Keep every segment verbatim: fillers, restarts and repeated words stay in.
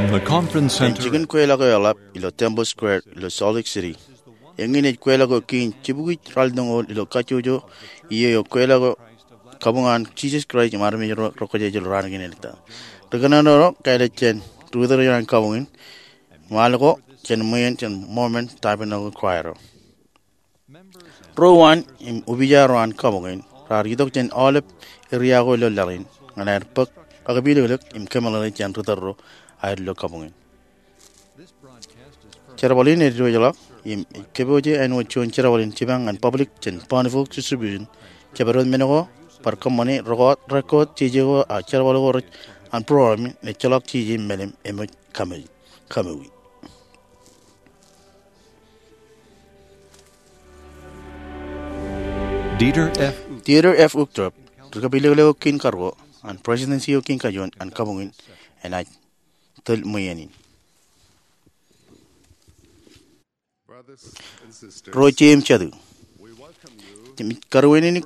The conference center. Jikin kweilọk eo eḷap ilo Temple Square ilo Salt Lake City. Eñin ej kweilọk eo kein jibukwi ralitōñoul ilo kajjojo iiō eo kweilọk eo kabuñ an Jisōs Kraist im armej ro rekwōjarjar ilo raan kein ej ta. Ri-kōnono ro kāālōt jān ri-utōr eo an kabuñ in, im al ko jān ṃwiin jān Mormon Tabernacle Choir eo. Ro uwaan im opija ro an kabuñ in raar itok jān aolep eria ko ilo laḷ in ñan aer bōk akpilōklōk im kōmeḷeḷe jān ri-utōr ro aer ilo kabuñ in. Jerbal in ej diwōjḷọk im ej kōpooje āinwōt juon jerbal in jipañ ñan public jān Bonneville Distribution, jabdewōt men ko bar kōṃṃani record, record jeje ko, ak jerbal ko rej an program in ejjeḷọk jeje im meḷeḷe im ej kōmij, kōmij. Dieter F. Dieter F. Uchtdorf, ri-kōpilōklōk eo kein karuo an Presidency eo kein kajuon an kabuñ in, enaaj tōl ṃwiin in. Ro ije im jatū, im karuwaineneik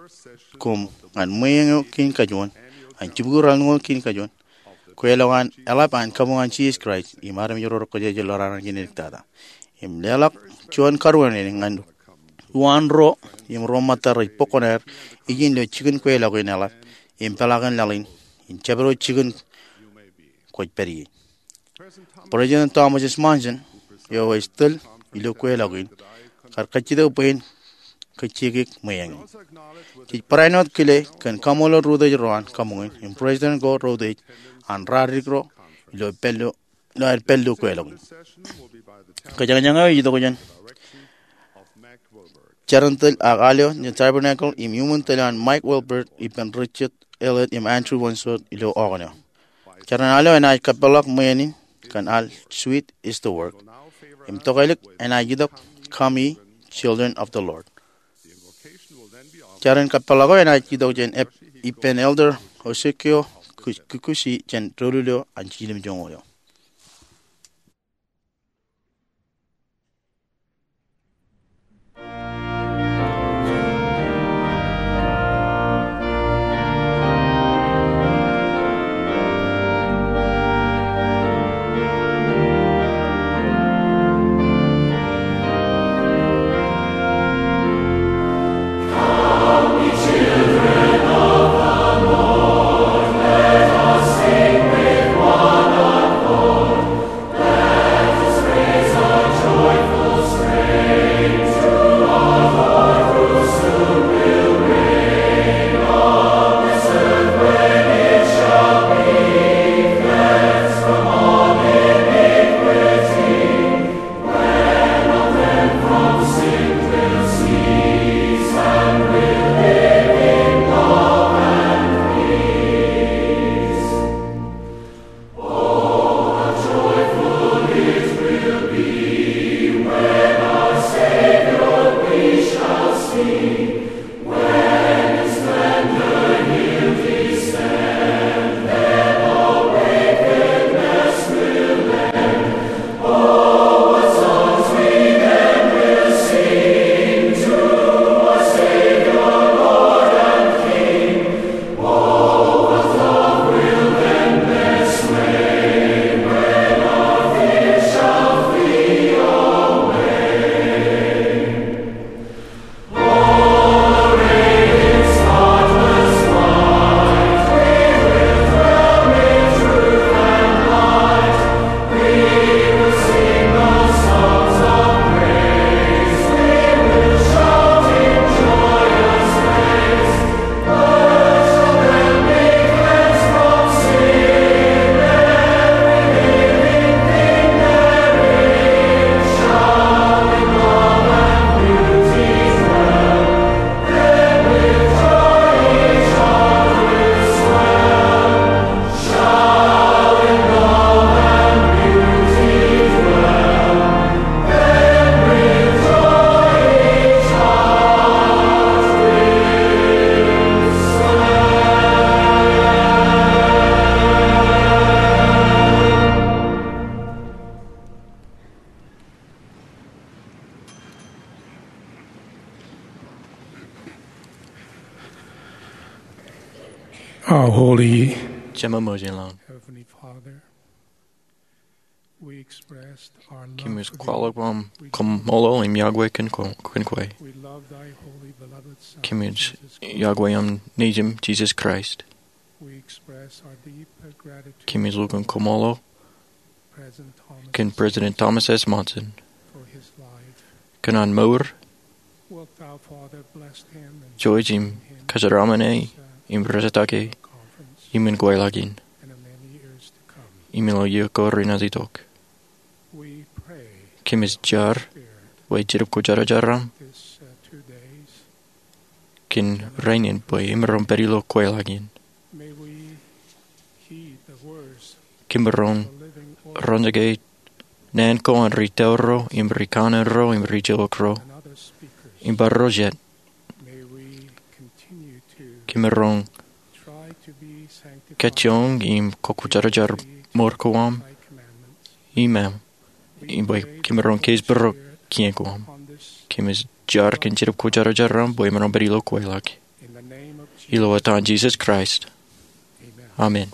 koṃ ñan ṃweeñ eo kein kajuon an jibukwi ralitōñoul kein kajuon kweilọk eo eḷap an kabuñ an Jisōs Kraist im armej ro rekwōjarjar ilo raan kein ej tata. Im leḷọk juon karuwaineneik ñan uwaan ro im ro ṃōtta rej bōk kuṇaer ijin ilo jikin kweilọk in eḷap im peḷaakin laḷ in, im jabdewōt jikin kwōj pād ie. President Thomas S. Monson, eo ej tōl ilo kweilọk in, kar kajjitōk bwe en kajjioñ ṃweeñ in. Jej barāinwōt kile kōn kaṃṃoolol ri-utōj ro an kabuñ in im president ko reutōj an ralitōk ro ilo pād ilo, ilo aer pād ilo kweilọk in. Kōjañjañ eo ej itok jān Jar in tōl ak al eo in Tabernacle im iuṃwin tōl eo an Mike Wilbert ippān Richard Elliott im Andrew Wentzel ilo Oregon eo. Jar in al eo enaaj kappōḷḷọk ṃwiin in kōn al Sweet Is the Work. Im tokālik enaaj itok Come Ye Children of the Lord. Jar in kappōḷḷọk eo enaaj itok jān ep-, ippān Elder Yosaki Ku-, Kikuchi jān doulul eo an jilimjuonñoul eo. Our holy Jememojelañ. Heavenly Father, Kōmij kwaḷọk aṃ kaṃṃoolol im yokwe kōn kwe. Kōmij yokwe aṃ Nejūṃ, Jisōs Kraist. Kōmij lukkuun kaṃṃoolol kōn President Thomas S. Monson kōn an mour, jouj im kōjeraaṃṃan e im rejetake e im in kweilọk in im ilo iiō ko renaaj itok. Kōmij jar bwe Jetōb Kwōjarjar aṃ kōn rainin bwe emaroñ pād ilo kweilọk in. Kōmaroñ roñjake naan ko an ri tōl ro im ri kanaan ro im ri jeḷọk ro im bar ro jet. Kōmaroñ kajjioñ im kwōjarjar mour ko aṃ im aṃ im bwe kōmaroñ keij bōro kien ko aṃ. Kōmij jar kōn Jetōb Kwōjarjar aṃ bwe emaroñ pād ilo kweilọk. Ilo etan Jisōs Kraist, amen.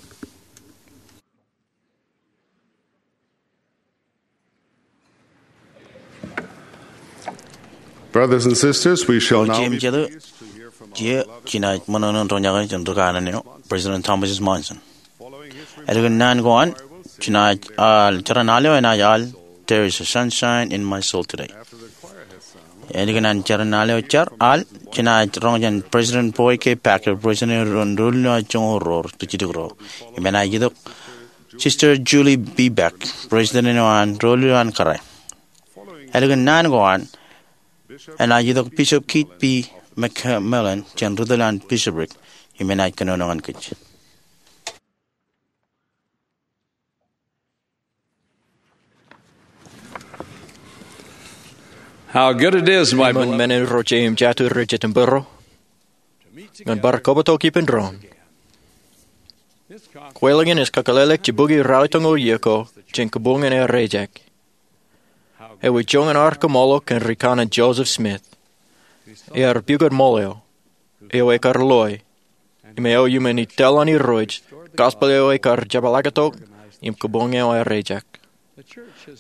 Brothers and sisters, we shall now be pleased to hear from our beloved Irooj im jatū, ijeṇ jinaaj ṃōṇōṇō in roñjake jān ri kanaan eo, President Thomas S. Monson. Ālikin naan ko an, jinaaj al jeran al eo enaaj al There Is a Sunshine in My Soul Today. Ālikin an jeran al eo ej al, jinaaj roñ jān President Boyd K. Packer, President eo an Doulul eo an Joñoul Roor, District ro, im enaaj itok Sister Julie B. Beck, President eo an Doulul eo an Kōrā. Ālikin naan ko an, enaaj itok Bishop Keith B. McMillan jān ri tōl eo an Bishopric, im enaaj kōnono ñan kōj. How good it is, my beloved, men in ro je im jatū rej jitōnbōro, ñan bar kabbokbok ippān doon. Kweilọk in ej kakōḷḷe ḷọk jibukwi ralitōñoul iiō ko jān kabuñ in aer ejak. Ewi joñan ad kaṃṃoolol kōn ri kanaan Joseph Smith, ear pukot ṃool eo, eo ekar loe, im eo iuṃwin itōn an Irooj, gospel eo ekar jepḷaaktok, im kabuñ eo aer ejak.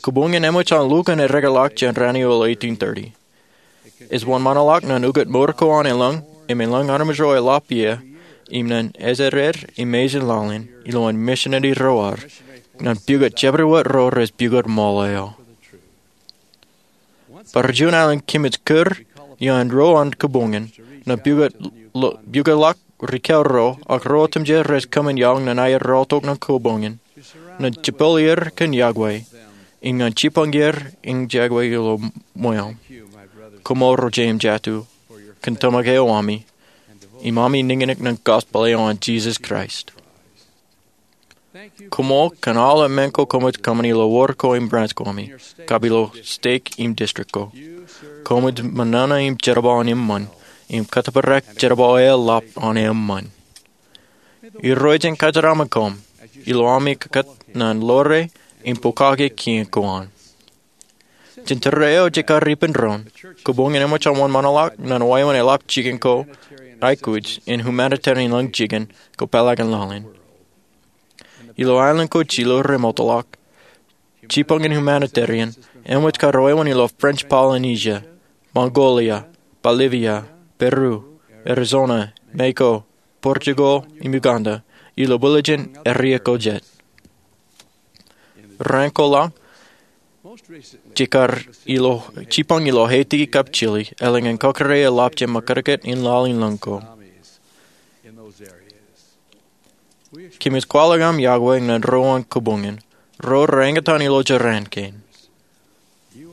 Kabuñ in eṃōj an lukkuun eddekḷọk jān raan eo ilo eighteen thirty. Ej wōnṃaanḷọk ñan ukōt mour ko an elōñ, im elōñ armej ro eḷap ie, im ñan ejjeḷọk im mejān laḷ in, ilowaan misineri ro ad, ñan pukot jabdewōt ro rej pukot ṃool eo. Bar juon alen kōmij kūr iaan ro an kabuñ in, ñan pukot lo-, pukotḷọk ri kāāl ro, ak ro otemjej rej kōṃṃan iaḷ ñan aer rọọltok ñan kabuñ in, ñan jepel er kōn yokwe, im ñan jipañ er in yokwe ilo ṃweo. Koṃṃool ro je im jatū, kōn tōmak eo ami, im ami niñniñ ñan gospel eo an Jisōs Kraist. Koṃṃool kōn aolep men ko koṃij kōṃṃan ilo wōd ko im branch ko ami, kab ilo stek im district ko. Koṃij ṃōṇōṇō im jerbal an eṃṃan, im kōttōpar jerbal eḷap an eṃṃan. Irooj en kōjeraaṃṃan koṃ, ilo ami kōkōt ñan ḷoore im pokake kien ko an. Jān tōre eo jekar ippān doon, kabuñ in eṃōj an wōnṃaanḷọk ñan wāween eḷap jikin ko aikuj in humanitarian lōñ jikin ko peḷaakin laḷ in. Ilo aelōñ ko jilu remootḷọk, jipañ in humanitarian eṃōj kar wāween ilo French Polynesia, Mongolia, Bolivia, Peru, Arizona, Mexico, Portugal, im Uganda, ilo bwiljin eria ko jet. Raan ko laḷ, jekar ilo, jipañ ilo Haiti kab Chile, eḷaññe kōkōrā eḷap jān ṃōkajkāt in laḷ in lōñ ko. Kōmij kwaḷọk aṃ yokwe ñan ro an kabuñ in, ro renaaj eñtaan ilo jeraan kein.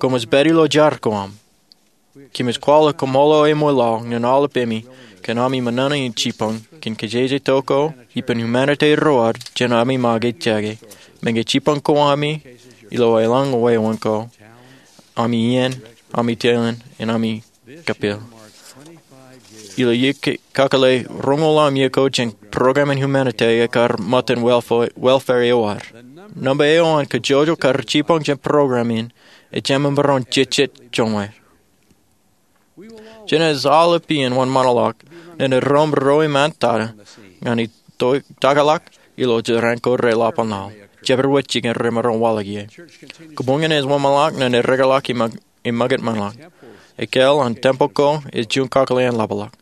Koṃij pād ilo jar ko aṃ. Kōmij kwaḷọk kaṃṃoolol eṃṃan laḷ ñan aolep ami kōn ami ṃōṇōṇō in jipañ kōn kōjeje to ko ippān humanitarian ro ad jān ami make jake, meñe jipañ ko ami ilo elōñ wāween ko, ami iien, ami tōl in, im ami kapeel. Ilo iiō ke-, kakōḷḷe roñoul ḷalem iiō ko jān program in humanitarian ekar ṃōttan welfare, welfare eo ad. Nōṃba eo an kajjojo kar jipañ jān program in, ejāmin maroñ jejjet joñoul. Jenaaj aolep iien wōnṃaanḷọk ñan eddoṃ ro iṃaan tata ñan itoitakḷọk ilo jeraan ko reḷap an laḷ. jabdewōt jikin remaroñ waḷọk ie. Kōṃṃan ej wōnṃaanḷọk ñan ereḷọk im ṃōkaj ṃōṇōḷọk. Ekāāl an tempel ko ej juon kakōḷḷe in ḷapḷọk.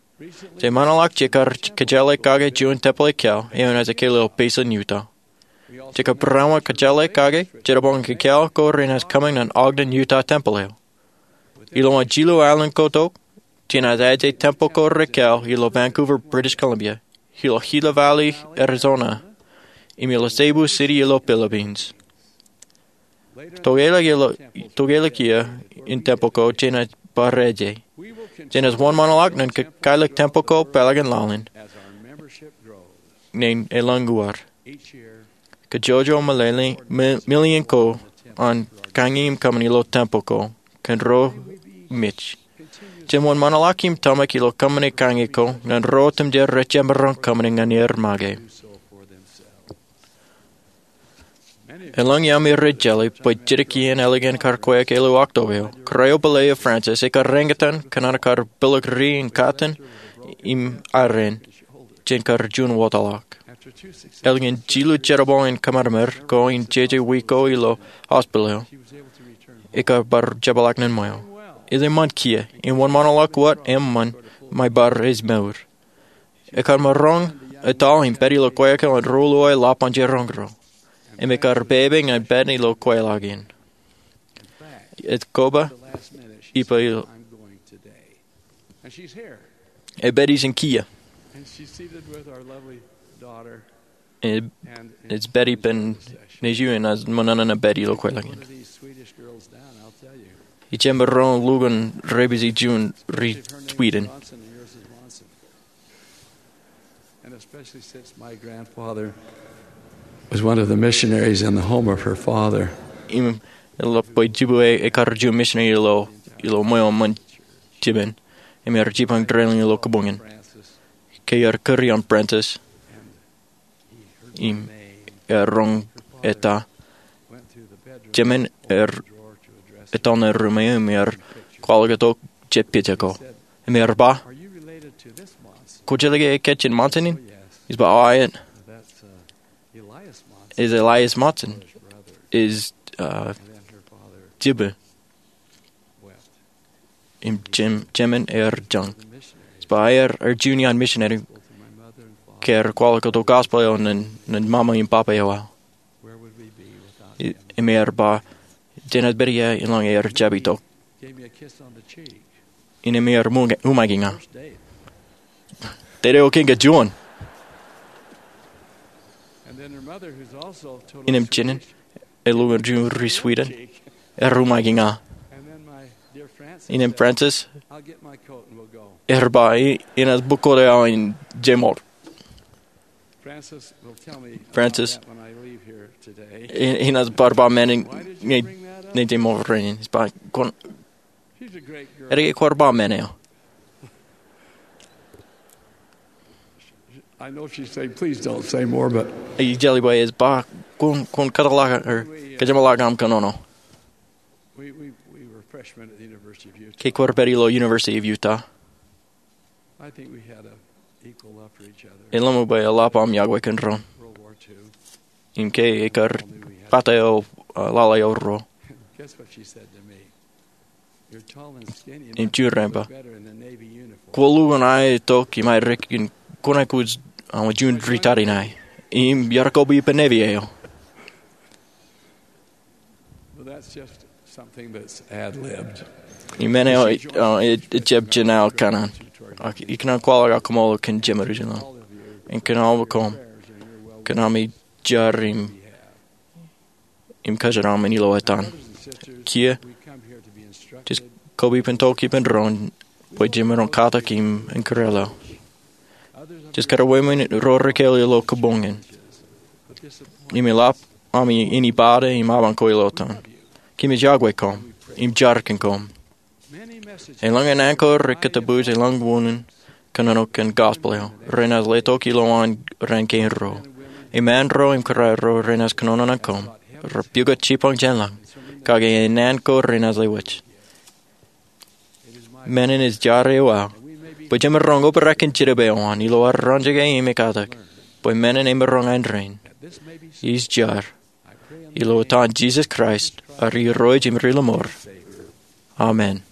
Jeṃaanḷọk jekar kōjeḷā kake juon tempel ekāāl eo enaaj ekāāl ilo Payson, Utah. Jekar barāinwōt kōjeḷā kake jerbal in ekāāl ko renaaj kōṃṃan ñan Ogden Utah Tempel eo. Ilo an jilu alen ko tok, jenaaj aje tempel ko rekāāl ilo Vancouver, British Columbia, ilo Gila Valley, Arizona, im ilo Cebu City ilo Philippines. Tokālik ilo, tokālik iiō in tempel ko jenaaj bar aje. Jenaaj wōnṃaanḷọk ñan kōkaḷọk tempel ko peḷaakin laḷ in āne elōñ uwaar. Kajjojo million, million ko an kañi im kōṃṃani ilo tempel ko kōn ro mej. Jemaroñ wōnṃaanḷọk im tōmak ilo kōṃṃani kañi ko ñan ro otemjej rej jemaroñ kōṃṃani ñan er make. Elōñ iaami rej jeḷā bwe jidik iien ālikin kar kweok ilo October eo, Kōrā eo Pāle eo Francis ekar eñtaan kōn an kar pilōk ri in katakin im arein jān kar juon wōtlọk. Ālikin jilu jerbal in kōmāmāer ko im jeje wiik ko ilo hospital eo, ekar bar jepḷaak ñan ṃweo. Ej eṃṃan kiiō, im wōnṃaanḷọk wōt eṃṃan, im bar ej mour. Ekar maroñ etal im pād ilo kweok eo an ruo lowā ḷap an jiroñ ro. Im ekar pepe ñan pād ilo kweilọk in. Ej koba, ippa ilo, ej pād ijin kiiō. Ej, ej pād ippān nejū im enaaj ṃōṇōṇō ñan pād ilo kweilọk in. Ij jemaroñ lukkuun repeat juon ri Sweden. And especially since my grandfather was one of the missionaries in the home of her father. Im eḷap bwe jibwe ekar juon misineri ilo, ilo ṃweo ṃōn jipen. Im er jipañ trailer ilo kōbōñōn. Ke er kūr iaan Francis. Im er roñ eta. Jemān er etal ṇe ruum eo im er kwaḷọk tok jab pija ko. Im er ba, "Kwōjeḷā ke ekāāl jān Monson in?" Ij ba, "Aet." "Ej Elias Monson. Ej, uh, jibwe." Im jemān er jañ. Ij ba, "Aer, er juon iaan misineri ke er kwaḷọk tok gospel eo ñan, ñan ṃaṃa im papa eo aō." Im er ba, "Jenaaj pād ia elōñ aer jab itok?" Innām er umaiki ña. Tōre eo kein kajuon. Innām jenaaj, elukkuun juon ri Sweden, er umaiki ña. Innām Francis, er ba, "Inaaj bōk kote eo im jeṃor." Francis, i-, inaaj bar ba men in ñe, ñe jeṃor rainin. Ij ba, "Kwōn, edike kwōj bar ba men eo." Ij jeḷā bwe ej ba, "Kwōn, kwōn kōtḷọk, er, kōjeṃḷọk aṃ kōnono." Ke kwōj pād ilo University of Utah, ij ḷōmṇak bwe eḷap aṃ yokwe kōn doon. Im ke ekar pata eo, uh, lale eo ruo. Im juon eo ej ba, "Kwō lukkuun aō tok im aō dik im kwōnaaj kōj, uh, juon ri tariṇae." Im iar koba ippān Navy eo. Im men eo, uh, ej, ej jab jān aō kanaan. Ak ikōṇaan kwaḷọk aō koṃṃool kōn jeṃaduuj ṇe. Im kōn aō koṃ. Kōn ami jar im, im kōjeraṃṃan ilo etan. Kiiō, jej koba ippān tok ippān doon, bwe jemaroñ katak im, im kōrā ḷọk. Jej kōrā wōt men ro rekāāl ilo kōbōñōn. Im eḷap ami āne ippa im apañ ko ilo etan. Kōmij yokwe koṃ, im jar kōn koṃ. Elōñ āne ko rekatōpoj elōñ unin kōnono kōn gospel eo, renaaj letok ilowaan raan kein ruo. Im āinro im kōrā ro renaaj kōnono ñan koṃ, rej pukot jipañ jān lañ, kake āne ko renaaj lewōj. Men in ej jar eo aō, bwe jemaroñ obrak kōn jidik eo an, ilo ad roñjake im ekatak, bwe men in emaroñ āindein. Ij jar. Ilo etan Jisōs Kraist, ri Irooj im ri Ḷōmor. Amen.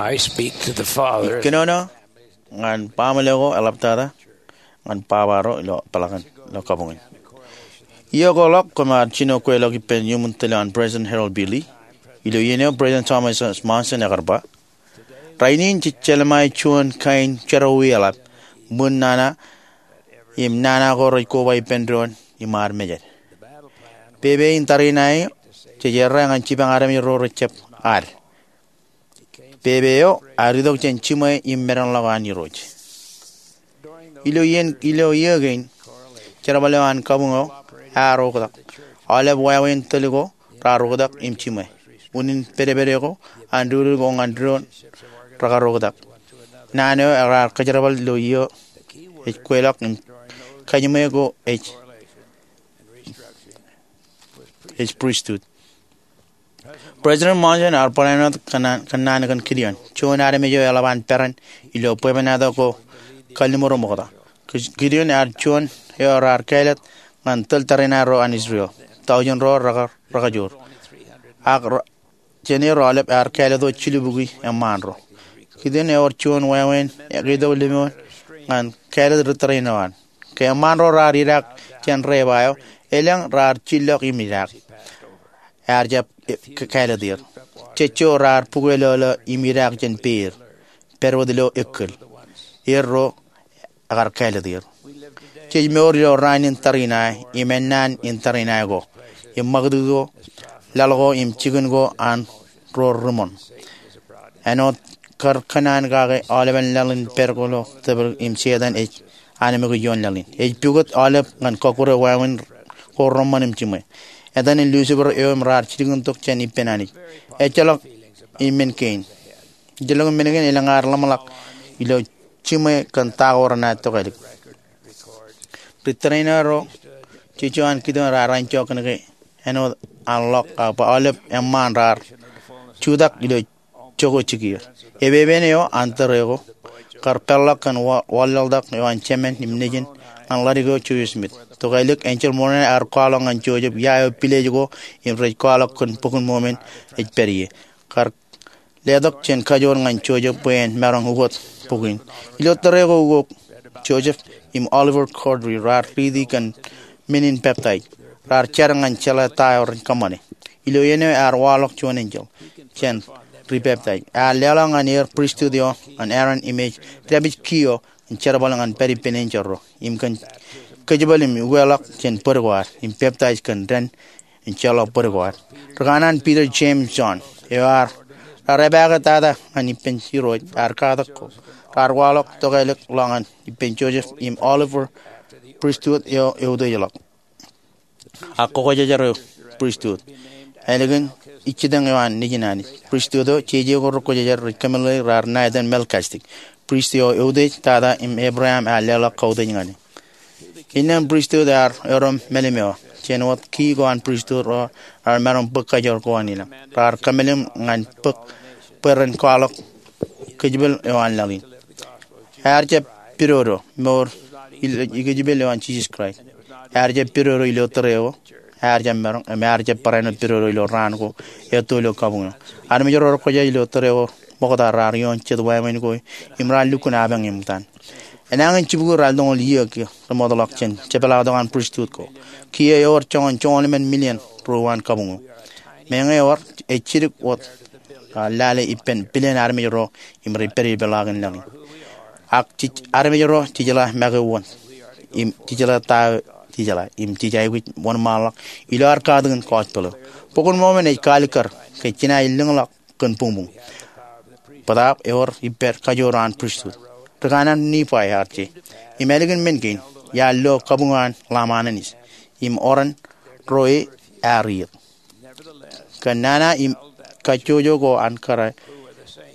I speak to the fathers. Ikōnono ñan baaṃle ko eḷaptata ñan baba ro ilo peḷaakin ilo kabuñ in. Iiō ko ḷọk koṃ ar jino kweilọk ippān iuṃwin tōl eo an President Harold B. Lee. Ilo iien eo President Thomas S. Monson ekar ba, rainin jej jelṃae juon kain jerọwiwi eḷap, ṃwiin nana im nana ko rej koba ippān doon im ad mejed. Pepe in tariṇae eo jej errā ñan jipañ armej ro rejjab ad. Pepe eo ear itok jān jiṃwe im medenḷọk an Irooj. Ilo iien, ilo iiō kein, jerbal eo an kabuñ eo ear oktak. Aolep wāween tōl ko raar oktak im jiṃwe. Unin pedped ko, an dudud ko ñan doon rekar oktak. Naan eo raar kōjerbal ilo iiō ej kweilọk im kajiṃwe ko ej, ej pristut. President Monson ear barāinwōt kōnnaan, kōnnaan kōn Gideon, juon armej eo eḷap an peran ilo bwebwenato ko kalliṃur im oktak. Gideon ear juon eo raar kāālōt ñan tōl tariṇae ro an Israel. Tọujin ro rekar, rekajoor. Ak ra, jān er aolep ear kāālōt wōt jilubukwi eṃṃaan ro. Gideon ewōr juon wāween ekketok lemñoul ñan kāālōt ri tōre eo an. Ke eṃṃaan ro raar idaak jān reba eo, elōñ raar jillọk im idaak. Ear jab, e, k-, kāālōt er. Jejjo raar bukweilọlọ im idaak jān peer, pād wōt ilo ekkōl. er ro ekar kāālōt er. Jej mour ilo raan in tariṇae im ennaan in tariṇae ko im ṃakūtkūt ko, laḷ ko im jikin ko an ro ri-ṃoṇ. Āinwōt kar kōṇaan kake aolepen laḷ in pād ko ilo tōprak im Setan ej anemkwōj ioon laḷ in. Ej pukot aolep ñan kọkkure wāween ko reṃṃan im jiṃwe. Etan in Lucifer eo im raar jilkintok jān ippān Anij. Ejjeḷọk men kein. Ejjeḷọk men kein elōñ ad ḷōmṇak ilo jiṃwe kōn ta ko renaaj tokālik. Ri tariṇae ro, jeje an kōtōn raar anjọ kōnke āinwōt an ḷọk bwe aolep eṃṃaan raar jutak ilo jokwe jikier. Epepen eo an tōre ko kar peḷḷọk kōn wa-, wanlaḷtak eo an Jemān im Nejin ñan ḷadik eo Joseph Smith. Tokālik enjeḷ Mormon ear kwaḷọk ñan Joseph ia eo pilej ko im rej kwaḷọk kōn Bok in Mormon ej pād ie. Kar letok jān kajoor ñan Joseph bwe en maroñ ukot bok in. Ilo tōre ko ukok, Joseph im Oliver Cowdery raar riiti kōn men in peptaij. Raar jar ñan jeḷā ta eo ren kōṃṃane. Ilo iien eo ear waḷọk juon enjeḷ jān ri peptaij. Ear leḷọk ñan er pristut eo an Aaron im ej dāpij kiiō im jerbal ñan pād ippān enjeḷ ro im kōn kōjepel im ukeḷọk jān bōd ko ad im peptaij kōn dān im jeḷọk bōd ko ad. Ri kanaan Peter, James, John eo raar epaake tata ñan ippān Irooj ear katak ko raar waḷọk tokālik ḷọk ñan ippān Joseph im Oliver pristut eo eutiejḷọk ak kwōkwōjarjar eo pristut ālikin ijjitōñ eo an Nejin Anij. Pristut eo jeje ko rekwōjarjar rej kōmeḷeḷeik raar ṇa etan Melchizedek, prist eo eutiej tata im Abraham ear leḷọk kautiej ñan e. Innām pristut ear erom melim eo, jān wōt kii ko an pristut ro raar maroñ bōk kajoor ko an ilañ. Raar kōmelim ñan bōk bwe ren kwaḷọk kōjepel eo an laḷ in. Ear jab pidodo mour ilo ikōjepel eo an Jisōs Kraist. Ear jab pidodo ilo tōre ko. Ear jab maroñ im ear jab barāinwōt pidodo ilo raan ko etto ilo kabuñ eo. Armej ro rekwōjarjar ilo tōre ko ṃokta raar ioon jet wāween ko im raar lukkuun apañ eṃōj an enañin jibukwi raar toñoul iiō ke remootḷọk jān jepḷaaktok an pristut ko. Kiiō ewōr joñan joñoul emān million ruo an kabuñ eo. Meñe ewōr ej jidik wōt, a, lale ippān billion armej ro im rej pād ilo peḷaakin laḷ in. Ak jej armej ro jejeḷā make wōn im jejeḷā ta eo jejeḷā im jej aikuj wōnṃaanḷọk ilo ad katakin gospel eo. Bok in Mormon ej kaalikkar ke jenaaj lōñḷọk kōn buñbuñ. Bōtaab ewōr ippād kajoor an pristut. Ri kanaan Nifai ear je. Im ālikin men kein, iar lo kabuñ an Lamb an Anij im oran ro e ear iiet. Kōn nana im kajjojo ko an kōrā,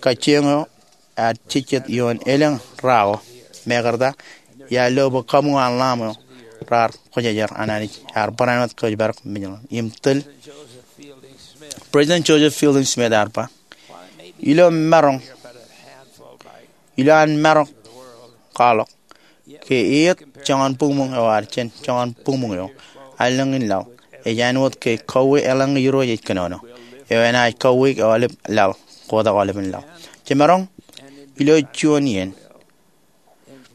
kajjioñ eo ear jejjet ioon elōñ ra ko. Mekarta iar lo bwe kabuñ an Lamb eo raar kwōjarjar an Anij ear barāinwōt kōjparok mejaḷ im tōl. President Joseph Fielding Smith ear ba, ilo maroñ, ilo an maroñ kwaḷọk ke eiet joñan buñbuñ eo ad jān joñan buñbuñ eo an lañ in laḷ, ej āinwōt ke kauwe eḷaññe Irooj ej kōnono, eo enaaj kauwe aolep laḷ, kotak aolepen laḷ. Jemaroñ ilo juon iien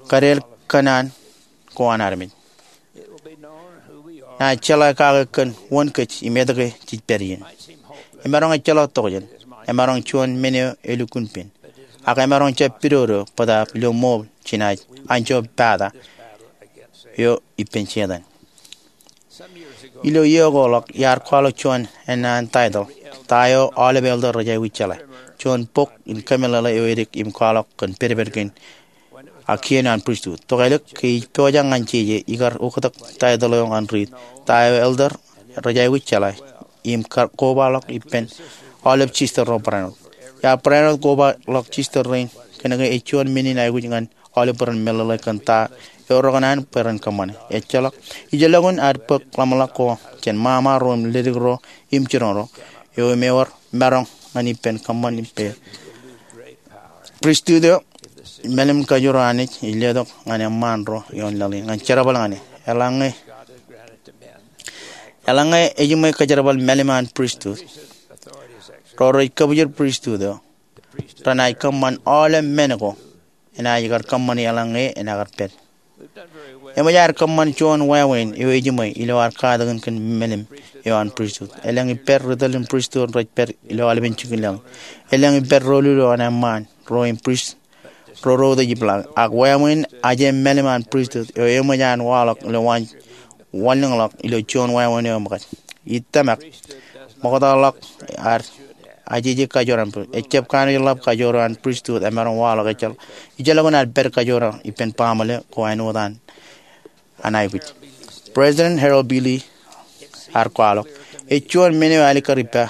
kadeel kōṇaan ko an armej. Naaj jeḷā kake kōn wōn kōj im etke jej pād ien. Emaroñ ejjeḷọk tokjān, emaroñ juon men eo elukkuun pen, ak emaroñ jab pidodo bōtaab ilo ṃool jenaaj anjọ pata eo ippān Setan. Ilo iiō ko ḷọk iar kwaḷọk juon ennaan taitōḷ, Ta Eo Aolep Elder Rej Aikuj Jeḷā, juon bok in kōmeḷeḷe eo edik im kwaḷọk kōn pedped kein ak kien an pristut. Tokālik ke ij pojak ñan jeje ikar oktak taitōḷ eo ñan riit, Ta Eo Elder Rej Aikuj Jeḷā, im kar kobaḷọk ippān aolep sister ro barāinwōt. Iar barāinwōt kobaḷọk sister rein kōnke ej juon men in aikuj ñan aolep ren meḷeḷe kōn ta eo rekōṇaan bwe ren kōṃṃane. Ejjeḷọk, ijellọkun ad bōk ḷōmṇak ko jān ṃaṃa ro im ledik ro im jiroñ ro, eo im ewōr maroñ ñan ippān kōṃṃan ippān pristut eo. Mālim kajoor Anij ej letok ñan eṃṃaan ro ioon laḷ in ñan jerbal ñan e. Eḷaññe, eḷaññe ejiṃwe kōjerbal mālim an pristut, ro rej kōbwijin pristut eo renaaj kōṃṃan aolep men ko enaaj kar kōṃṃani eḷaññe enaaj kar pād. Eṃōj ad kōṃṃan juon wāween eo ejiṃwe ilo ad katakin kōn mālim eo an pristut. Elōñ ippād ri tōl in pristut rej pād ilo aolepen jikin laḷ in. Elōñ ippād doulul eo an eṃṃaan ro im prist roro ej jibḷaak. Ak wāween ajemālim an pristut eo eṃōj an waḷọk ilo waan wanlōñḷọk ilo juon wāween eo ṃōkaj. Ij tōmak ṃoktaḷọk ad ajeje kajoor an pristut. Ejjab kanooj ḷap kajoor an pristut emaroñ waḷọk ejjeḷọk, ejjeḷọk an ad pād kajoor ippān baaṃle ko āinwōt an an aikuj. President Harold B. Lee ear kwaḷọk, ej juon men eo alikkar ippa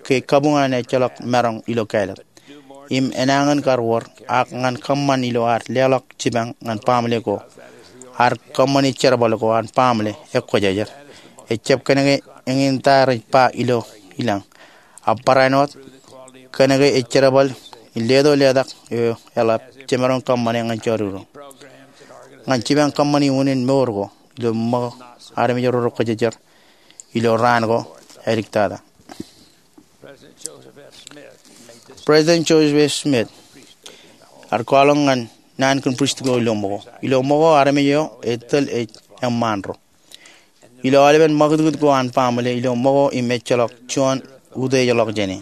ke kabuñ an ejjeḷọk maroñ ilo kāālōt im enañin kar wōr, ak ñan kōṃṃan ilo ad leḷọk jipañ ñan baaṃle ko, ad kōṃṃani jerbal ko an baaṃle ekwōjarjar. Ejjab kōnke eñin ta rej ba ilo ilañ, ak barāinwōt kōnke ej jerbal in leto letak eo eḷap jemaroñ kōṃṃane ñan jọdikdik ro, ñan jipañ kōṃṃani unin mour ko ilo ṃōko armej ro rekwōjarjar ilo raan ko āliktata. President Joseph F. Smith ear kwaḷọk ñan naan kōn pristut ko ilo ṃōko. Ilo ṃōko armej eo etōl ej eṃṃaan ro. Ilo aolepen ṃakūtkūt ko an baaṃle ilo ṃōko im ejjeḷọk juon utiejḷọk jāne.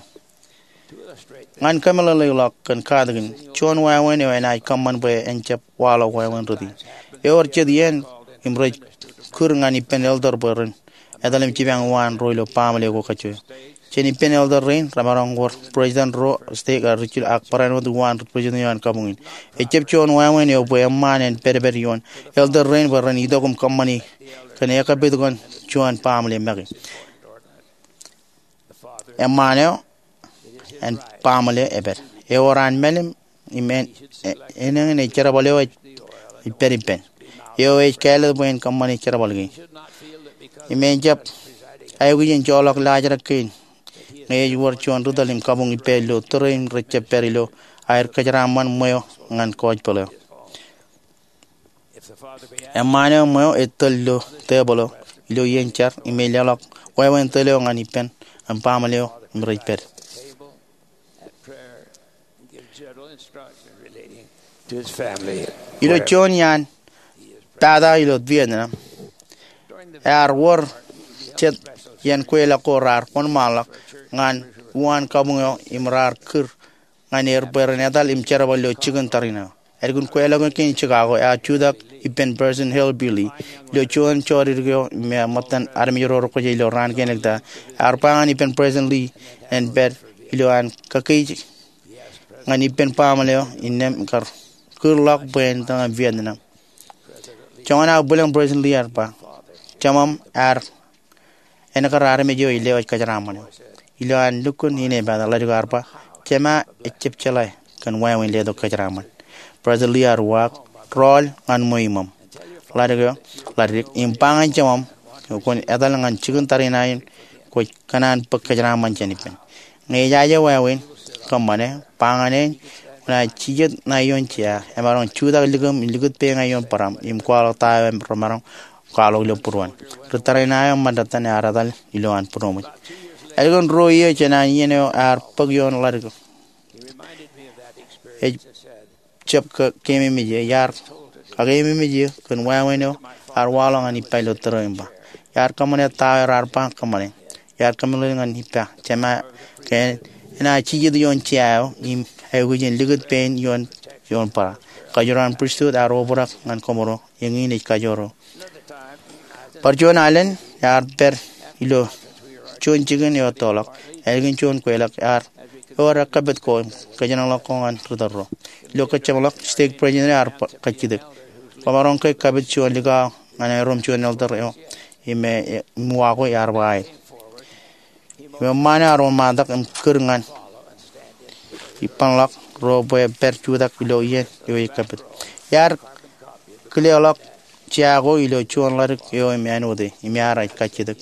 Ñan kōmeḷeḷeikḷọk kōn katakin, juon wāween eo enaaj kōṃṃan bwe en jab waḷọk wāween rot in. Ewōr jet iien im rej kūr ñan ippān elder bwe ren etal im jipañ uwaan ro ilo baaṃle ko kajjojo. Jān ippān elder rein remaroñ wōr president ro stek eo rijjilōk ak barāinwōt uwaan president eo an kabuñ in. Ejjab juon wāween eo bwe eṃṃaan en pedped ioon elder rein bwe ren itok im kōṃṃani kōn ekkapit ko an juon baaṃle make. Eṃṃaan eo an baaṃle epād. Ewōr an mālim im en, e, enañin ej jerbal eo ej, ej pād ippān. Eo ej kāālōt bwe en kōṃṃane jerbal kein. Im en jab aikuj in joḷọk laajrak kein ñe ej wōr juon ri tōl im kabuñ ippāer ilo tōre im rejjab pād ilo aer kōjeraaṃṃan ṃweo ñan gospel eo. Eṃṃaan eo ṃweo ej tōl ilo tebōḷ eo ilo iien jar im ej leḷọk wāween tōl eo ñan ippān an baaṃle eo im rej pād. Ilo juon iaan pata ilo Vietnam, ear wōr jet iien kweilọk ko raar wōnṃaanḷọk ñan uwaan kabuñ eo im raar kūr ñan er bwe ren etal im jerbal ilo jikin tariṇae eo. Ālikin kweilọk eo kein Chicago, ear jutak ippān President Harold B. Lee ilo juon jọdikdik eo im eṃṃan armej ro rekwōjarjar ilo raan kein āliktata. Ear ba ñan ippān President Lee en pād ilo an kakeij ñan ippān baaṃle eo innām kar kūrḷọk bwe en tōñan Vietnam. Joñan aō bwilōñ, President Lee ear ba, Jemām ear enōkar armej eo ej lewōj kōjeraaṃṃan eo. Ilo an lukkuun inepata, ḷadik eo ear ba, Jema ejjab jeḷā kōn wāween letok kōjeraaṃṃan. President Lee ear uwaak, Rọọl ñan ṃweo iṃōṃ, ḷadik eo, ḷadik, im ba ñan jemām kwōn etal ñan jikin tariṇae in kwōj kōṇaan bōk kōjeraaṃṃan jān ippān. Ñe ejaje wāween kōṃṃane, ba ñan e, kwōnaaj jijet ṇae ioon jea, emaroñ jutak likūṃ im likūt peeñe ioon bōraṃ im kwaḷọk ta eo remaroñ kwaḷọk ilo būruon. Ri tariṇae eo ṃōttatan ear etal ilo an būroṃōj. Ālikin ruo iiō jān an iien eo ear bōk ioon ḷadik eo, ej jab kakeememej eō. Iar kakeememej eō kōn wāween eo ear waḷọk ñan ippa ilo tōre im ba, iar kōṃṃane ta eo raar ba kōṃṃane. Iar kōmeḷeḷeik ñan ippa, Jema, ke enaaj jijet ioon jea eo im aikuj in likūt pein ioon, ioon bōra. Kajoor an pristut ear obrak ñan koṃro, eñin ej kajoor eo. Bar juon alen ear pād ilo juon jikin eo ettoḷọk. Ālikin juon kweilọk, ear ewōr ekkapit ko im kōjenolọk ko ñan ri tōl ro. Ilo kōjjeṃḷọk, stake president eo ear ba, kajjitōk, Kwōmaroñ ke ekkapit juon likao ñan aerro im juon elder eo im, e, im uwaak ear ba aet. Im eṃṃaan eo ear wōnṃaantak im kūr ñan ippānḷọk ro bwe pād jutak ilo iien eo ekkapit. Iar kileḷọk jea ko ilo juon ḷadik eo im āinwōt e, im ear kajjitōk.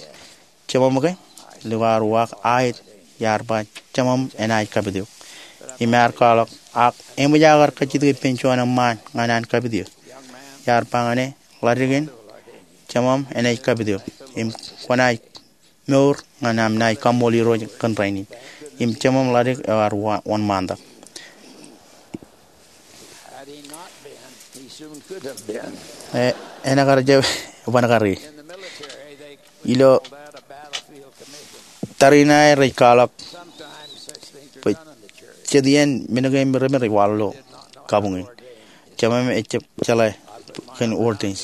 Jemām ke? Likao ear uwaak aet. Iar ba, Jemām enaaj kapit eok. Im ear kwaḷọk, ak eṃōj aō kar kajjitōk ippān juon eṃṃaan ñan an kapit eō? Iar ba ñan e, Ḷadik in, jemām enaaj kapit eok. Im kwōnaaj mour ñan am naaj kaṃṃool Irooj kōn rainin. Im jemām ḷadik eo ear wa-, wōnṃaantak. Had he not been, he soon could have been. E, en kar jab, ban kar e. In the military, they Ilo call that a battlefield commission. Tariṇae rej kwaḷọk. Sometimes such things are done in the church. Bwe jet iien men kein im rein rej waḷọk ilo did not know how to kabuñ in ordain. Jemem ejjab jeḷā kōn ordain.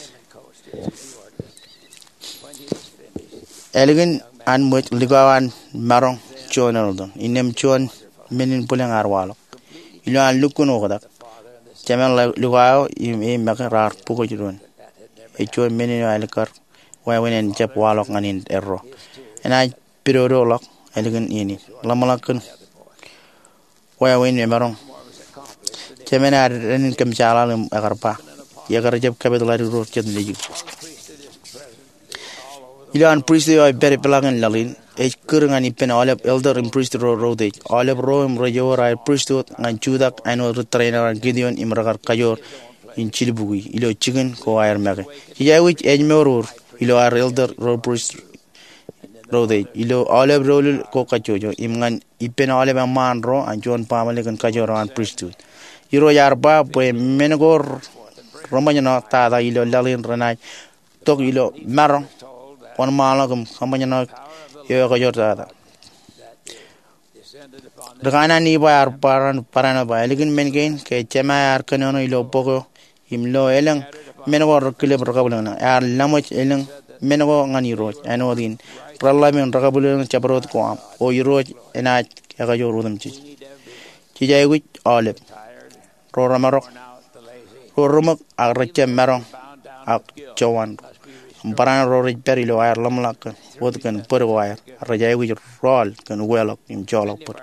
Ālikin an ṃōj likao an maroñ juon elder innām juon men in bwilōñ ear waḷọk. Ilo an lukkuun oktak, jemān likao eo im e make raar bukwōj doon. Ej juon men eo ālikkar wāween en jab waḷọk ñan erro. Enaaj pidodoḷọk ālikin iien in. Ḷōmṇak kōn wāween emaroñ. Jemān ear dān in kōmjeḷaḷ im ekar ba, ekar jab kapit ḷadik ro jet nejū. Ilo an pristut eo ej pād ipḷaak in laḷ in, ej kūr ñan ippān aolep elder im prist ro ro utiej. Aolep ro im rej ewōr aer pristut ñan jutak āinwōt ri tōrein eo an Gideon im rekar kajoor in jilbuki ilo jikin ko aer make. Jej aikuj ājmour ilo aer elder ro prist ro utiej, ilo aolep doulul ko kajjojo, im ñan ippān aolep eṃṃaan ro an juon baaṃle kōn kajoor eo an pristut. Irooj ear ba bwe men ko reṃōjṇọ tata ilo laḷ in renaaj tok ilo maroñ, wōnṃaanḷọk im kaṃōjṇọ eo ekajoor tata. Ri kanaan Nifai ear barāinwōt ba, ālikin men kein, ke Jema ear kōnono ilo bok eo im lo elōñ men ko rekilep rekabwilōñlōñ, ear laṃōj elōñ men ko ñan Irooj āinwōt in reḷḷap in rekabwilōñlōñ jabdewōt ko aṃ, o Irooj enaaj ekajoor otemjej. Jej aikuj aolep ro remarok, ro reṃōk ak rejjab maroñ ak jowan ro, im barāinwōt ro rej pād ilo aer ḷōmṇak kōn wōt kōn bōd ko aer, rej aikuj rọọl kōn uweḷọk im joḷọk bōd.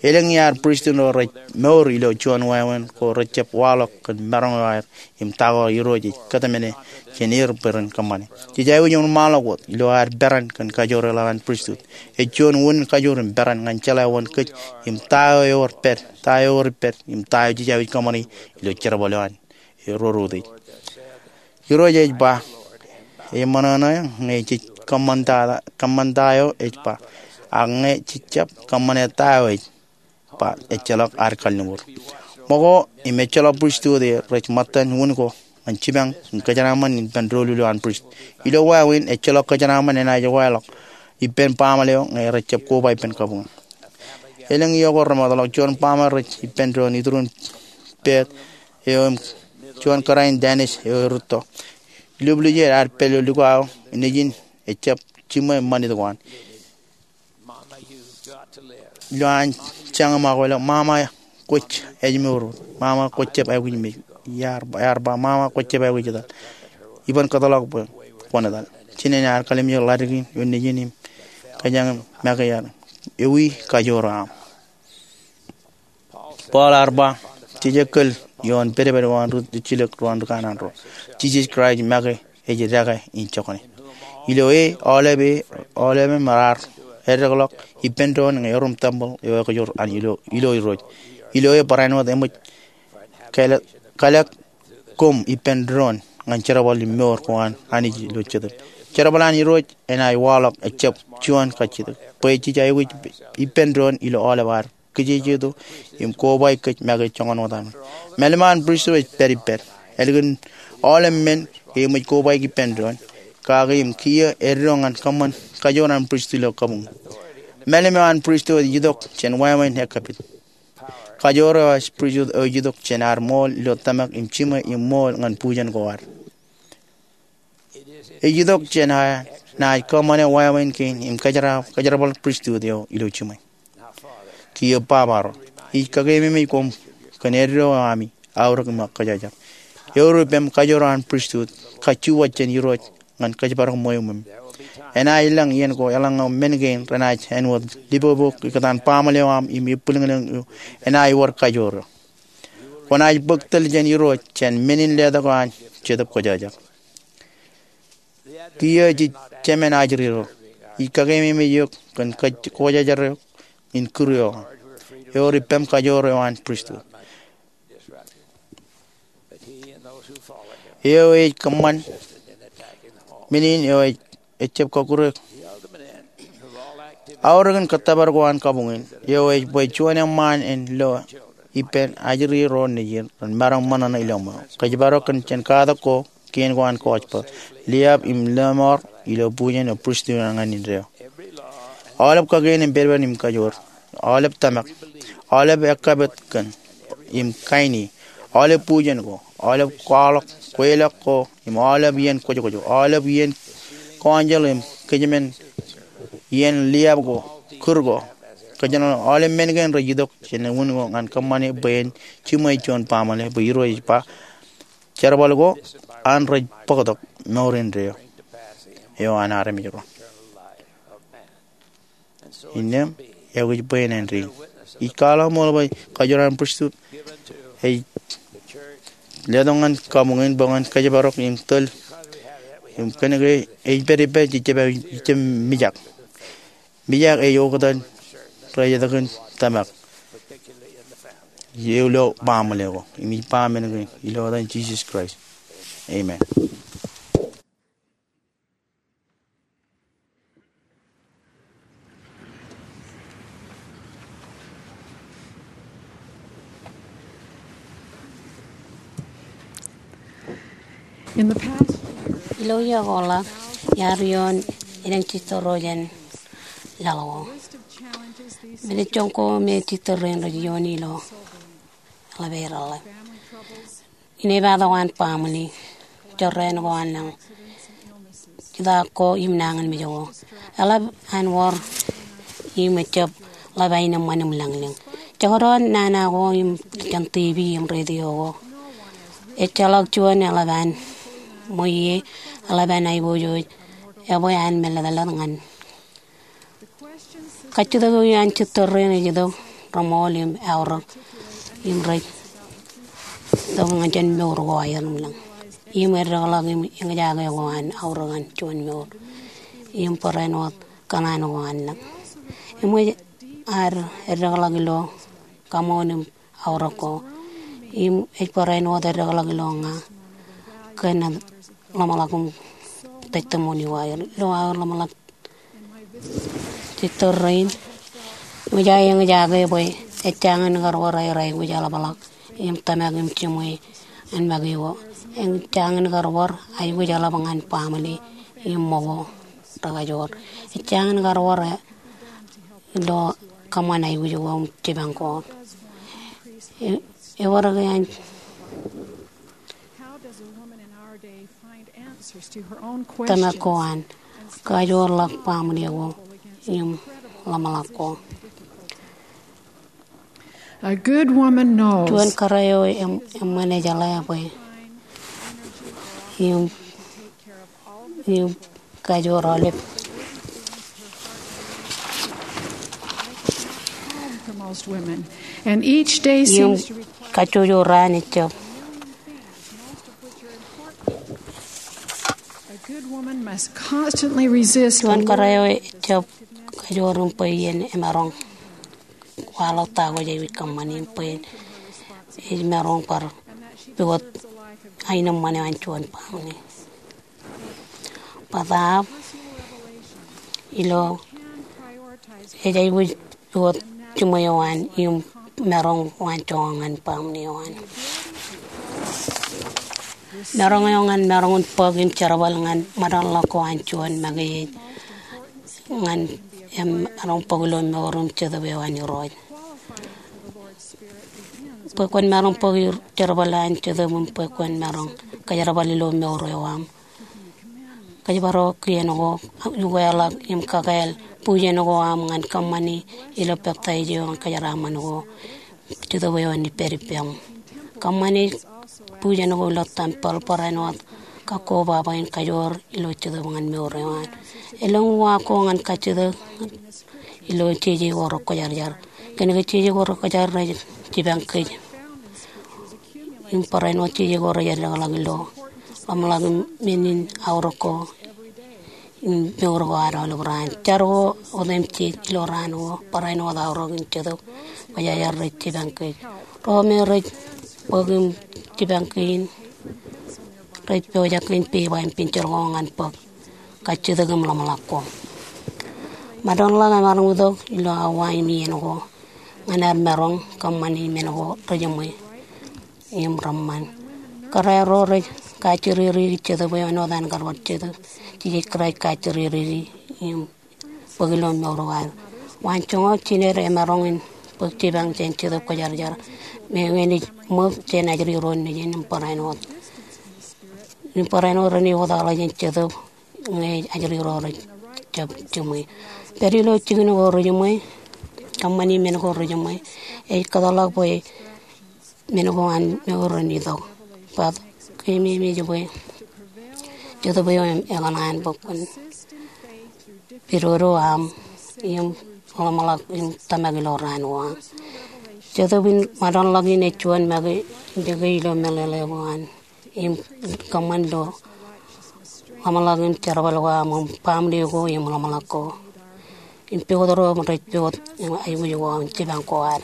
Elōñ iaad pristut ro rej mour ilo juon wāween ko rejjab waḷọk kōn maroñ eo aer im ta ko Irooj ej kōtmāne jān er bwe ren kōṃṃane. Jej aikuj wōnṃaanḷọk wōt ilo aer peran kōn kajoor eo an pristut. Ej juon unin kajoor im peran ñan jeḷā wōn kōj im ta eo ewōr pād, ta eo ewōr pād, im ta eo jej aikuj kōṃṃane ilo jerbal eo an ro ro utiej. Irooj ej ba, eṃōṇōṇō ñe jej kōṃṃan ta, kōṃṃan ta eo ej ba, ak ñe jej jab kōṃṃane ta eo ej ba, ejjeḷọk ad kalliṃur. Ṃōko im ejjeḷọk pristut eo rej ṃōttan wūn ko ñan jipañ im kōjeraṃṃan ippān doulul eo an prist. Ilo wāween, ejjeḷọk kōjeraṃṃan enaaj waḷọk ippān baaṃle eo ñe rejjab koba ippān kabuñ. Elōñ iiō ko remootḷọk, juon baaṃle rej ippān doon iturin pād eo im juon kōrā in Danish eo erūtto. Ilubluuj er ad pād ilo likao eo nejin ejjab jiṃwe ṃanit ko an. Ilo an jañin ṃakwe ḷọk, mama, kwōj ājmour wōt. Mama, kwōj jab aikuj mej. Ear, ear ba, mama, kwōj jab aikuj etal. Iban kōtḷọk bwe kwōn etal. Jinen ear kallimjek ḷadik in ioon nejin im kōjañin make ear ewi kajoor eo aṃ. Paul ear ba, jej kōl ioon pedped eo an ri jilōk ro an ri kanaan ro. Jisōs Kraist make ej dekā in jokane. Ilo e, aolep e, aolepem raar eddekḷọk ippān doon ñe erom tempel eo ekajoor an ilo, ilo Irooj. Ilo e barāinwōt eṃōj kalōk, kalōk koṃ ippān doon ñan jerbal im mour ko an Anij ilo Jetōb. Jerbal an Irooj enaaj waḷọk ejjab juon kajjitōk. Bwe jej aikuj ippān doon ilo aolep ad kijejeto im kobaik kōj make joñan wōt ami. Mālim eo an pristut ej pād ippād. Ālikin aolep men ke eṃōj kobaik ippān doon, kake im kiiō eddo ñan kōṃṃan kajoor an pristut ilo kabuñ. Mālim eo an pristut ej itok jān wāween ekkapit. Kajoor eo an pristut ej itok jān ad ṃool ilo tōmak im jiṃwe im ṃool ñan bujen ko ad. Ej itok jān ad naaj kōṃṃane wāween kein im kōjerab, kōjerbal pristut eo ilo jiṃwe. Kiiō Baba ro, ij kakeememej koṃ kōn eddo eo ami aorōk im kōjajar. Eor ippem kajoor eo an pristut, kajjuwaaj jān Irooj ñan kōjparok ṃweo ṃweo. Enaaj lōñ iien ko eḷaññe men kein renaaj āinwōt lipopo ikōtaan baaṃle eo aṃ im ebbwilōñlōñ eo enaaj wōr kajoor eo. Kwōnaaj bōk tōl jān Irooj jān men in letok eo an Jetōb Kwōjarjar. Kiiō jej jemān ajri ro, ij kakeememej eok kōn kwōjarjar eok in kūr eo aṃ. Eor ippem kajoor eo an pristut. Eo ej kōṃṃan men in eo ej, ejjab kọkkure aorōk in kōttōpar ko an kabuñ in. Eo ej bwe juon eṃṃaan en lo ippān ajri ro nejin ren maroñ ṃōṇōṇō ilo ṃweo. Kōjparok kōn jān katak ko kein ko an gospel, liab im lọmọọr ilo bujen eo pristut eo ñan indeeo. Aolep kakein im pedped im kajoor, aolep tōmak, aolep ekkapit kōn im kain e, aolep bujen ko, aolep kwaḷọk, kweilọk ko, im aolep iien kwōjkwōj, aolep iien council im kōjmān, iien liab ko, kūr ko. Kōjeṇ aolep men kein rej itok jān unin ko ñan kōṃṃane bwe en jiṃwe juon baaṃle, bwe Irooj ej ba, jerbal ko an rej bōktok mour indeeo eo an armej ro. Innām, eo ej bwe en āindein. Ij kwaḷọk ṃool bwe kajoor an pristut ej letok ñan kabuñ in bwe ñan kōjparok im tōl. Im kōnke ej pād ippād, ij jab, ij jab mijak. Mijak ej oktak rej etōk in tōmak ilo baaṃle ko. Im ij ba men kein ilo etan Jisōs Kraist. Amen. In the past, ilo iiō ko ḷọk, iar ioon elōñ sister ro jān laḷ ko. Minit joñak ko me sister rein rej ioon ilo eḷap ear eḷḷā. Inepata ko an baaṃle, jorrāān ko an lañ, jitōk ko im nañinmej ko. Eḷap an wōr im ejjab ḷap aenōṃṃan im lañlōñ. Jekdọọn nana ko im jān TV im radio ko. Ejjeḷọk juon eḷap an ṃweiie, eḷap an aiboojoj, ebwe an mālōtlōt ñan Kajjitōk eo an sister rein ej itok remool im aorōk im rej itok ñan juon mour ko aer im lañ. Im eddekḷọk im eñjake ko an aorōk ñan juon mour im barāinwōt kōṇaan ko an lañ. Im ej ad eddekḷọk ilo kaṃoon im aorōk ko. Im ej barāinwōt eddekḷọk ilo ña kōn ḷōmṇak im testimony eo aer ilo aer ḷōmṇak sister rein. Im ej eñjake bwe ejjañin kar bar aer aikuj eḷapḷọk im tōmak im jiṃwe an make ko. Ejjañin kar bar aikuj eḷap ñan baaṃle im ṃōk ko rekajoor. Ejjañin kar bar ilo kōṃṃan aikuj ko im jipañ ko. E, ewōr ke an tōmak ko an kajoorḷọk baaṃle ko im ḷōmṇak ko. A good woman knows. Juon kōrā eo eṃṃan ej jeḷā bwe im, im kajoor aolep. Im kajjojo raan ejjab. Juon kōrā eo ejjab kajoor im bwe iien emaroñ kwaḷọk ta ko jej aikuj kōṃṃani im bwe ej maroñ bar pukot aenōṃṃan eo an juon baaṃle. Bōtaab ilo ej aikuj pukot jiṃwe eo an im maroñ waan joñak ñan baaṃle eo an. Maroñ eo ñan maroñ in bōk im jerbal ñan ṃōdḷọk ko an juon make ej ñan emaroñ bōk ilo mour im jetōb eo an Irooj. Bwe kwōn maroñ bōk jerbal an jetōb im bwe kwōn maroñ kōjerbal ilo mour eo aṃ. Kōjparok kien ko, ukeḷọk im kakāāl bujen ko aṃ ñan kōṃṃani ilo peptaij eo an kōjeraaṃṃan ko. Jetōb eo an ippād ippām. Kōṃṃani bujen ko ilo tempeḷ, barāinwōt kakkobaba in kajoor ilo jetōb ñan mour eo an. Elōñ uwaak ko ñan kajjitōk ilo jeje ko rekwōjarjar. Kōnke jeje ko rekwōjarjar rej jipañ kōj. Im barāinwōt jeje ko rej eddekḷọk ilo ḷōmṇak im men in aorōk ko im mour ko ad aolep raan. Jar ko otemjej ilo raan ko, barāinwōt aorōk im jetōb kwōjarjar rej jipañ kōj. Ro me rej bōk im jipañ kein rej pojak in pepa im pinjel ko ñan bōk kajjitōk im ḷōmṇak ko. Ṃōttan ḷọk emaroñ itok ilo awa im iien ko ñan ad maroñ kōṃṃani men ko rejiṃwe im reṃṃan. Kōrā ro rej kajjirere jetōb eo āinwōt an kar bar jetōb Jisōs Kraist kajjirere im bōk ilo mour ko ad. Waan joñak jined emaroñ in bōk jipañ jān Jetōb Kwōjarjar. Meñe enaaj ṃōk jān ajri ro nejin im barāinwōt. Im barāinwōt renaaj wōtlọk jān Jetōb ñe ajri ro rej jab jiṃwe. Pād ilo jikin ko rejiṃwe, kōṃṃani men ko rejiṃwe, ej kōtḷọk bwe men ko an mour en itok. Bōtab keememej bwe Jetōb eo ekōṇaan bwe kwōn pidodo aṃ im ḷōmṇak im tōmak ilo raan ko aṃ. Jetōb in ṃōttan ḷọk in ej juon make in dike ilo meḷeḷe ko an im kōṃṃan ilo ḷōmṇak im jerbal ko aṃ im baaṃle ko im ḷōmṇak ko im pukot ro rej pukot im aikuj ko im jipañ ko ad.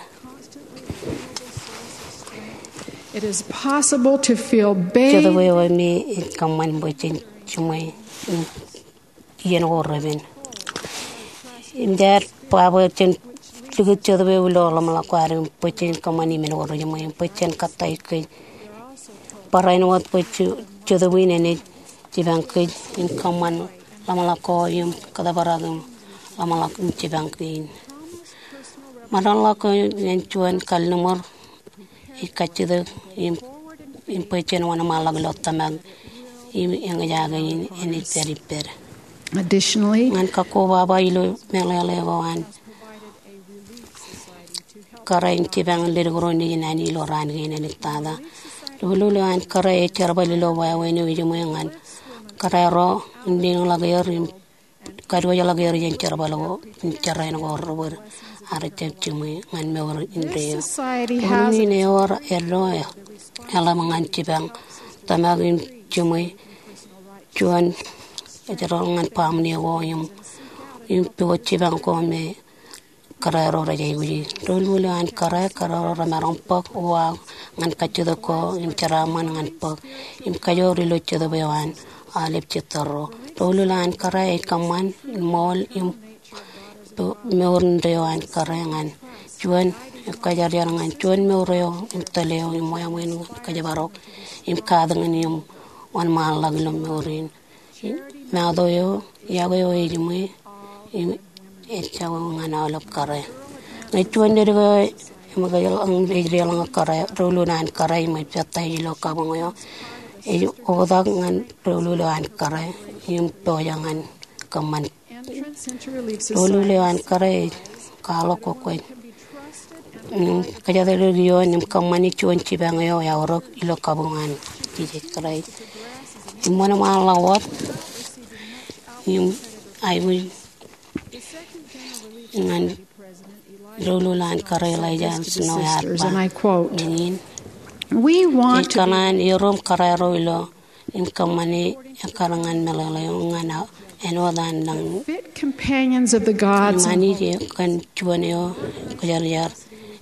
It is possible to feel bad. Jetōb eo me ej kōṃṃan bwe jen jiṃwe im iien ko repen. Im jaar ba bwe jen likūt Jetōb eo ilo ḷōmṇak ko ad im bwe jen kōṃṃani men ko rejiṃwe im bwe jen kōttāik kōj. Barāinwōt bwe Jetōb in enaaj jipañ kōj im kōṃṃan ḷōmṇak ko im kōtbrak im ḷōmṇak im jipañ kein. Ṃōttan ḷọk ko ñan juon kalliṃur ej kajjitōk im, im bwe jen wōnṃaanḷọk ilo tōmak im eñjake in enaaj pād ippād. Additionally, ñan kakobaba ilo meḷeḷe ko an kōrā in jipañ leddik ro nejin anij ilo raan kein āliktata. Doulul eo an kōrā ej jerbal ilo wāween eo ejiṃwe ñan kōrā ro im leñḷọk er im kadiwōjḷọk er jān jerbal ko im jerāān ko rebōd ak rej jab jiṃwe ñan mour indeeo. Society has. Unin ewōr eddo eḷap ñan jipañ tōmak im jiṃwe juon ejjeḷọk ñan baaṃle ko im, im pukot jipañ ko me kōrā ro rej aikuji. Doulul eo an kōrā, kōrā ro remaroñ bōk uwaak ñan kajjitōk ko im jeraaṃṃan ñan bōk im kajoor ilo Jetōb eo an aolep jitōrro. Doulul eo an kōrā ej kōṃṃan ṃool im mour indeeo an kōrā ñan juon, kwōjarjar ñan juon mour eo im tōl eo im wāween ñan kōjparok im katakin im wōnṃaanḷọk ilo mour in. Mato eo, iọkwe eo ejiṃwe im ejako ñan aolep kōrā. Ñe juon leddik eo eṃōkaj ḷọk im ej deḷọñ kōrā, doulul eo an kōrā im ej pād ilo kabuñ eo, ej oktak ñan doulul eo an kōrā im pojak ñan kōṃṃan. Doulul eo an kōrā ej kwaḷọk kōkwōj im kōjatdikdik ioon im kōṃṃani juon jipañ eo eaorōk ilo kabuñ an Jisōs Kraist im wōnṃaanḷọk wōt im aikuj ñan doulul an kōrā Elijah Snow ear ba, and I quote, ñan in, we want to kōṇaan erom kōrā ro ilo im kōṃṃane ekkar ñan meḷeḷe eo ñan āinwōt an nañinmej. Fit companions of the gods. Im Anij e kōn juon eo kwōjarjar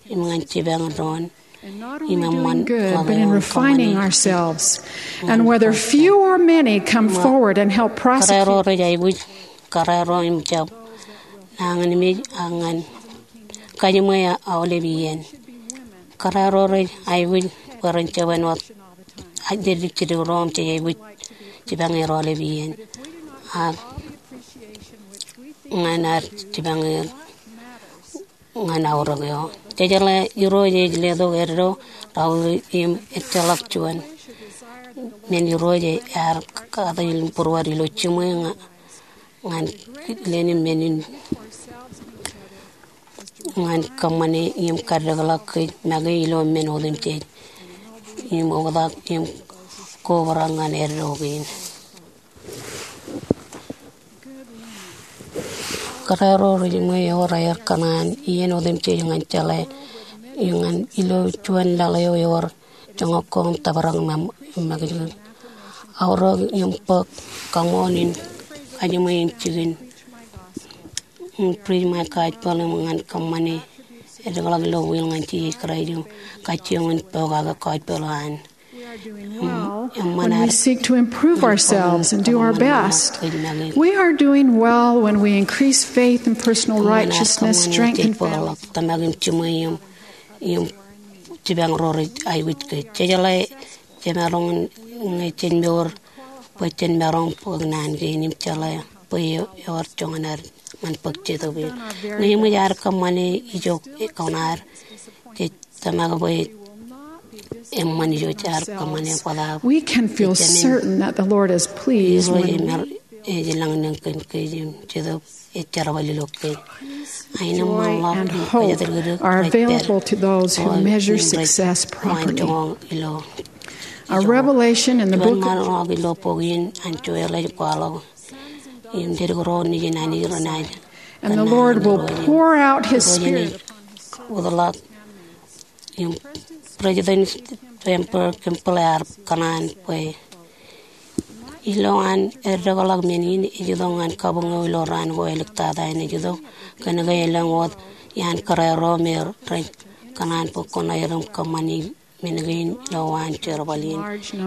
im ñan jipañ doon. And not only doing good, but in refining ourselves. And whether few or many come forward and help prosecute. Kōrā ro rej aikuj, kōrā ro im jab nañinmej ak ñan kajiṃwe aolep iien. Kōrā ro rej aikuj bwe ren jab āinwōt ajeḷā jidik ro im jej aikuj jipañ er aolep iien. Ak ñan ad jipañ er ñan aorōk eo. Jejeḷā Irooj ej letok eddo, raorōk im ejjeḷọk juon men Irooj ear katakin būruod ilo jiṃwe ñan, ñan leen in men in ñan kōṃṃane im kaddekḷọk kōj make ilo men otemjej im oktak im kobrak ñan eddo kein. Kōrā ro rej jiṃwe ewōr aer kōṇaan iien otemjej ñan jeḷā im ñan ilo juon laḷ eo ewōr joñak ko im tōprak im, im makijkij. Aorōk im bōk kaṃool in kajiṃwe im jikin im preach my gospel im ñan kōṃṃane edekḷọk ilo will ñan Jisōs Kraist im kajjioñ in pokake gospel eo an. We are doing well when we seek to improve ourselves and do our best. We are doing well when we increase faith and personal righteousness, strengthen families. Tōmak im jiṃwe im, im jipañ ro rej aikuj kōj. Jejeḷā jemaroñ ñe jen mour bwe jen maroñ bōk naan kein im jeḷā bwe ewōr joñan ad ñan bōk jetōb in. Ñe eṃōj ad kōṃṃane ijo kōṇaan, jej tōmak bwe eṃṃan ijo jaar kōṃṃane bōtab. We can feel certain that the Lord is pleased when ej lōññe kōn kōj im Jetōb ej jerbal ilo kōj. Aenōṃṃan ḷọk im kōjatdikdik are available to those who measure success properly. A revelation in the book of Juon ṃaanḷọk ilo bok in an Joel ej kwaḷọk im leddik ro nejin Anij renaaj. And the Lord will pour out his Spirit. Im President Franklin Kimball ear kōṇaan bwe ilowaan eddekḷọk men in ej itok ñan kabuñ eo ilo raan ko āliktata in ej itok kōnke elōñ wōt iaan kōrā ro me rej kōṇaan bwe kwōn aer im kōṃṃani men kein ilowaan jerbal in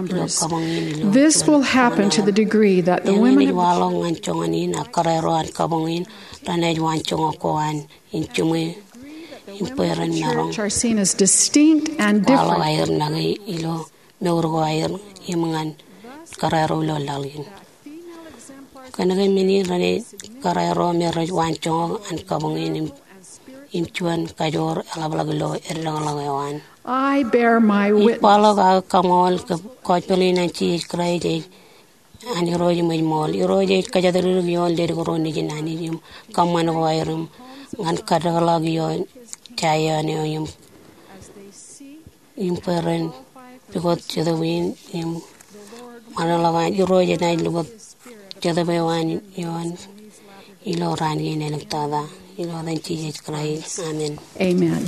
ilo kabuñ in ilo. This will happen to the degree that the women ej waḷọk ñan joñan in ak kōrā ro an kabuñ in renaaj waanjoñak ko an in jiṃwe im bwe ren maroñ. Church are seen as distinct and different. Kwaḷọk aer make ilo mour ko aer im ñan kōrā ro ilo laḷ in. Kōnke men in renaaj kōrā ro me rej waanjoñak an kabuñ in im juon kajoor eḷapḷọk ilo eddekḷọk eo an. I bear my witness. Ij kwaḷọk aō kaṃool ke gospel in an Jisōs Kraist ej an Irooj im ej ṃool. Irooj ej kōjatdikdik ioon leddik ro nejin Anij im kōṃṃan ko aer im ñan kaddekḷọk ioon Zaion eo im, im bwe ren pukot Jetōb in im ṃōṇōṇō ḷọk an Irooj enaaj lukkuun Jetōb eo an ioon ilo raan kein āliktata. Ilo etan Jisōs Kraist, amen. Amen.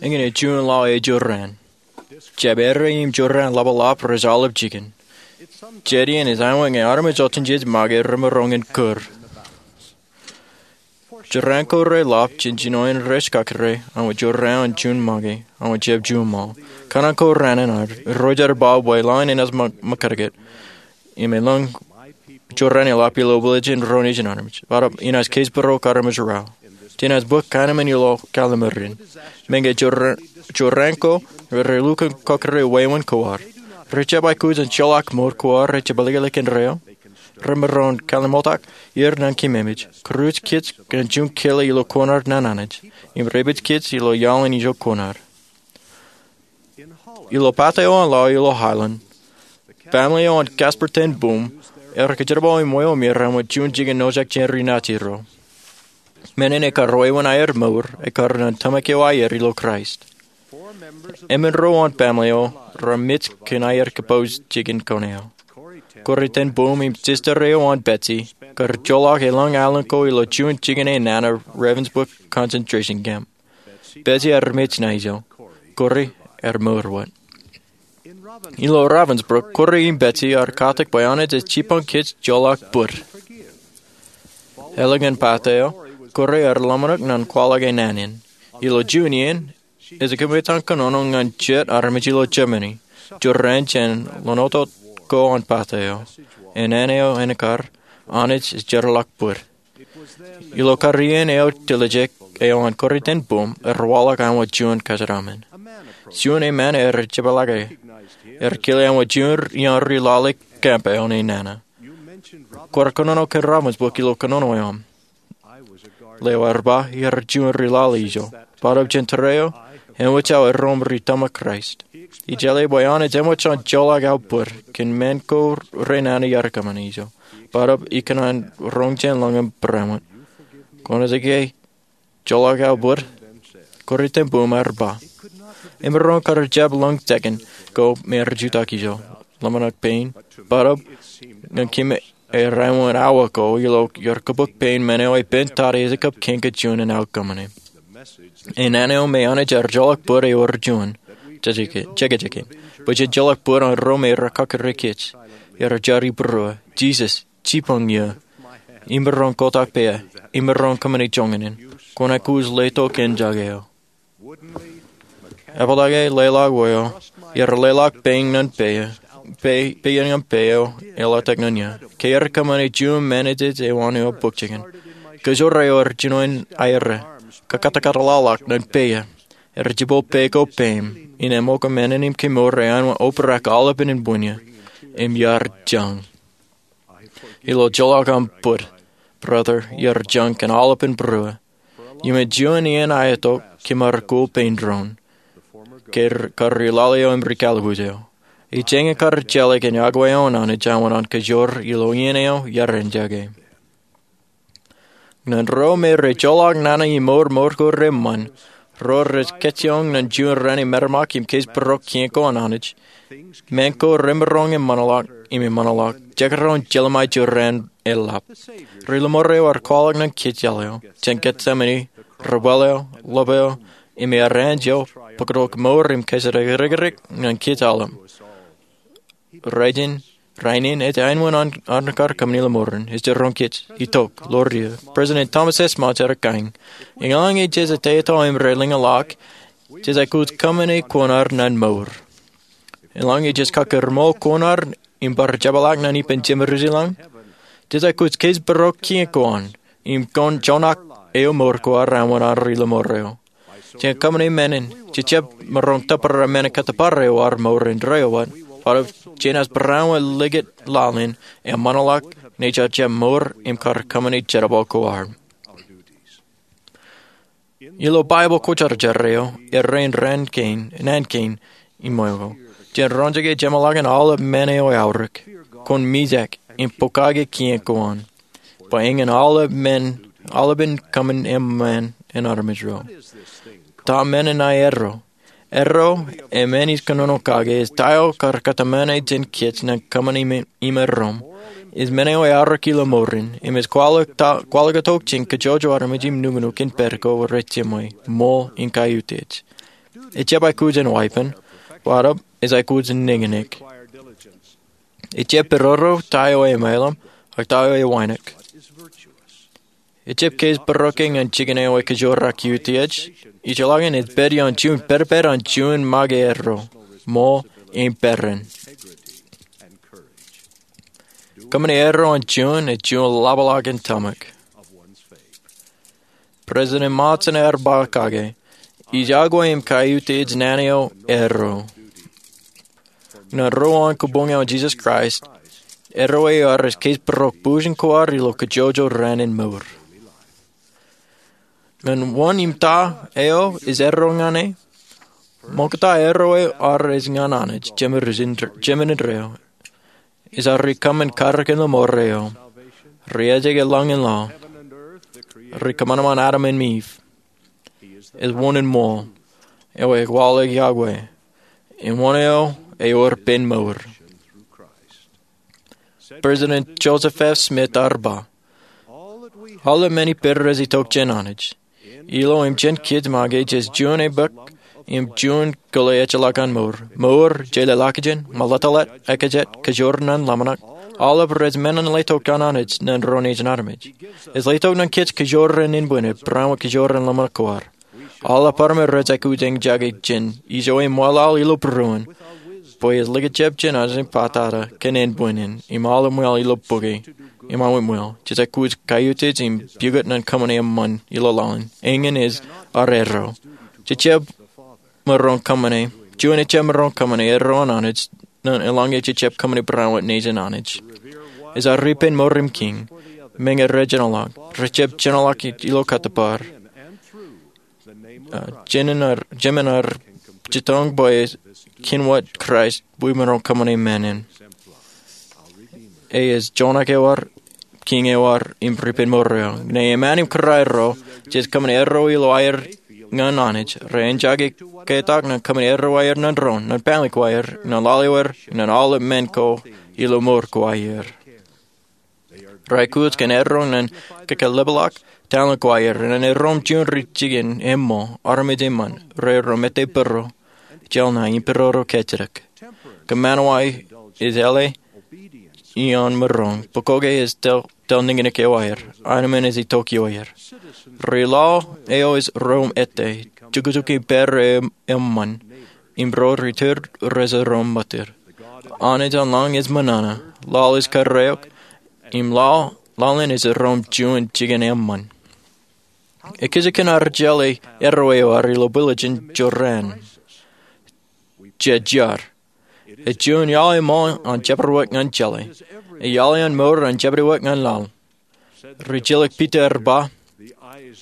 Eñin ej juon lale eo jorrāān. Jab errā im jorrāān ḷapḷap rej aolep jikin. Jet iien ej āinwōt ñe armej otemjej make remaroñ in kūr. Jorrāān ko reḷap jān jinoin rej kakōrā aṃ jorrāān juon make aṃ jab juon ṃaḷ. Kōṇaan ko raan in ad, Irooj ear ba bwe laḷ in enaaj ṃōkadkad. Im elōñ jorrāān eḷap ilo bwilōñ ro nejin armej. Bōtab inaaj kōjparok armej raṇ. Jenaaj bōk kōṇaan in ilo Kallimur in. Meñe jorrāān ko relukkuun kakōrā wāween kōwaar. Rej jab aikuj in joḷọk mour kōwaar rej jab ālikin reo. Remaroñ kallim̧otak er ñan kememej. Kūruj kōj ñan juon kile ilo kōṇaan in an Anij. Im rej pād kōj ilo iaḷ in ijo kōṇaan. Ilo pāte eo an laḷ ilo Holland, family eo an Casper ten Boom ear kōjerbal im wāween er āinwōt juon jikin ojak jān ri naajin ro. Men in ekar wāween aer mour ekar ñan tōmak eo aer ilo Kraist. Emān ro an family eo remej kōn aer kōpooj jikin kōn eo. Corrie ten Boom im sister eo an Betsie kar joḷọk elōñ alen ko ilo juon jikin enana Ravensbrück concentration camp. Betsie ear mej ṇa ijo. Corrie ear mour wōt. Ilo Ravensbrück, Corrie im Betsie ear katak bwe Anij ej jipañ kōj joḷọk bōd. Ālikin pāte eo, Corrie ear ḷōmṇak ñan kwaḷọk enana in. Ilo juon iien, ej kōmij kōnono ñan jet armej ilo Germany, jorrāān jān ḷōnoto ko an pāte eo. Enana eo en kar, Anij ej jeorḷọk bōd. Ilo kar iien eo tiljek eo an Corrie ten Boom ear waḷọk āinwōt juon kōjatdikdik. Juon emān ear jepḷaakḷọk e. Ear kile āinwōt juon iaan ri lale camp eo enana. Kwaar kōnono kōn Ravensbrück ilo kōnono eo aṃ. Lewōj ba iar juon ri lale ijo. Bōtab jān tōre eo, eṃōj aō erom ri tōmak Kraist. Ij jeḷā bwe Anij eṃōj an joḷọk aō bōd kōn men ko renana iar kōṃṃane ijo. Bōtab ikōṇaan roñ jān lañ im barāinwōt. Kwōnaaj ke joḷọk aō bōd? Corrie ten Boom ear ba, emaroñ kar jab lōñ tekōn ko me rej jutak ijo. Ḷōmṇak pein. Bōtab ñan kōm ej āinwōt awa ko ilo iar kōbōk pein men eo epen tata ej kab kōn kōj juon in aō kōṃṃane. Enana eo me Anij ear joḷọk bōd ewōr juon jekjek in. Bwe jen joḷọk bōd an ro me rekakōrā kōj. Ear jar ibūruō, Jisōs, jipañ iiō. Imaroñ kotak peiā. Imaroñ kōṃṃane joñan in. Kwōn aikuj letok kōn jake eo. Epaḷọke leḷọk wōt eo, iar leḷọk pein ñan peiā, peiā ñan peiā eo eḷaptata ñan iiō. Ke ear kōṃṃane juon, men eo ej ewōr eo bōk jikin. Kōjro eo rej jino in aerā, kakatakatḷọk ñan peia, rej jibwe peiṃ ko peiṃ, im ṃōko men in im kemour eo an obrak aolepān inpūn eō im iar jañ. Ilo joḷọk aṃ put, brother, iar jañ kōn aolepān būruō. Iuṃwin juon iien aetok, kōm ar koba pein doon, kar ri lale eo im ri kallikuj eo. Ij jañin kar jeḷā kōn iọkwe eo an Anij āinwōt an kōjro ilo iien eo iar eñjake. Ñan ro me rej joḷọk nana im mour mour ko reṃṃan, ro rej kajjioñ ñan juon raan eo rej metemaki im kōjparok kien ko an Anij, men ko remaroñ im ṃōṇōḷọk im ṃōṇōḷọk, jekdọọn jeḷā ṃae jorrāān eḷap. Ri lōṃaro ar kwaḷọk ñan kōjjeḷā eo jān Getsemani, rebwāāl eo, ḷap eo, im ear anj eo, bōktok mour im kōjatdikdik ñan kōj aolep. Rainin, rainin, ej āinwōt an armej kar kōṃṃani lōṃaro in, ej jiroñ kōj, itok, ḷoor eō. President Thomas S. Monson ej kain, eḷaññe jej ateto im ri lōñḷọk, jej aikuj kōṃṃane kuṇaar ñan mour. Eḷaññe jej kakōrmool kuṇaar im bar jepḷaak ñan ippān Jemedūs ilañ, jej aikuj kōjparok kien ko an, im kōn joñak eo mour ko ad āinwōt an ri lōṃaro eo. Jān kōṃṃane men in, jej jab maroñ tōpar men in kōttōpar eo ad mour indeeo wōt, bwe jen ej barāinwōt likūt laḷ in, im ṃōṇōḷọk, naaj jab mour im kar kōṃṃane jerbal ko ad. Ilo Baibōḷ Kwōjarjar eo, errā in raan kein, naan kein, im ṃōko, jen roñjake jeṃḷọkin aolep men eo eaorōk, kwōn mijak, im pokake kien ko an. Bwe eñin aolepān, aolepān kōṃṃan eṃṃan in armej ro. Ta men in aō erro? Erro, im men ij kōnono kake, ej ta eo kar kōtmāne jān kōj ñan kōṃṃan im, im erro. Ej men eo eaorōk ilo mour in, im ej kwaḷọk ta, kwaḷọk itok jān kajjojo armej im nuknuk in pād ko rej jeṃwe, ṃool im kaiutiej. Ej jab aikuj in wāween, bōtab, ej aikuj in nañinñik. Ej jab pād ro ta eo emaelōñ, ak ta eo ewānōk. Ej jab kōjparok ñan jikin eo ekajjioñ ak iutiej, ij jeḷā ke ej pād ioon juon pād pād an juon make erro, ṃool im peran. Kōṃṃane erro an juon, ej juon ḷapḷọk in tōmak. President Monson ear ba kake, ij iọkwe im kaiutiej naan eo erro. Ñan ro an kabuñ eo an Jesus Christ, erro eo ad ej kōjparok būjin ko ad ilo kajjojo raan in mour. Ñan wōn im ta eo ej erro ñan e? Ṃokta erro eo ad ej ñan Anij, Jemedūs in, Jemān indeeo. Ej ri kōṃṃan karōk in lōṃaro eo, ri ejake lañ im laḷ, ri kōṃanṃan Adam im Iv. Ej wōn in ṃool, eo ekwaḷọk iọkwe, im wōn eo ewōr pen mour. President Joseph F. Smith ear ba, aolep men ippād rej itok jān Anij. Ilo im jān kōj make jej juon ebōk im juon kile ejjeḷọk an mour. Mour, jeḷā ḷọkjeṇ, ṃōḷeḷḷe, ekajet, kōjro ñan ḷōmṇak, aolep rej men in letok an Anij ñan ro nejin armej. Ej letok ñan kōj kōjro in inbwin ej barāinwōt kōjro in ḷōmṇak ko ad. Aolep armej rej aikuj in eñjake jān ijo eṃṃanḷọk ilo būruon, bwe ej likjab jān Anij in pātata kōn inbwin in, im aolep ṃweo ilo bukwe, im aolep ṃweo, jej aikuj kaiutiej im pukot ñan kōṃṃane eṃṃan ilo laḷ in. Eñin ej ad erro. Jej jab maroñ kōṃṃane, juon ej jab maroñ kōṃṃane erro an Anij, ñan eḷaññe jej jab kōṃṃane barāinwōt nejin Anij. Ej ad ri pen mour im kiiñ, meñe rej jeṇḷọk, rej jab jeṇḷọk ilo kōttōpar. Uh, jemān ad, jemān ad jitōñ bwe kien wōt Kraist bwe maroñ kōṃṃane men in. E ej joñak eo ad, kiiñ eo ad, im ri pen mour eo. Ñe eṃṃan im kūraerro, jej kōṃṃane erro ilo aer ñan Anij, rej eñjake ketak ñan kōṃṃane erro aer ñan doon, ñan family ko aer, ñan laḷ eo aer, ñan aolep men ko ilo mour ko aer. Rej aikuj kōn erro ñan kōkōḷapḷọk talent ko aer, ñan erro im juon ri jikin eṃṃool, armej eṃṃan, rej erro mete būruō, jeḷā ṇae im būruō ro kajjitōk. Kōṃṃan wōt ej jeḷā ioon maroñ, bwe koke ej tel, tel nañinñik eo aer, aenōṃṃan ej itok ioer. Ri laḷ eo rej erro ettā, jukjuk im pād ro eṃṃan, im ro ri tōl rej erro ṃōttan. Anij an lañ ej ṃōṇōṇō, laḷ ej kōrreoik, im laḷ, laḷ in ej erro im juon jikin eṃṃan. Ekkejel kōn ad jeḷā erreo eo ad ilo bwilōñ in jorrāān. Jej jar. Ej juon iaḷ eo ṃool an jabdewōt ñan jeḷā. Ej iaḷ eo an mour an jabdewōt ñan laḷ. Rijjelōk Piter ba,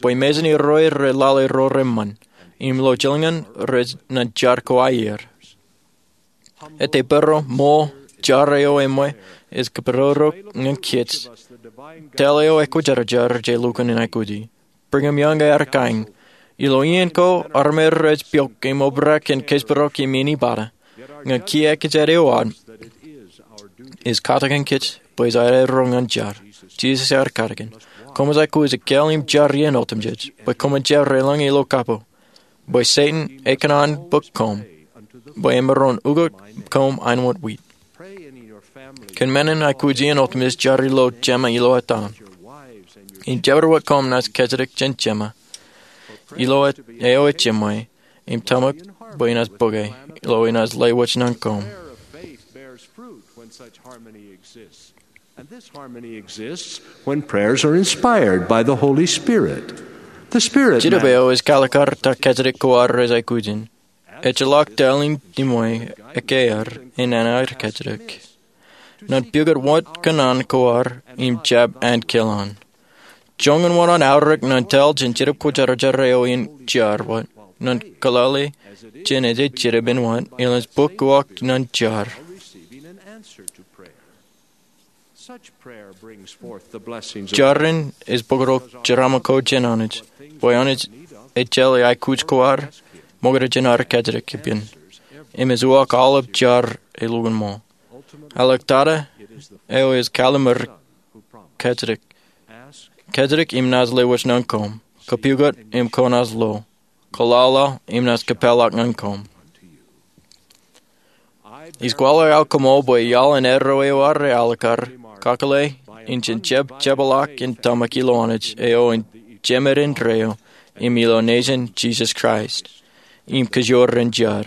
bwe mejān erreo rej lale ro reṃṃan, im ilo jilñan rej naaj jar ko aer. Āindein bōro ṃool jar eo eṃṃan ej kōpooj ñan kōj. Tōl eo ekwōjarjar je lukkuun in aikuji. Brigham Young ear kaiñ, ilo iien ko armej rej piọk im obrak kōn kōjparok im inipada, ñe kiiō ekkejel eo ad, ej katakin kōj bwe jej erreo ñan jar. Jisōs ear katakin, koṃij aikuj ekāāl im jar iien otemjej, bwe koṃwin jab reḷọñe ilo kapo. Bwe Setan ekōṇaan bōk koṃ, bwe emaroñ ukok koṃ āinwōt wit. Kōn men in aikuj iien otemjej jar ilo jeṃa ilo ettā. Im jabdewōt koṃ naaj kōjatdikdik jān jeṃa ilo eo ej jeṃwe, im tōmak bwe enaaj bōke, ilo enaaj lewōj ñan koṃ. And this harmony exists when prayers are inspired by the Holy Spirit. The Spirit Jetōb eo ej kalikar ta kōjatdik ko ad rej aikuj in. Ejjeḷọk tōl im jeṃwe ekkā ad in an aer kōjatdik. Ñan pukot wōt kōṇaan ko ad im jab ankilaan. Joñan wōṇāān aorōk ñan tōl jān Jetōb Kwōjarjar eo in jar wōt, ñan kōḷḷāḷe jān ejej Jetōb in wōt, enaaj bōk uwaak ñan jar. Jar in ej bōktok jeraaṃṃan ko jān Anij, bwe Anij ejjeḷọk aikuj ko ad, ṃokta jān ad kōjatdik ippān. Im ej uwaak aolep jar elukkuun ṃool. Āliktata eo ej kalliṃur kōjatdik. Kōjatdik im naaj lewōj ñan koṃ. Kapukot im kwōnaaj lo. Kōḷḷāḷe im naaj kōpeḷḷọk ñan koṃ. Ij kwaḷọk aō koṃṃool bwe iaḷ in erreo eo ad alikar, kakōḷḷe, in jen jab jepḷaak in tōmak ilo Anij eo in jemed indeeo, im ilo nejin Jisōs Kraist, im kōjwōj ren jar.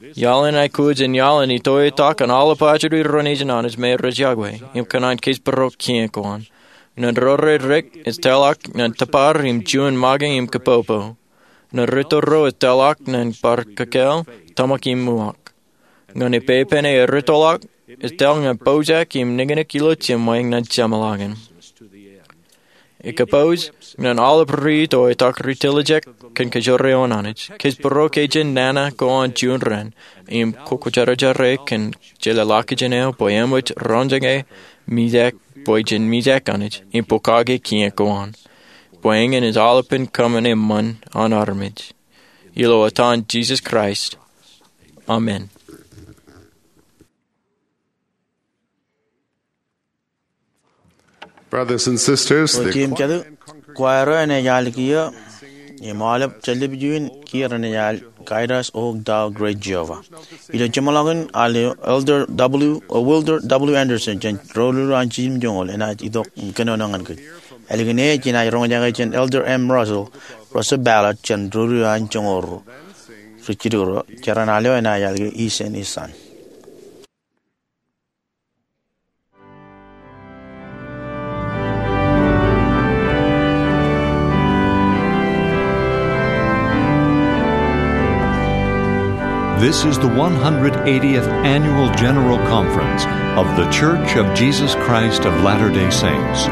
Iaḷ in aikuj ej iaḷ in itoitak an aolep ajri ro nejin Anij me rej yokwe, im kōṇaan kōjparok kiiō ko an. Ñan ro rej dik ej tōlḷọk ñan tōpar im juon make im kapopo. Ñan ri tōl ro ej tōlḷọk ñan bar kōkāāl, tōmak im uwaak. Ñan ippān eo ej ri tōlḷọk, ej tōl ñan pojak im niknik ilo jeṃwe ñan jeṃḷọkin. Ej kapooj ñan aolep ri itoitak rej tiljek kōn kōjwōj eo an Anij. Kōjparok jān nana ko an juon raan, im kwōjarjar kōn jeḷā ḷọkjeṇ eo bwe eṃōj roñjake mijak, bwe jen mijak Anij, im pokake kiiō ko an. Bwe eñin ej aolepān kōṃṃan eṃṃan an armej. Ilo etan Jisōs Kraist. Amen. Brothers and sisters, the Otiō im jatū, kwaer eo enaaj al kiiō, im aolep jellep eo in kiiō renaaj al Guide Us, O Thou Great Jehovah. Ilo jeṃḷọkin al eo, Elder W., o, Wilder W. Andersen jān ro ruo an jiljilimjuonñoul enaaj itok im kōnono ñan kōj. Ālikin e jenaaj roñjake jān Elder M. Russell, Russell Ballard jān ro ruo an joñoul ruo. Ri jitōnḷọk ro, jeran al eo enaaj al ke Iien Isan. This is the one hundred eightieth Annual General Conference of The Church of Jesus Christ of Latter-day Saints.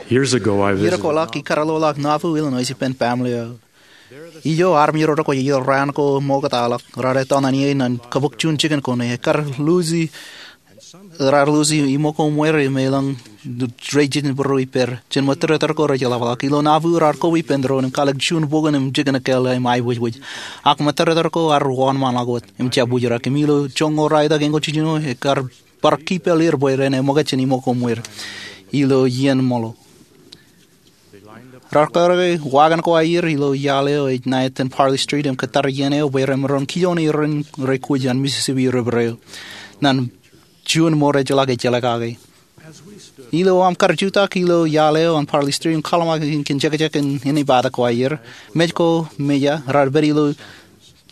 Iiō ko ḷọk ikar lo ḷọk Nauvoo, Illinois ippān baaṃle eo. Ijo armej ro rōkwōj ilo raan ko ṃoktaḷọk raar etto ñan ie ñan kōbōk juon jikin ko ṇe. Ekkar luuji, raar luuji iṃō ko ṃweer im elōñ rej jitōnbōro ippāer. Jen ṃōttōrtōr ko rej ḷapḷọk. Ilo Nauvoo raar koba ippān doon im kalōk juon bukwōn im jikin ekāāl im aiboojoj. Ak ṃōttōrtōr ko ear wōnṃaanḷọk wōt im jab wūjrak. Im ilo joñoul ralitōk eñoul jiljino ekkar bar kipel er bwe ren eṃōkaj jān iṃō ko ṃweer ilo iien ṃōḷo. Raar kōrā ke wagon ko aer ilo iaḷ eo ej ṇa itōn Parley Street im kōttar iien eo bwe remaroñ kijoone irein rej kwōj an Mississippi River eo ñan juon ṃōrejḷọk ejjeḷā kake. Ilo aṃ kar jutak ilo iaḷ eo an Parley Street im kwaḷọk kōn jekjek in āinwōt ko aer, mej ko mejā raar pād ilo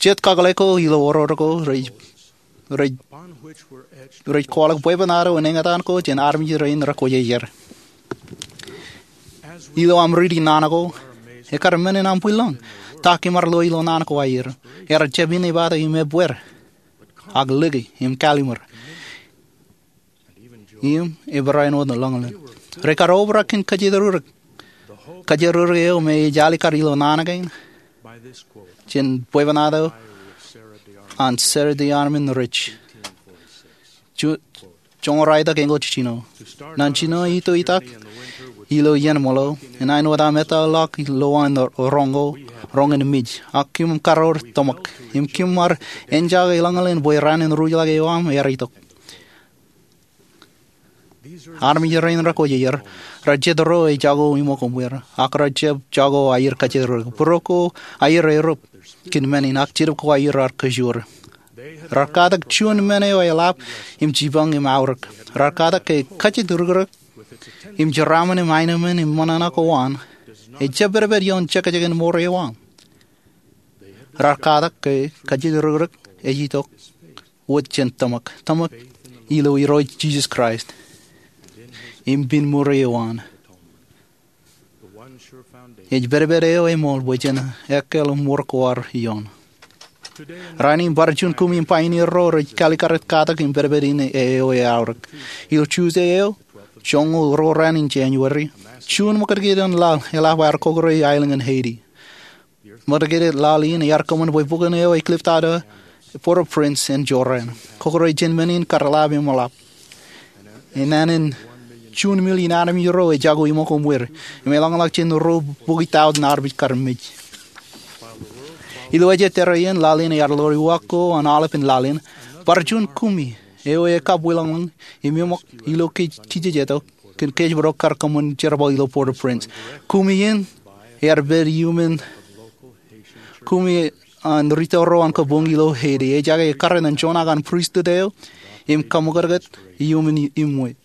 jet kakōḷḷe ko ilo oror ko rej rej kwaḷọk bwebwenato in eñtaan ko jān armej rein rekwōj aer. Ilo aṃ riiti naan ko, ekkar men in aṃ bwilōñ ta kōṃṃar lo ilo naan ko aer. Ear jab āinwōt im ebbeer, ak lōke im kallimur im ebarāinwōt ḷōñḷōñ. Rekar obrak kōn kōjatdikdik, kōjatdikdik eo me ej alikkar ilo naan kein jān bwebwenato an Sarah DeArmon Ridge. Joñoul ralitōk eñoul jiljino. Ñan jino itoitak ilo iien ṃōḷo, inaaj wōt aṃ ettā ḷọk lowaan roñ ko, roñ in mej, ak kōm kar wōr tōmak im kōm ar enjake ḷōñḷōñ bwe raan in ruj ḷọk eo aṃ ear itok. Armej rein rekwōj aer, rej jet ro ej jako iṃō ko ṃweer, ak rej jako aer kōjatdikdik. Būruō ko aer erup kōn men in, ak Jetōb ko aer ear kōjuor. Raar katak juon men eo eḷap im jipañ im aorōk. Raar katak ke kōjatdikdik im jeraaṃṃan im aenōṃṃan im ṃōṇōṇō ko an ejab pedped ioon jekjek in ṃoor eo aṃ. Raar katak ke kōjatdikdik ej itok wōt jān tōmak, tōmak ilo Irooj Jisōs Kraist im pen ṃoor eo an. Ej pedped eo eṃool bwe jen ekkāāl ṃoor ko ad ioon. Rainin bar juon kumi im pioneer ro rej kaalikkar katak im pedped in eo eaorōk. Ilo Tuesday eo, joñoul ruo raan in January, juon ṃōkadked in laḷ eḷap aer kọkkure aelōñ in Haiti. Ṃōkadked laḷ in ear kōṃṃan bwe bukwōn eo ej cliff tower Port-au-Prince en jorrāān. Kọkkure jān men in kar ḷap im ḷap. Enana in juon million armej ro ej jako iṃō ko ṃweer, im eḷañḷọk jān ruo bukwi tọujin armej kar mej. Ilo ej tōre in, laḷ in ear ḷoor iwōj ko an aolep in laḷ in. Bar juon kumi eo ekabwilōñlōñ im eṃōk ilo kōj kijejeto kōn kōjparok kar kōṃṃan jerbal ilo Port-au-Prince. Kumi in ear pād iuṃwin kumi an rūtto ro an kabuñ ilo Haiti. Ejake ekkar ñan juon aō pristut eo im kaṃōkōtkōt iuṃwin iṃwe.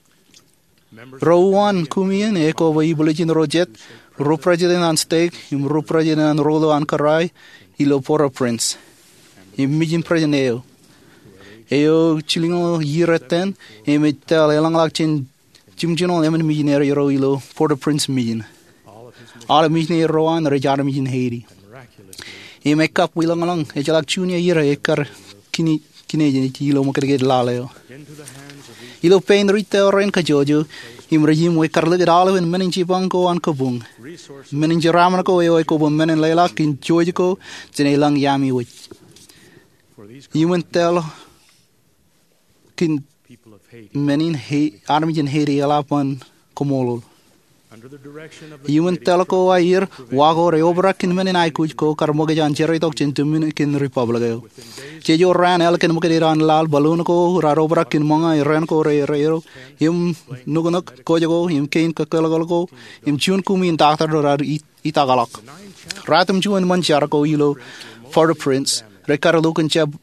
Ro uwaan kumi in ekoba ibuḷōjin ro jet, ro president an stek im ro president an ro ḷo an kōrā ilo Port-au-Prince im mijin president eo. Eo jilñoul iiō iten im ej tōl eḷañḷọk jān jimjuonñoul emān mijineri ro ilo Port-au-Prince mijin. Aolep mijineri ro an rej armej in Haiti. Im ekabwilōñlōñ, ejjeḷọk juon iiō ekkar kine, kine ilo ṃōkadked laḷ eo. Ilo pein rūtto rein kōjwōjwōj im rej iṃwe, kar likūt aolepān men in jipañ ko an kabuñ, men in jeraaṃṃan ko eo ekōba men in leḷọk kōn jouj ko jān elōñ iaami wōj. Iuṃwin tōl kōn men in, armej in Haiti eḷap an koṃṃool. Iuṃwin tōl ko aer, wa ko reobrak kōn men in aikuj ko kar ṃōkaj an jerreitok jān Dominican Republic eo. Jeje raan, ālikin ṃōkadked an laḷ, balloon ko raar obrak kōn ṃōñā, ren ko reerreo im nuknuk, kōj ko im kein kōkōḷḷe ko im juon kumi in doctor raar itakḷọk. Ratimjuon ṃōn jar ko ilo Port-au-Prince rekar lukkuun jab,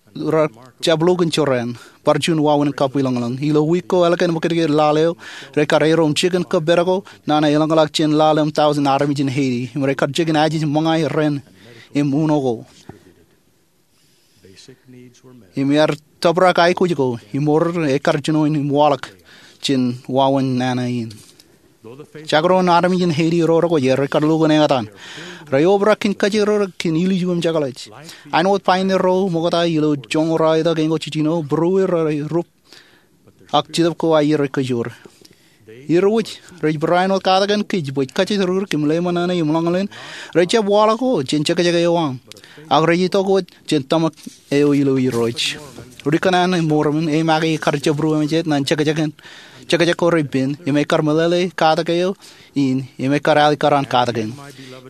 jab lukkuun jorrāān. Bar juon wāween kabwilōñlōñ. Ilo wiik ko ālikin ṃōkadked laḷ eo, rekar erom jikin kōppād ko nana eḷañḷọk jān laḷ im tọujin armej in Haiti. Im rekar jikin ajej ṃōñā, ren im uno ko. Im ear tōprak aikuj ko im oror ekkar jino in im waḷọk jān wāween nana in. Jekdọọn armej in Haiti ro rekwōj aer, rekar lukkuun eñtaan. Reobrak kōn kōjatdikdik kōn ilju im jekḷaj. Āinwōt pioneer ro ṃokta ilo joñoul ralitōk eñoul jiljino, būrueir rerup, ak Jetōb ko aer ej kōjuor. Irooj rej barāinwōt katakin kōj bwe kajjitōk rikrik im lewōj ṃōṇōṇō im ḷōñḷōñ rej jab waḷọk wōt jān jekjek eo aṃ, ak rej itok wōt jān tōmak eo ilo Irooj. Ri-kōṇaan Mormon e make ekkar jabdewōt eṃōj jet ñan jekjek ko rej pen im ekkar meḷeḷe katak eo in im ekkar alikkar an katakin.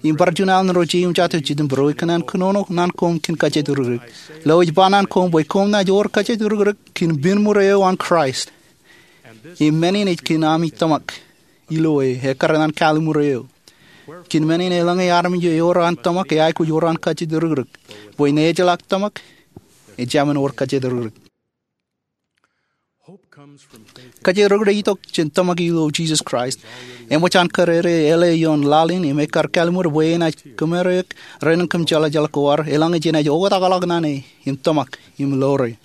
Im bar juon alen ro jeiū im jatū jitōnbōro ikōṇaan kōnono ñan koṃ kōn kajjitōk rikrik. Lo ej ba ñan koṃ bwe koṃ naaj wōr kajjitōk rikrik kōn pen ṃure eo an Kraist. Im men in ej kōn ami tōmak ilo e ekkar ñan kallim̧ur eo. Kōn men in eḷaññe armej ewōr an tōmak eaikuj wōr an kajjitōk rikrik, bwe ñe ejjeḷọk tōmak ejāmin wōr kajjitōk rikrik. Kajjitōk rikrik ej itok jān tōmak ilo Jisōs Kraist. Eṃōj an kōrere eḷe ioon laḷ in im ekkar kallim̧ur bwe enaaj kōmereik rein kōm jeḷājeḷ ko ad eḷaññe jenaaj oktakḷọk ñan e im tōmak im ḷoore.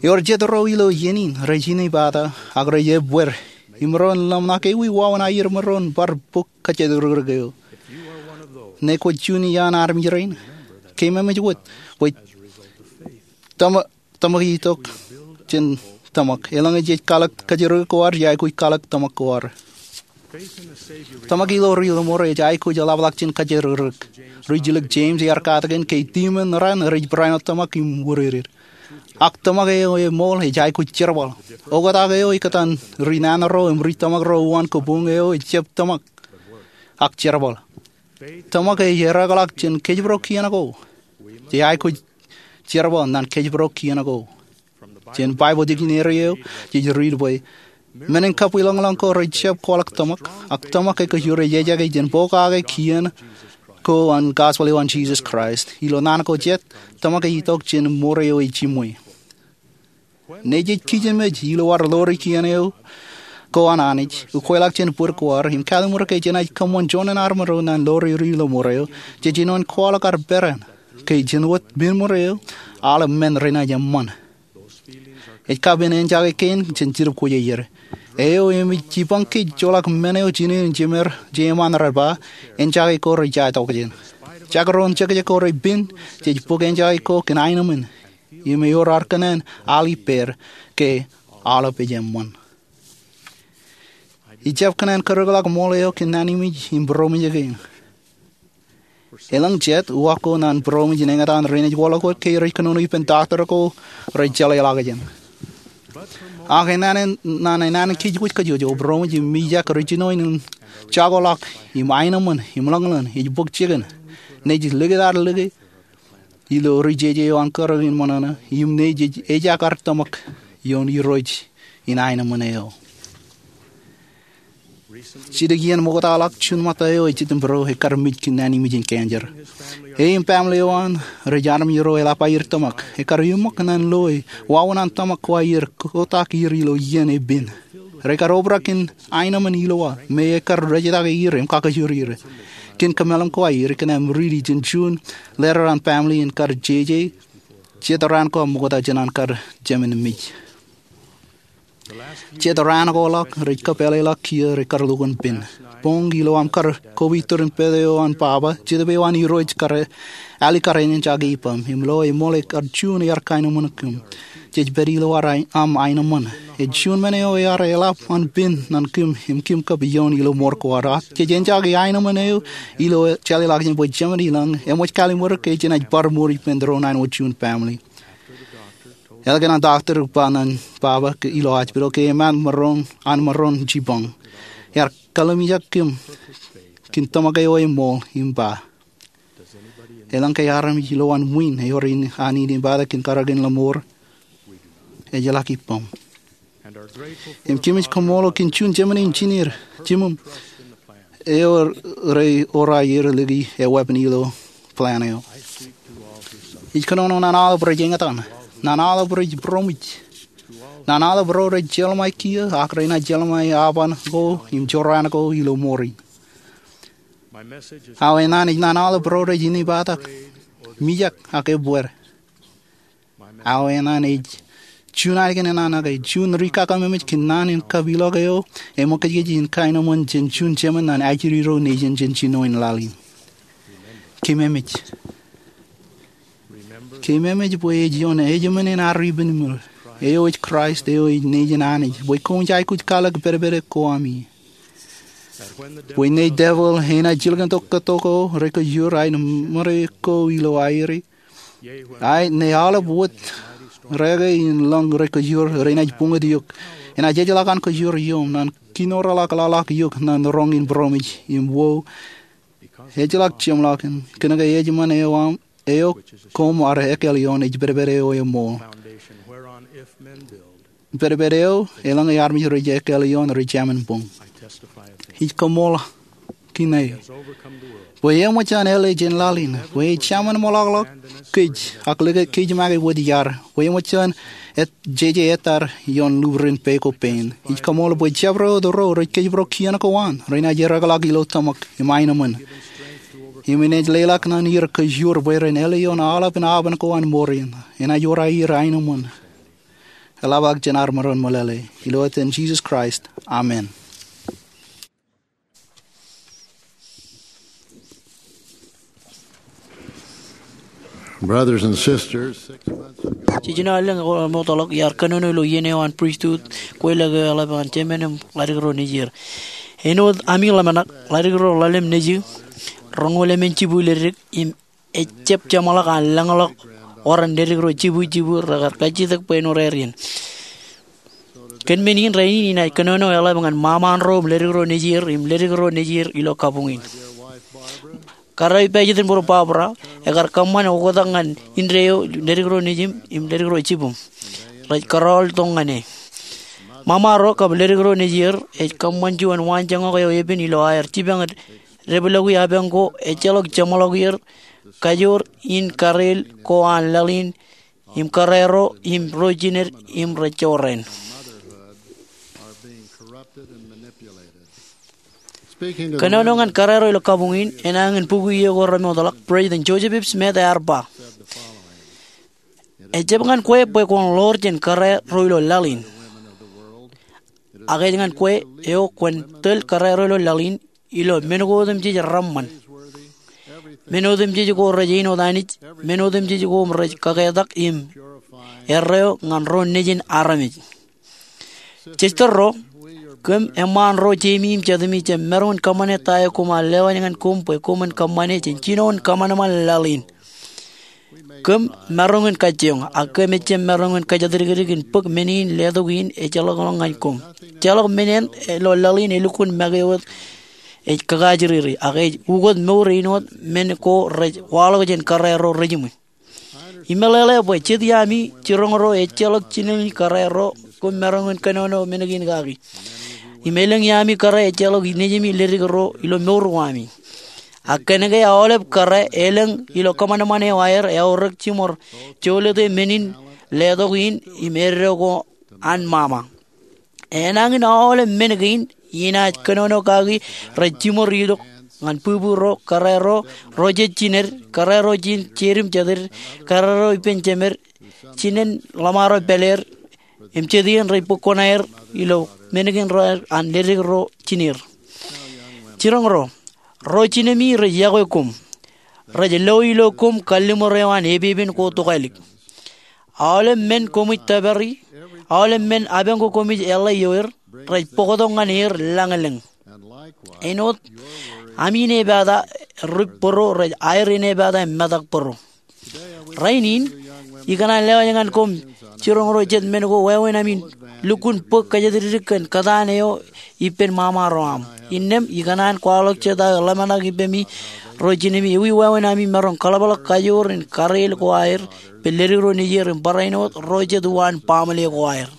Ewōr jet ro ilo iien in rej inepata ak rej ebbeer im ren ḷōmṇak ewi wāween aier iṃōn bar bōk kajjitōk rikrik eo. Ñe kwōj juon iaan armej rein, keememej wōt bwe tōmak ej itok jān tōmak. Eḷaññe jej kalōk kajjitōk rikrik ko ad, jej aikuj kalōk tōmak ko ad. Tōmak ilo Ri Ḷōṃoor ej aikuj eḷapḷọk jān kajjitōk rikrik. Ri-jilōk Jemes ear katakin ke demon ran rej barāinwōt tōmak im wūdidded. Ak tōmak eo eṃool ej aikuj jerbal. Oktak eo ikōtaan ri nana ro im ri tōmak ro uwaan kabuñ eo ej jab tōmak, ak jerbal. Tōmak ej ereakḷọk jān kōjparok kien ko. Jej aikuj jerbal ñan kōjparok kien ko. Jān Baibōḷ dictionary eo, jej riit bwe men in kabwilōñlōñ ko rej jab kwaḷọk tōmak, ak tōmak ekkā rej ejjake jān pokake kien ko an gospel eo an Jisōs Kraist. Ilo naan ko jet, tōmak ej itok jān ṃure eo ejiṃwe. Ñe jej kijenmej ilo ad ḷoori kien eo ko an Anij, ukweḷọk jān bōd ko ad im kallim̧ur ke jenaaj kōṃṃan joñan armej ro ñan ḷoori Ri Ḷōṃoor eo, jej jinoin kwaḷọk ad peran ke jān wōt pen ṃure eo, aolep men renaaj eṃṃan. Ej kapen enjake kein jān Jetōb Kwōjarjar eo im ej jipañ kōj joḷọk men eo jinen in jemed jeṃaan rej ba, enjake ko rej jaje tokjān. Jekdọọn jekjek ko rej pen, jej bōk enjake ko kōn aenōṃōn im ewōr ad kōṇaan al ippāer ke aolep ej eṃṃan. Ij jab kōṇaan kūrōkḷọk ṃool eo kōn naan in ṃōj im būroṃōj kein. Elōñ jet uwaak ko ñan būroṃōj in eñtaan rein ej waḷọk wōt ke rej kōnono ippān doctor ko rej jeḷāḷọkjeṇ. Ak enana, ñan enana kōjwōj kōjwōj, būroṃōj im mijak rej jinoin in jakoḷọk im aenōṃōn im ḷōñḷōñ ej bōk jikin ñe jej likūt ad lōke ilo ri jeje eo an kūrōk in ṃōṇōṇō im ñe jej ejak ad tōmak ioon Irooj in aenōṃōn eo. Jidik iien ṃoktaḷọk, juon ṃōtta eo ej jitōnbōro ekkar mej kōn naan in ṃōj in cancer. E im family eo an rej armej ro eḷap aier tōmak. Ekkar iṃōk ñan lo e wāween an tōmak ko aier kotak er ilo iien epen. Rekar obrak kōn aenōṃōn ilowaan me ekkar rejetake er im kakajoor er. Kōn kōmeḷeḷe ko aier, ikōṇaan riiti jān juon letter an family in kar jeje jet raan ko ṃokta jān an kar jemān mej. Jet raan ko ḷọk rej kōpeḷḷọk kiiō rej kar lukkuun pen. Boñ ilo aṃ kar kobe turin pād eo an Baba, Jetōb eo an Irooj kar alikkar enjake ippaṃ im lo eṃool ekkar juon ear kaenōṃōn kōm. Jej pād ilo ad aenōṃōn. Ej juon men eo ear eḷap an pen ñan kōm im kōm kab ioon ilo mour ko ad. Jej enjake aenōṃōn eo ilo jeḷāḷọkjeṇ bwe Jemān ilañ eṃōj kallim̧ur ke jenaaj bar mour ippān doon an wōt juon family. Ālikin an doctor ej ba ñan Baba ilo hospital ke emaat an maroñ jipañ, ear kalimjek kōm kōn tōmak eo eṃool im ba, elōñ ke armej ilowaan ṃwiin eo rej inepata kōn kar ḷōṃoor? Ejjeḷọk ippaṃ. Im kōmij kaṃṃoolol kōn juon jemān engineer, jimem, eo rej ewōr aier lōke e weeppān ilo plan eo. Ij kōnono ñan aolep rej eñtaan, ñan aolep rej būroṃōj, ñan aolep ro rej jeḷāḷọkjeṇ kiiō ak renaaj jeḷāḷọkjeṇ aoban ko im jorrāān ko ilo ṃoor in. Aō eṇ an ej ñan aolep ro rej inepata, mijak ak ebbeer. Aō eṇ an ej juon ālikin eṇ an ke juon ri-kakaṃṃōj kōn naan in kapilọk eo eṃōkajkōj in kaenōṃōn jān juon jemān ñan ajri ro nejin jān jinoin laḷ in. Keememej. Keememej bwe ej ioon ejim̧ōn in ad ippān ṃwiin Eo ej Kraist, eo ej Nejin Anij, bwe koṃij aikuj kwaḷọk pedped ko ami. Bwe ṇe devil enaaj jilkintok kōtto ko rekōjur aer ṃōrā ko ilo aer, ak ṇe aolep wōt reke in lōñ rekōjur renaaj buñut eok, enaaj ejjeḷọk an kōjur ioṃ, ñan kinoreḷọk laḷọk eok ñan roñ in būroṃōj im wōt ejjeḷọk jeṃḷọkin, kōnke eṃṃan eo aṃ, eo koṃ ar ekkal ioon ej pedped eo eṃṃool. Pedped eo elōñ armej rej ekkal ioon rej jāmin buñ. Ij kaṃṃoolol Kine bwe eṃōj an āle jān laḷ in, bwe ej jāmin ṃōḷaḷḷọk kōj, ak likūt kōj make wōt iar, bwe eṃōj an jeje ettā ioon lubrin peiṃ ko pein. Ij kaṃṃoolol bwe jabdewōt ro rej kōjparok kien ko an renaaj ereḷọk ilo tōmak im aenōṃṃan, im enaaj leḷọk ñan er kōjur bwe ren āle ioon aolepān aoban ko an ṃoor in. Enaaj wōr aer aenōṃṃan. Eḷap aō jān ad maroñ meḷeḷe. Ilo etan Jisōs Kraist, amen. Brothers and sisters, six months ago, jiljino allōñ eo eṃootḷọk iar kōnono ilo iien eo an pristut, kweilọk eo eḷap an jemān im ḷaddik ro nejier. Āinwōt ami ḷōmṇak, ḷaddik ro ḷalem nejū roñoul emān jibwiledik im ejjab jeṃḷọk an lōñḷọk oran ledik ro jibwijibu rekar kajjitōk bwe en wōr aer iien. Kōn men in rainin inaaj kōnono eḷap ñan ṃaṃaan ro im ledik ro nejier im ledik ro nejier ilo kabuñ in. Kōrā eo ippaejjet in būruō Barbara ekar kōṃṃan oktak ñan indeeo ledik ro nejūṃ im ledik ro jibūṃ rej kōrọọltok ñan e. Ṃaṃa ro kab ledik ro nejier ej kōṃṃan juon waanjoñak eo epen ilo aer jipañ depḷọki apañ ko ejjeḷọk jeṃḷọk er kajoor in kareel ko an laḷ in im kōrā ro im ro jined im rej jorrāān. Kōnono ñan kōrā ro ilo kabuñ in enañin bukwi eo ko remootḷọk, President Joseph F. Smith ear ba, ejjab ñan kwe bwe kwōn ḷoor jān kōrā ro ilo laḷ in, ak ej ñan kwe eo kwōn tōl kōrā ro ilo laḷ in ilo men ko otemjej reṃṃan, men otemjej ko rej āinwōt Anij, men otemjej ko rej kaketak im erreo ñan ro nejin armej. Sister ro, kōm eṃṃaan ro jeimi im jatumi jab maroñ in kōṃṃane ta eo koṃ ar lewōj ñan koṃ bwe koṃwin kōṃṃane jān jinoin kōṃanṃan laḷ in. Kōm maroñ in kajjioñ, ak kōm ejjab maroñ in kōjatdikdik in bōk men in letok in ejjeḷọkḷọk ñan koṃ. Ejjeḷọk men eṇ ilo laḷ in elukkuun make wōt ej kakaajriri, ak ej ukōt mour āinwōt men ko rej waḷọk jān kōrā ro rejiṃwe. Imeḷeḷe bwe jet iaami jiroñ ro ejjeḷọk jinen kōrā ro koṃ maroñ in kōnono men kein kaki. Im elōñ iaami kōrā ejjeḷọk nejimi ledik ro ilo mour ko ami. Ak kōnke aolep kōrā elōñ ilo kōṃanṃan eo aer eaorōk jiṃor jolōte men in letok in im eddo ko an ṃaṃa. Enañin aolep men kein inaaj kōnono kaki rej jiṃor itok ñan bwibwi ro, kōrā ro, ro jet jined, kōrā ro jen jedim jetded, kōrā ro ippān jemed, jinen ḷōṃaro pāleer, im jet iien rej bōk kuṇaer ilo men kein ro an ledik ro jiner. Jiroñ ro, ro jinemi rej yokwe koṃ. Rej lo ilo koṃ kalliṃur eo an epepen ko tokālik. Aolep men koṃij tōpari, aolep men apañ ko koṃij eḷḷā ioer, rej bōktok ñan er lañlōñ. Āinwōt ami inepata rip bōro rej aer inepata im metak bōro. Rainin, ikōṇaan lewōj ñan koṃ jiroñ ro jet men ko wāween ami lukkuun bōk kōjatdikdik kōn kōtaan eo ippān ṃaṃa ro aṃ. Innām ikōṇaan kwaḷọk jet aō ḷōmṇak ippemi ro jinemi ewi wāween ami maroñ kaḷapḷọk kajoor in kareel ko aer, ippān ledik ro nejier im barāinwōt ro jet uwaan baaṃle ko aer.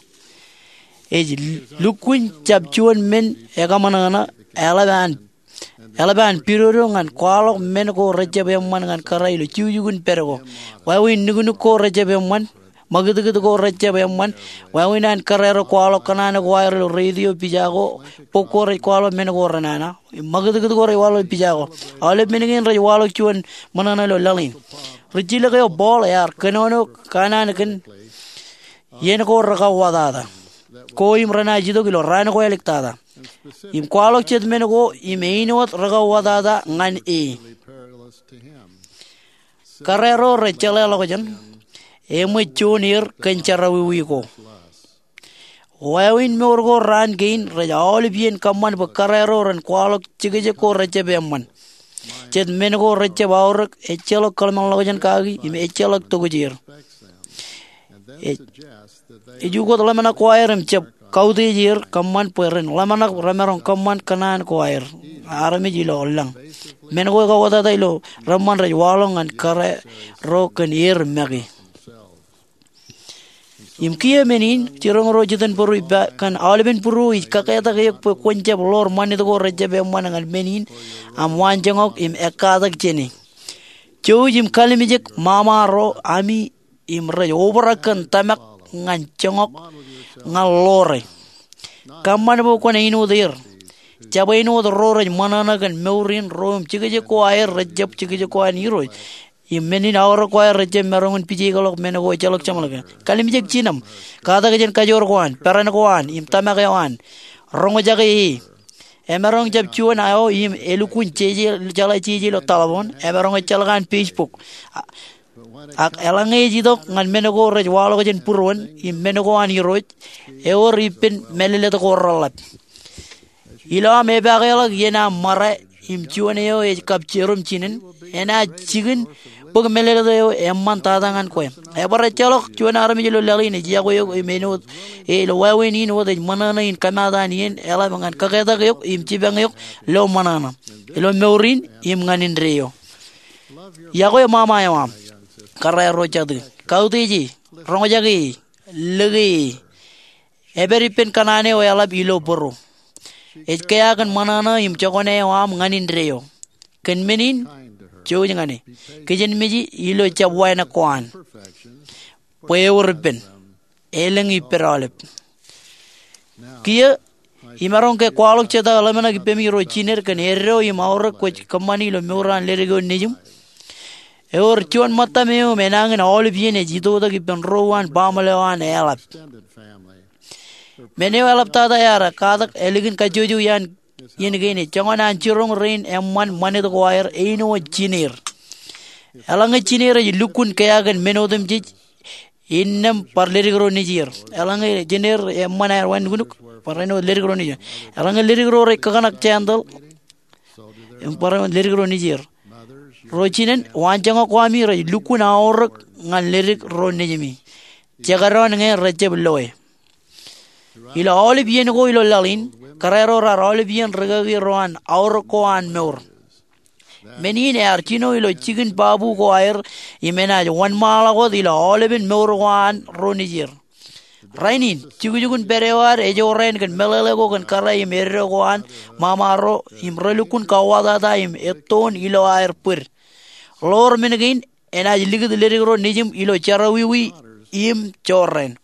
Ej lukkuun jab juon men ekaṃōṇōṇō, eḷap an eḷap an pidodo ñan kwaḷọk men ko rejjab eṃṃan ñan kōrā ilo jukjuk in pād ko. Wāween nuknuk ko rejjab eṃṃan, ṃakūtkūt ko rejjab eṃṃan, wāween an kōrā ro kwaḷọk kōṇaan ko aer ilo radio pija ko, bok ko rej kwaḷọk men ko renana, ṃakūtkūt ko rej waḷọk pija ko. Aolep men kein rej waḷọk juon ṃōṇōṇō ilo laḷ in. Rijjilōk eo Paul ear kōnono kōṇaan kōn iien ko rekauwatata ko im renaaj itok ilo raan ko āliktata. Im kwaḷọk jet men ko im āinwōt rekauwatata ñan e. Kōrā ro rej jeḷāḷọkjeṇ, eṃōj juon er kōn jerọwiwi ko. Wāween mour ko raan kein rej aolep iien kōṃṃan bwe kōrā ro ren kwaḷọk jekjek ko rejjab eṃṃan. Jet men ko rejjab aorōk, ejjeḷọk kōḷmānḷọkjeṇ kaki im ejjeḷọk tokjāer. Ej, ej ukōt ḷōmṇak ko aer im jab kautiej er kōṃṃan bwe ren ḷōmṇak remaroñ kōṃṃan kōṇaan ko aer armej ilo lañ. Men ko ekauwōtata ilo reṃṃan rej waḷọk ñan kōrā ro kōn er make. Im kiiō men in, jiroñ ro jitōnbōro ippa kōn aolepen būruō ij kaketak eok bwe kwōn jab ḷoor ṃanit ko rejjab eṃṃan ñan men in aṃ waanjoñak im ekkatak jāne. Jouj im kalimjek ṃaṃa ro ami im rej obrak kōn tōmak ñan joñak ñan ḷoore. Kōṃṃan bwe kwōn āinwōt er. Jab āinwōt ro rej ṃōṇōṇō kōn mour in ro im jekjek ko aer rejjab jekjek ko an Irooj. Im men in aorōk ko aer rejjab maroñ in pijeikḷọk men ko ejjeḷọk jeṃḷọk. Kalimjek jinem, katak jān kajoor ko an, peran ko an, im tōmak eo an. Roñjake e. Emaroñ jab juon eo im elukkuun jeje, jeḷā jeje ilo telephone, emaroñ ejjeḷọk an Facebook. A, ak eḷaññe ej itok ñan men ko rej waḷọk jān būruon, im men ko an Irooj, ewōr ippān mālōtlōt ko reḷap. Ilo aṃ epaakḷọk iien aṃ ṃara im juon eo ej kab jerum jinen, enaaj jikin bōk mālōtlōt eo eṃṃan tata ñan kwe. Ebar ejjeḷọk juon armej ilo laḷ in ej yokwe eok im āinwōt, e, ilo wāween in wōt ej ṃōṇōṇō in kōmaat an iien eḷap ñan kaketak eok im jipañ eok lo ṃōṇōṇō ilo mour in im ñan indeeo. Yokwe ṃaṃa eo aṃ. Kōrā ro jatū. Kautiej e. Roñjake e. Lōke e. Epād ippān kōṇaan eo eḷap ilo bōro. Ej kea kōn ṃōṇōṇō im jokwane eo aṃ ñan indeeo. Kōn men in, jouj ñan e. Kijenmej e ilo jab wānōk ko an. Bwe ewōr ippān. Elōñ ippād aolep. Kiiō, imaroñ ke kwaḷọk jeta ḷōmṇak ippemi ro jined kōn eddo im aorōk kwōj kōṃṃani ilo mour an ledik eo nejiṃ. Ewōr juon ṃōttam eo im enañin aolep iien ej itoitak ippān ro uwaan baaṃle eo an eḷap. Men eo eḷaptata ear katak ālikin kajjojo iaan iien kein ej joñan an jiroñ rein eṃṃan ṃanit ko aer āinwōt jineer. Eḷaññe jineer ej lukkuun kea kōn men otemjej, innām bar ledik ro nejier. Eḷaññe jineer eṃṃan aer wānuknuk, bar āinwōt ledik ro nejier. Eḷaññe ledik ro rej kakōṇak jāntal, im bar āinwōt ledik ro nejier. Ro jinen, waanjoñak ko ami rej lukkuun aorōk ñan ledik ro nejimi. Jekdọọn ñe rejjab loe. Ilo aolep iien ko ilo laḷ in, kōrā ro raar aolep iien rikaki ro an aorōk ko an mour. Men in ear jino ilo jikin babu ko aer im enaaj wōnṃaanḷọk wōt ilo aolepen mour ko an ro nejier. Rainin, jukjukun pād eo ad ej jorrāān kōn meḷeḷe ko kōn kōrā im eddo ko an ṃaṃa ro im relukkuun kauwōtata im ettoon ilo aer bōd. Ḷoor men kein enaaj likūt ledik ro nejiṃ ilo jerọwiwi im jorrāān.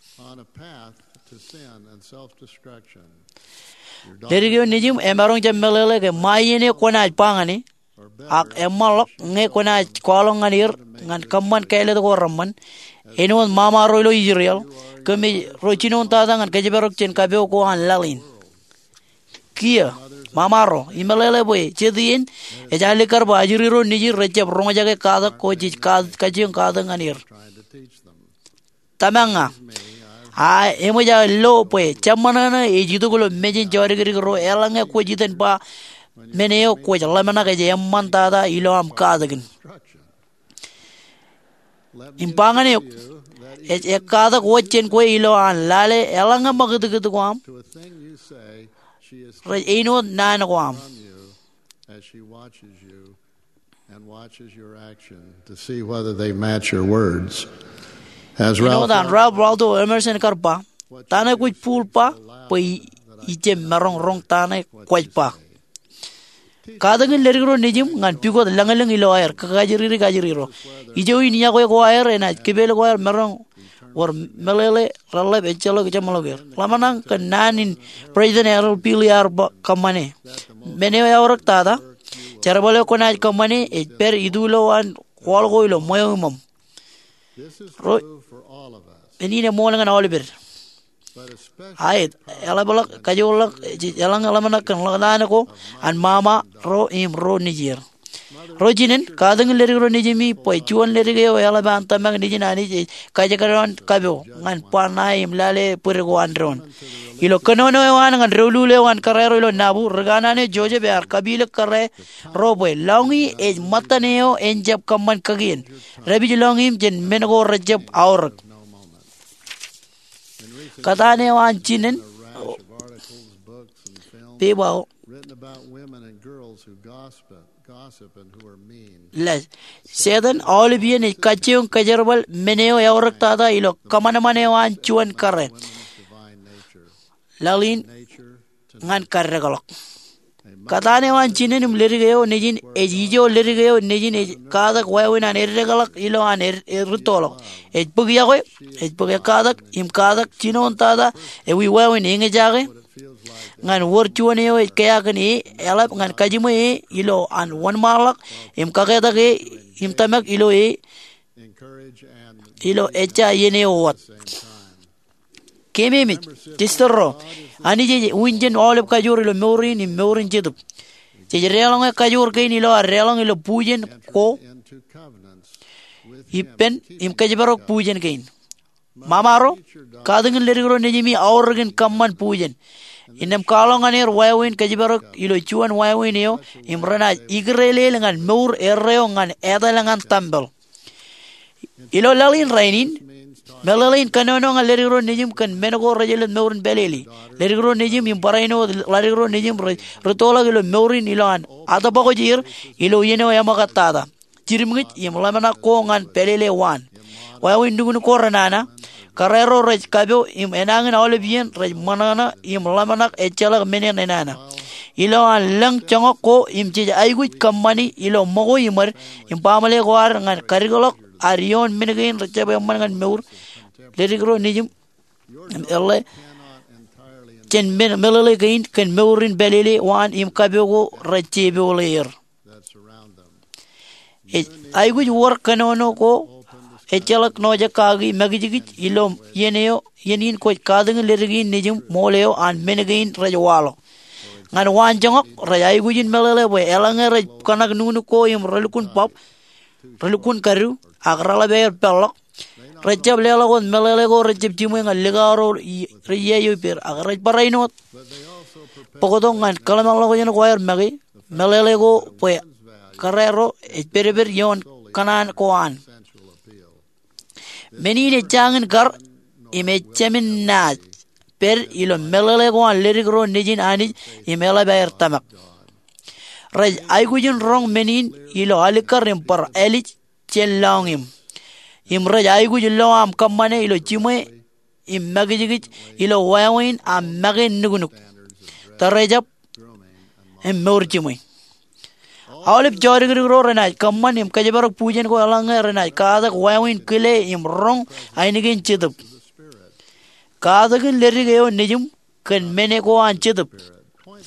Ledik eo nejiṃ emaroñ jab meḷeḷe ke ṃae iien eo kwōnaaj ba ñan e, ak eṃṃanḷọk ñe kwōnaaj kwaḷọk ñan er ñan kōṃṃan kāālōt ko reṃṃan, āinwōt ṃaṃa ro ilo Israel, kōmij ro jinoin tata ñan kōjparok jān kapo ko an laḷ in. Kiiō, ṃaṃa ro, imeḷeḷe bwe jet iien ej alikkar bwe ajri ro nejid rejjab roñjake katak ko jej ka-, kajjioñ katak ñan er. Tōmak ña, a eṃōj aō lo bwe jab ṃōṇōṇō ej itok ilo mejān jodikdik ro eḷaññe kwōj itōn ba men eo kwōj ḷōmṇak ej eṃṃan tata ilo aṃ katakin. Im ba ñan eok, ej ekkatak wōt jān kwe ilo an lale eḷaññe ṃakūtkūt ko aṃ rej āinwōt naan ko aṃ. And watches your action to see whether they match your words. As Ralph Āinwōt an Ralph Waldo Emerson kar ba, ta ṇe kwōj bōl ba bwe i-, ijjab maroñ roñ ta ṇe kwōj ba. Katakin ledik ro nejiṃ ñan pukot lañlōñ ilo aer kōkajriri kajri ro. Ijo in yokwe ko aer enaaj kipel ko aer maroñ wōr meḷeḷe reḷap ejjeḷọk jeṃḷọk er. Ḷōmṇak kōn naan in President Harold B. Lee ear ba kōṃṃane. Men eo eaorōk tata, jerbal eo kwōnaaj kōṃṃane ej pād itulo an kwaḷ ko ilo ṃweo iṃōṃ. Ro, men in eṃool ñan aolepād. Aet, eḷapḷọk, kajoorḷọk, eḷaññe ḷōmṇak kōn ḷōktan ko an ṃaṃa ro im ro nejier. Ro jinen, katakin ledik ro nejimi bwe juon ledik eo eḷap an tōmak nejin Anij ej kajekdọọn kapo ñan ba ṇae im lale bwidek ko an doon. Ilo kōnono eo an ñan doulul eo an kōrā ro ilo nabu, ri kanaan eo Joseph ear kapilōk kōrā ro bwe lọñiō ej ṃōttan eo en jab kōṃṃan kakien. Dāpij lọñiō im jān men ko rejab aorōk. Kōtaan eo an jinen, pepa eo, Setan aolep iien ej kajjioñ kōjerbal men eo eaorōk tata ilo kōṃanṃan eo an juon kōrā, laḷ in ñan kaddekḷọk. Kōtaan eo an jinen im ledik eo nejin ej ijo ledik eo nejin ej katak wāween an eddekḷọk ilo an rūttoḷọk. Ej bōk iọkwe, ej bōk ekkatak im katak jinoin tata ewi wāween eñjake ñan wōr juon eo ej kea kōn e eḷap ñan kajiṃwe e ilo an wōnṃaanḷọk im kaketak e im tōmak ilo e ilo ejja iien eo wōt. Keememej, jester ro, Anij ej unin jān aolep kajoor ilo mour in im mour in jetōb. Jej deḷọñe kajoor kein ilo ad deḷọñ ilo bujen ko ippān im kōjparok bujen kein. Ṃaṃaro, katakin ledik ro nejimi aorōkin kōṃṃan bujen. Innām kwaḷọk ñan er wāween kōjparok ilo juon wāween eo im renaaj ikūrelel ñan mour erreo ñan etal ñan tempel. Ilo laḷ in rainin, meḷeḷein kōnono ñan ledik ro nejim kōn men ko rejelōt mour in pālele. Ledik ro nejim im barāinwōt ledik ro nejim rej rūttoḷọk ilo mour in ilo an atōpwōkōj er ilo iien eo eṃōkaj tata, jidimñij im ḷōmṇak ko ñan pālele waan. Wāween nuknuk ko renana, kōrā ro rej kapo im enañin aolep iien rej ṃōṇōṇō im ḷōmṇak ejjeḷọk men en enana. Ilo an lōñ joñak ko im jej aikuj kōṃṃani ilo ṃōko iṃōd im baaṃle ko ad ñan kadikḷọk ad ioon men kein rejjab eṃṃan ñan mour, ledik ro nejim im eḷḷā jān men meḷeḷe kein kōn mour in pālele waan im kapo ko rej jepoḷe er. Ej aikuj wōr kōnono ko ejjeḷọk ṇojekaki makijkij ilo iien eo, iien in kwōj katakin ledik in nejim ṃool eo an men kein rej waḷọk. Ñan waan joñak, rej aikuj in meḷeḷe bwe eḷaññe rej kōṇak nuknuk ko im relukkuun bab, relukkuun kadu, ak reḷap aer peḷḷọk, rejjab leḷọk wōt meḷeḷe ko rejjab jiṃwe ñan likao ro rej iiō ippāer, ak rej barāinwōt bōktok ñan kōḷmānḷọkjeṇ ko aer make, meḷeḷe ko bwe kōrā ro ej pedped ioon kōṇaan ko an. Men in ej jañin kar im ej jāmin naaj pād ilo meḷeḷe ko an ledik ro nejin Anij im eḷap aer tōmak. Rej aikuj in roñ men in ilo alikkar im bar ālij jān lọñiṃ. Im rej aikuj lo aṃ kōṃṃane ilo jiṃwe im makijkij ilo wāween aṃ make nuknuk, tōrejab im mour jiṃwe. Aolep jodikdik ro renaaj kōṃṃan im kōjparok bujen ko eḷaññe renaaj katak wāween kile im roñ ainikien Jetōb. Katakin ledik eo nejim kōn men ko an Jetōb.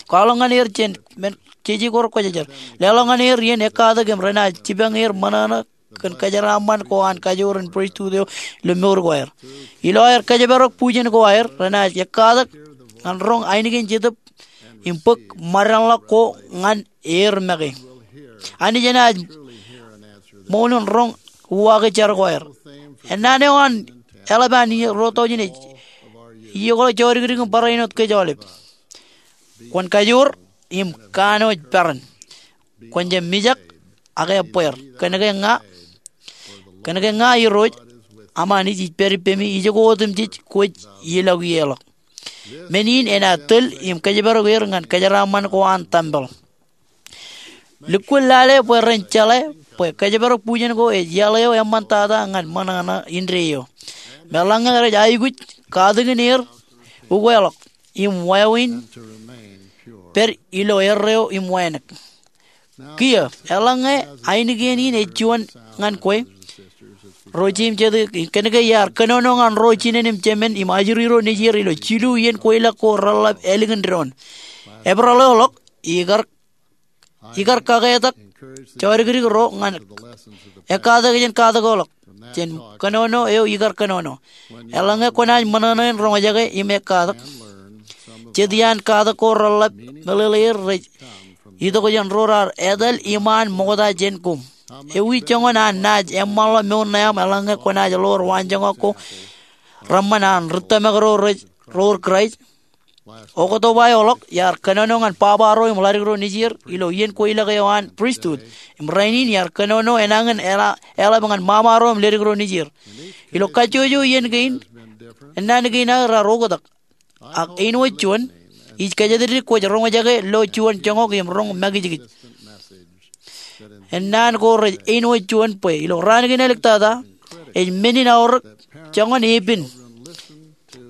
Kwaḷọk ñan er jān men jeje ko rekwōjarjar. Leḷọk ñan er iien ekkatak im renaaj jipañ er ṃōṇōṇō kōn kōjeraaṃṃan ko an kajoor in pristut eo ilo mour ko aer. Ilo aer kōjparok bujen ko aer, renaaj ekkatak ñan roñ ainikien Jetōb im bōk ṃōdenḷọk ko ñan er make. Anij enaaj ṃool in roñ uwaake jar ko aer. Ennaan eo an eḷap an iien rūtto in ej iiokḷọk jodikdik im barāinwōt kōj aolep. Kwōn kajoor im kanooj peran. Kwōn jab mijak ak ebbeer. Kōnke ña, kōnke ña Irooj aṃ Anij ij pād ippemi, ijoko otemjej kwōj ilọk ie ḷọk. Men in enaaj tōl im kōjparok er ñan kōjeraaṃṃan ko an tempel. Lukkuun lale bwe ren jeḷā bwe kōjparok bujen ko ej iaḷ eo eṃṃantata ñan ṃōṇōṇō indeeo eo. Im eḷaññe rej aikuj, katakin er ukweḷọk im wāween pād ilo erreo im wānōk. Kiiō, eḷaññe ainikien in ej juon ñan kwe, ro jeiū im jatū, kōnke iar kōnono ñan ro jinen im jemān im ajri ro nejier ilo jilu iien kweilọk ko reḷap ālikin doon. Epereḷḷọk, ikar, ikar kaketak jodikdik ro ñan ekkatak jān katakin ḷọk jān kōnono eo ikar kōnono. Eḷaññe kwōnaaj ṃōṇōṇō in roñjake im ekkatak, jet iaan katak ko reḷap meḷeḷeer rej itok jān ro raar etal iṃaan ṃokta jān koṃ. Ewi joñan an naaj eṃṃanḷọk mour ṇe aṃ eḷaññe kwōnaaj ḷoor waanjoñak ko reṃṃan an ri tōmak ro rej rour Kraist? Oktoba eo ḷọk iar kōnono ñan baba ro im ḷadik ro nejier ilo iien kweilọk eo an pristut. Im rainin iar kōnono enañin eḷa- eḷap ñan mama ro im ledik ro nejier. Ilo kajjojo iien kein, ennaan kein aō raar oktak. Ak āinwōt juon, ij kōjatdikdik kwōj roñjake lo juon joñak im roñ makijkij. Ennaan ko rej āinwōt juon bwe ilo raan kein āliktata, ej men in aorōk joñan epen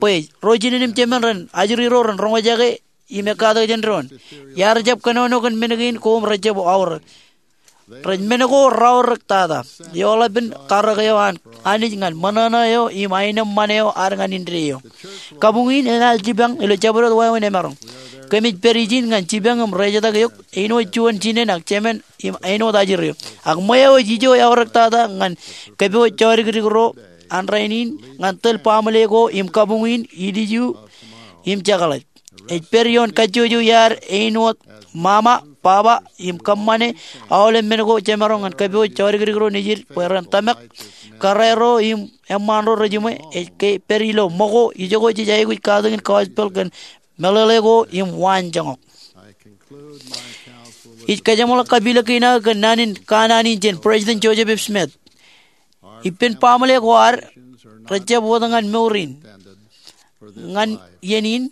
bwe ro jinen im jemān ren ajri ro ren roñjake im ekkatak jān doon. Iar jab kōnono kōn men kein ko im rejjab aorōk. Rej men ko raorōk tata. Eoḷapin karōk eo an Anij ñan ṃōṇōṇō eo im aenōṃṃan eo ad ñan indeeo. Kabuñ in enaaj jipañ ilo jabdewōt wāween emaroñ. Kōmij pād ijin ñan jipañ im rejetak eok āinwōt juon jinen ak jemān im āinwōt ajri eo. Ak ṃweo ej ijo eaorōk tata ñan kōpooj jodikdik ro an rainin ñan tōl baaṃle ko im kabuñ in ilju im jekḷaj. Ej pād ioon kajjojo iaad āinwōt mama, baba, im kōṃṃane aolep men ko jemaroñ ñan kōpooj jodikdik ro nejid bwe ren tōmak kōrā ro im eṃṃaan ro rejiṃwe. Ej ke pād ilo ṃōko ijoko jej aikuj katakin gospel kōn meḷeḷe ko im waanjoñak. Ij kajeṃḷọk kapilōk kein aō kōn naan in kanaan in jān President Joseph F. Smith. Ippān baaṃle ko ad rejjab wōt ñan mour in ñan iien in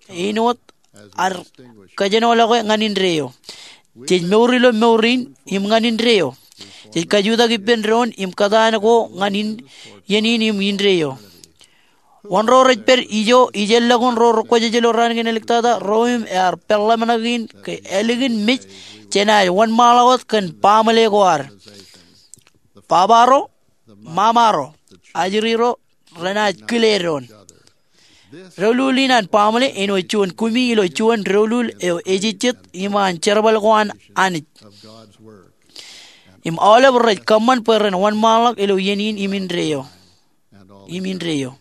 āinwōt ad kōjenolọke ñan indeeo. Jej mour ilo mour in im ñan indeeo. Jej kajutak ippān doon im kōtaan ko ñan in iien in im indeeo. Wōn ro rej pād ijo ijellọkun ro rekwōjarjar ilo raan kein āliktata? Ro im ear peḷḷāmṇak in ke ālikin mej jenaaj wōnṃaanḷọk wōt kōn baaṃle ko ad. Baba ro, mama ro, ajri ro renaaj kile doon. Doulul in an baaṃle āinwōt juon kumi ilo juon doulul eo ejejjet iṃaan jerbal ko an Anij. Im aolep rej kōṃṃan bwe ren wōnṃaanḷọk ilo iien in im indeeo. Im indeeo.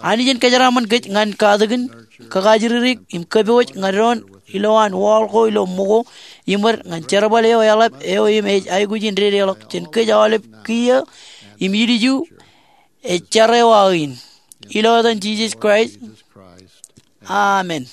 Anij en kōjeraaṃṃan kōj ñan katakin, kakajririk im kōpooj ñan doon ilowaan wall ko ilo ṃōko iṃōd ñan jerbal eo eḷap eo im ej aikuj in dedeḷọk jān kōj aolep kiiō im ilju ej jar eo aō in. Ilo etan Jisōs Kraist, amen.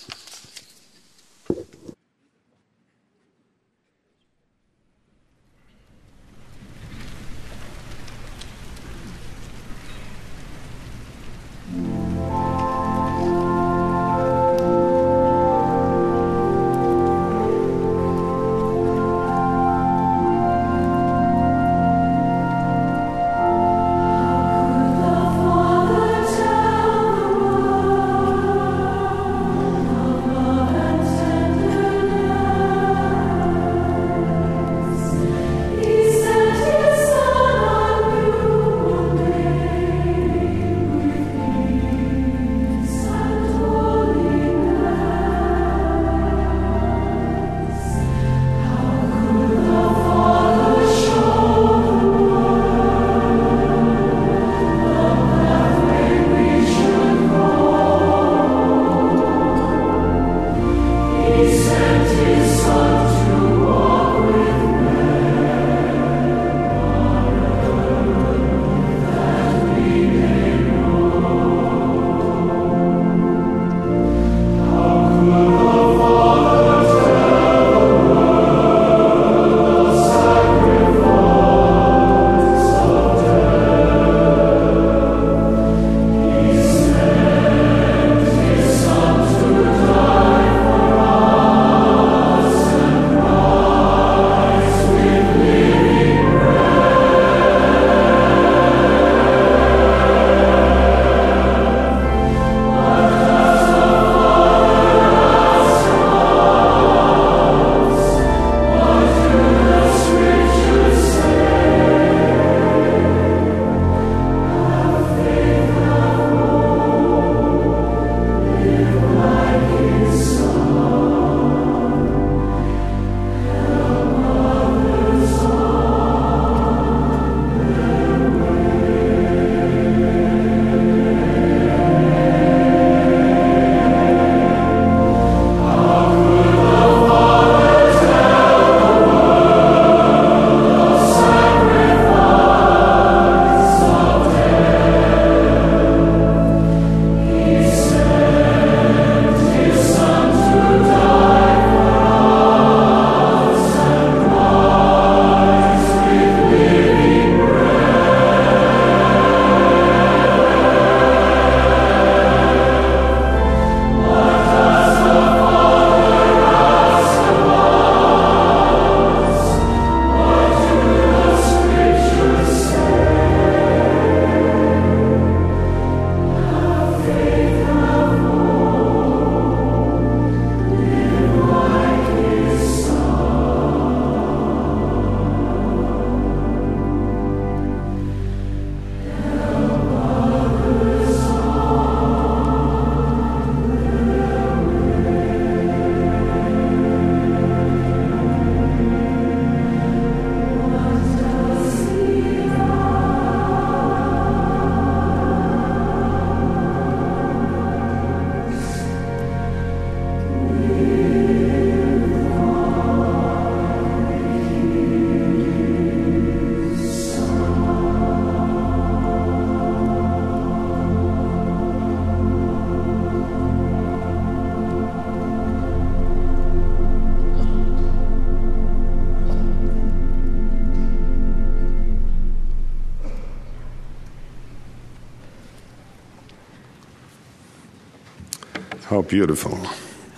How beautiful.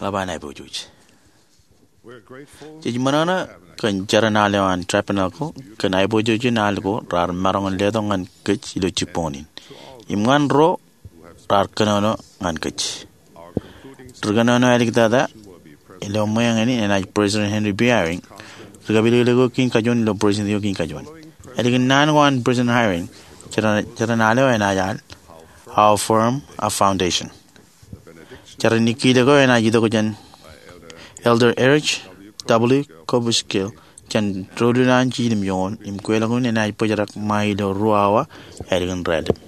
Eḷap an aiboojoj. Jej ṃōṇōṇō kōn jeran al eo an Tabernacle kōn aiboojojin al ko raar maroñ in letok ñan kōj ilo jibboñ in. Im ñan ro raar kōnono ñan kōj. Ri kōnono āliktata ilo ṃweeñ in enaaj President Henry B. Eyring, ri kapilōklōk eo kein kajuon ilo President eo kein kajuon. Ālikin naan ko an President Eyring, jeran, jeran al eo enaaj al How Firm a Foundation. Jeran nikkiilōk eo enaaj itok jān Elder Erich W. Kobuskill jān doulul an jilimjuon, im kweilọk in enaaj bōjrak ṃae ilo ruo awa ālikin raelep.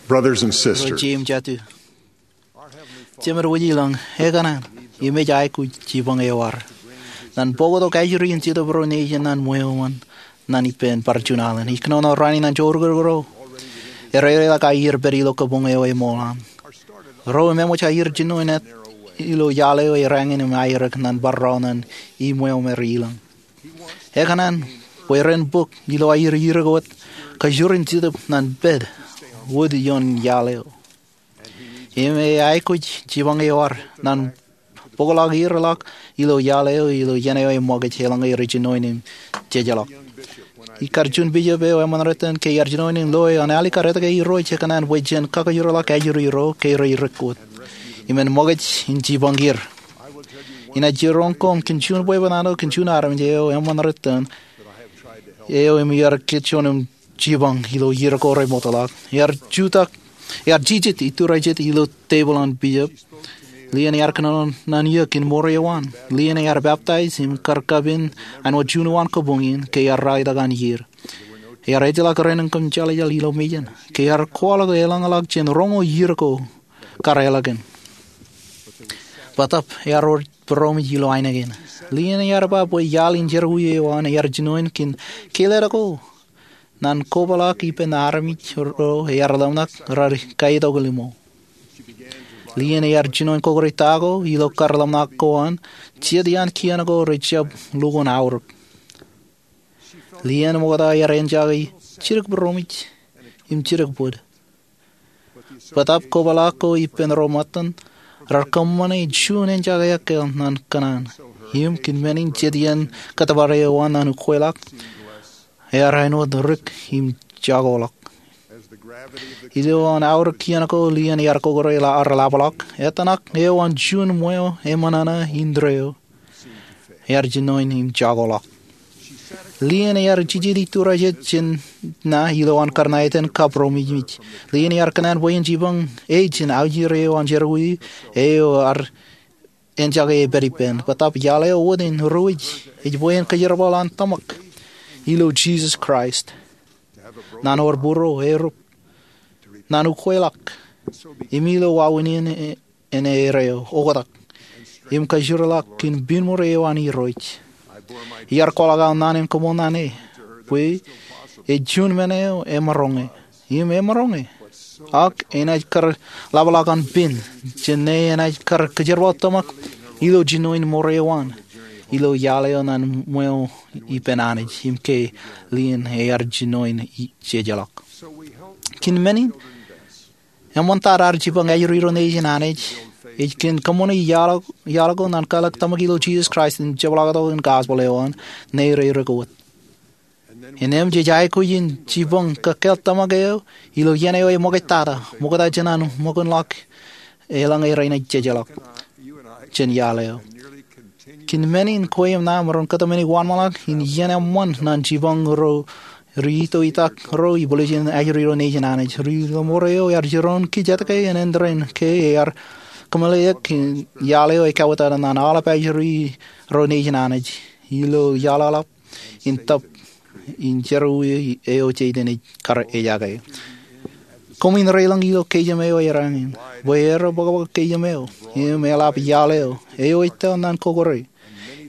Brothers and sisters, Jeiū im jatū, Jemedwōj ilañ, ekōṇaan im ej aikuj jipañ eo ad. Ñan bōktok ajri in Jetōb ro nejin an ṃweo eṃṃan ñan ippān bar juon alen, ij kōnono raan in ñan joorukūruk ro erereḷọk aer pād ilo kabuñ eo eṃool an. Ro im eṃōj aer jinoin ilo iaḷ eo erāñin im aerōk ñan bar rọọl ñan iṃweo me rej ilañ. Ekōṇaan bwe ren bōk ilo aer erōk wōt kajoor in Jetōb ñan pād wōt ioon iaḷ eo. Im ej aikuj jipañ eo ad ñan bōkḷọk erḷọk ilo iaḷ eo ilo iien eo eṃōkaj eḷaññe rej jinoin im jejḷọk. Ikar juon bishop eo eṃṃan rot in ke iar jinoin in loe an alikkar etke Irooj ekōṇaan bwe jen kakajoorḷọk ajri ro ke rej rōk wōt im en ṃōkaj in jipañ er. Inaaj jiroñ koṃ kōn juon bwebwenato kōn juon armej eo eṃṃan rot in eo im iar kōjjeḷọk im jipañ ilo iiō ko rej ṃootḷọk. Ear jutak, ear jijet iturajet ilo tepil an bishop. Lien ear kōnono ñan eō kōn mour eo an. Lien ear peptaij im kar kapen āinwōt juon eo an kabuñ in ke ear ralitōk an iiō. Ear ejjeḷọk rein kōm jeḷājeḷ ilo mejān ke ear kwaḷọk eḷañḷọk jān roñoul iiō ko kar eḷakin. Bōtaab ear wōr būroṃōj ilo ainikien. Lien ear ba bwe iaḷ in jerọwiwi eo an ear jinoin kōn kōlleḷọk ko ñan kobaḷọk ippān armej ro ear ḷōmṇak raar kaitokḷọk iṃō. Lien ear jinoin kọkkure ta ko ilo kar ḷōmṇak ko an jet iaan kien ko rej jab lukkuun aorōk. Lien ṃokta ear enjake jidik būroṃōj im jidik bōd. Bōtaab kobaḷọk ko ippān ro ṃōttan raar kōṃṃane juon enjake ekāāl ñan kōṇaan. Im kōn men in jet iien kōttōpar eo an ñan ukweḷọk ear āinwōt rik im jakoḷọk. Ilo an aorōk kien ko lien ear kọkkure ar lapaḷọk. Ettōṇak eo an juon ṃweo eṃōṇōṇō indeeo ear jinoin im jakoḷọk. Lien ear jijet iturajet jān ṇa ilo an karṇa etan kab ro mijmij. Lien ear kōṇaan bwe en jipañ e jān aujir eo an jerọwiwi eo ear enjake e pād ippān. Bōtaab iaḷ eo wōt in ruwij ej bwe en kōjerbal an tōmak ilo Jisōs Kraist, ñan wōr būruo, erup, ñan ukweḷọk, im ilo wāween in en erreo oktak im kajoorḷọk kōn piin ṃōrei eo an Irooj. Iar kwaḷọk aō naan in koṃṃool ñan e bwe ej juon men eo emaroñe im emaroñe. Ak enaaj kar lapaḷọk an piin jān ṇe enaaj kar kōjerbal tōmak ilo jinoin mour eo an ilo iaḷ eo ñan ṃweo ippān Anij im ke lien ear jinoin jejeḷọk. Kōn men in, eṃṃantata ad jipañ ajri ro nejin Anij ej kōn kōṃṃane iaḷ ko ñan kwaḷọk tōmak ilo Jisōs Kraist im jepḷaaktok in gospel eo an ṇe rej rōk wōt. Innām jej aikuj in jipañ kōkāāl tōmak eo ilo iien eo eṃōkaj tata ṃokta jān an ṃōkinḷọk eḷaññe renaaj jejeḷọk jān iaḷ eo. Kōn men in kwe im ṇa maroñ kōtmāne wōnṃaanḷọk in iien eṃṃan ñan jipañ ro ri itoitak ro ibwiljin ajri ro nejin Anij. Ri ḷōṃaro eo ear jiroñ kōj etke en āindein ke ear kōmeḷeḷeik iaḷ eo ekawōtata ñan aolep ajri ro nejin Anij ilo iaḷ eḷap in tōp in jerọwiwi eo Satan ej kar ejake. Koṃwin reilañ ilo keijem eo erāñin bwe erreo bōkbōk keijem eo im eḷap iaḷ eo eo ej tōl ñan kọkkure.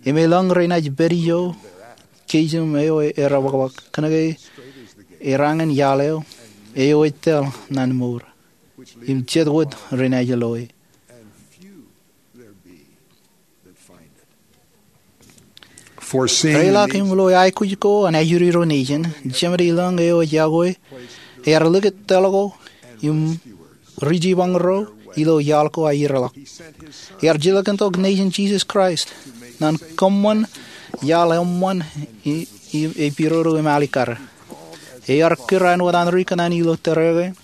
Im elōñ renaaj pād ijo keijem eo erreo bōkbōk kōnke erāñin iaḷ eo eo ej tōl ñan mour im jet wōt renaaj loe. Reiḷọk im lo aikuj ko an ajri ro nejin, Jemed Ilọñ eo ej yokwe ear likūt tōl ko im ri jipañ ro ilo iaḷ ko aer ḷọk. Ear jilkintok nejin Jisōs Kraist ñan kōṃṃan iaḷ eṃṃan im epidodo im alikkar. Ear kūr āinwōt an ri kōṇaan ilo tōre kein,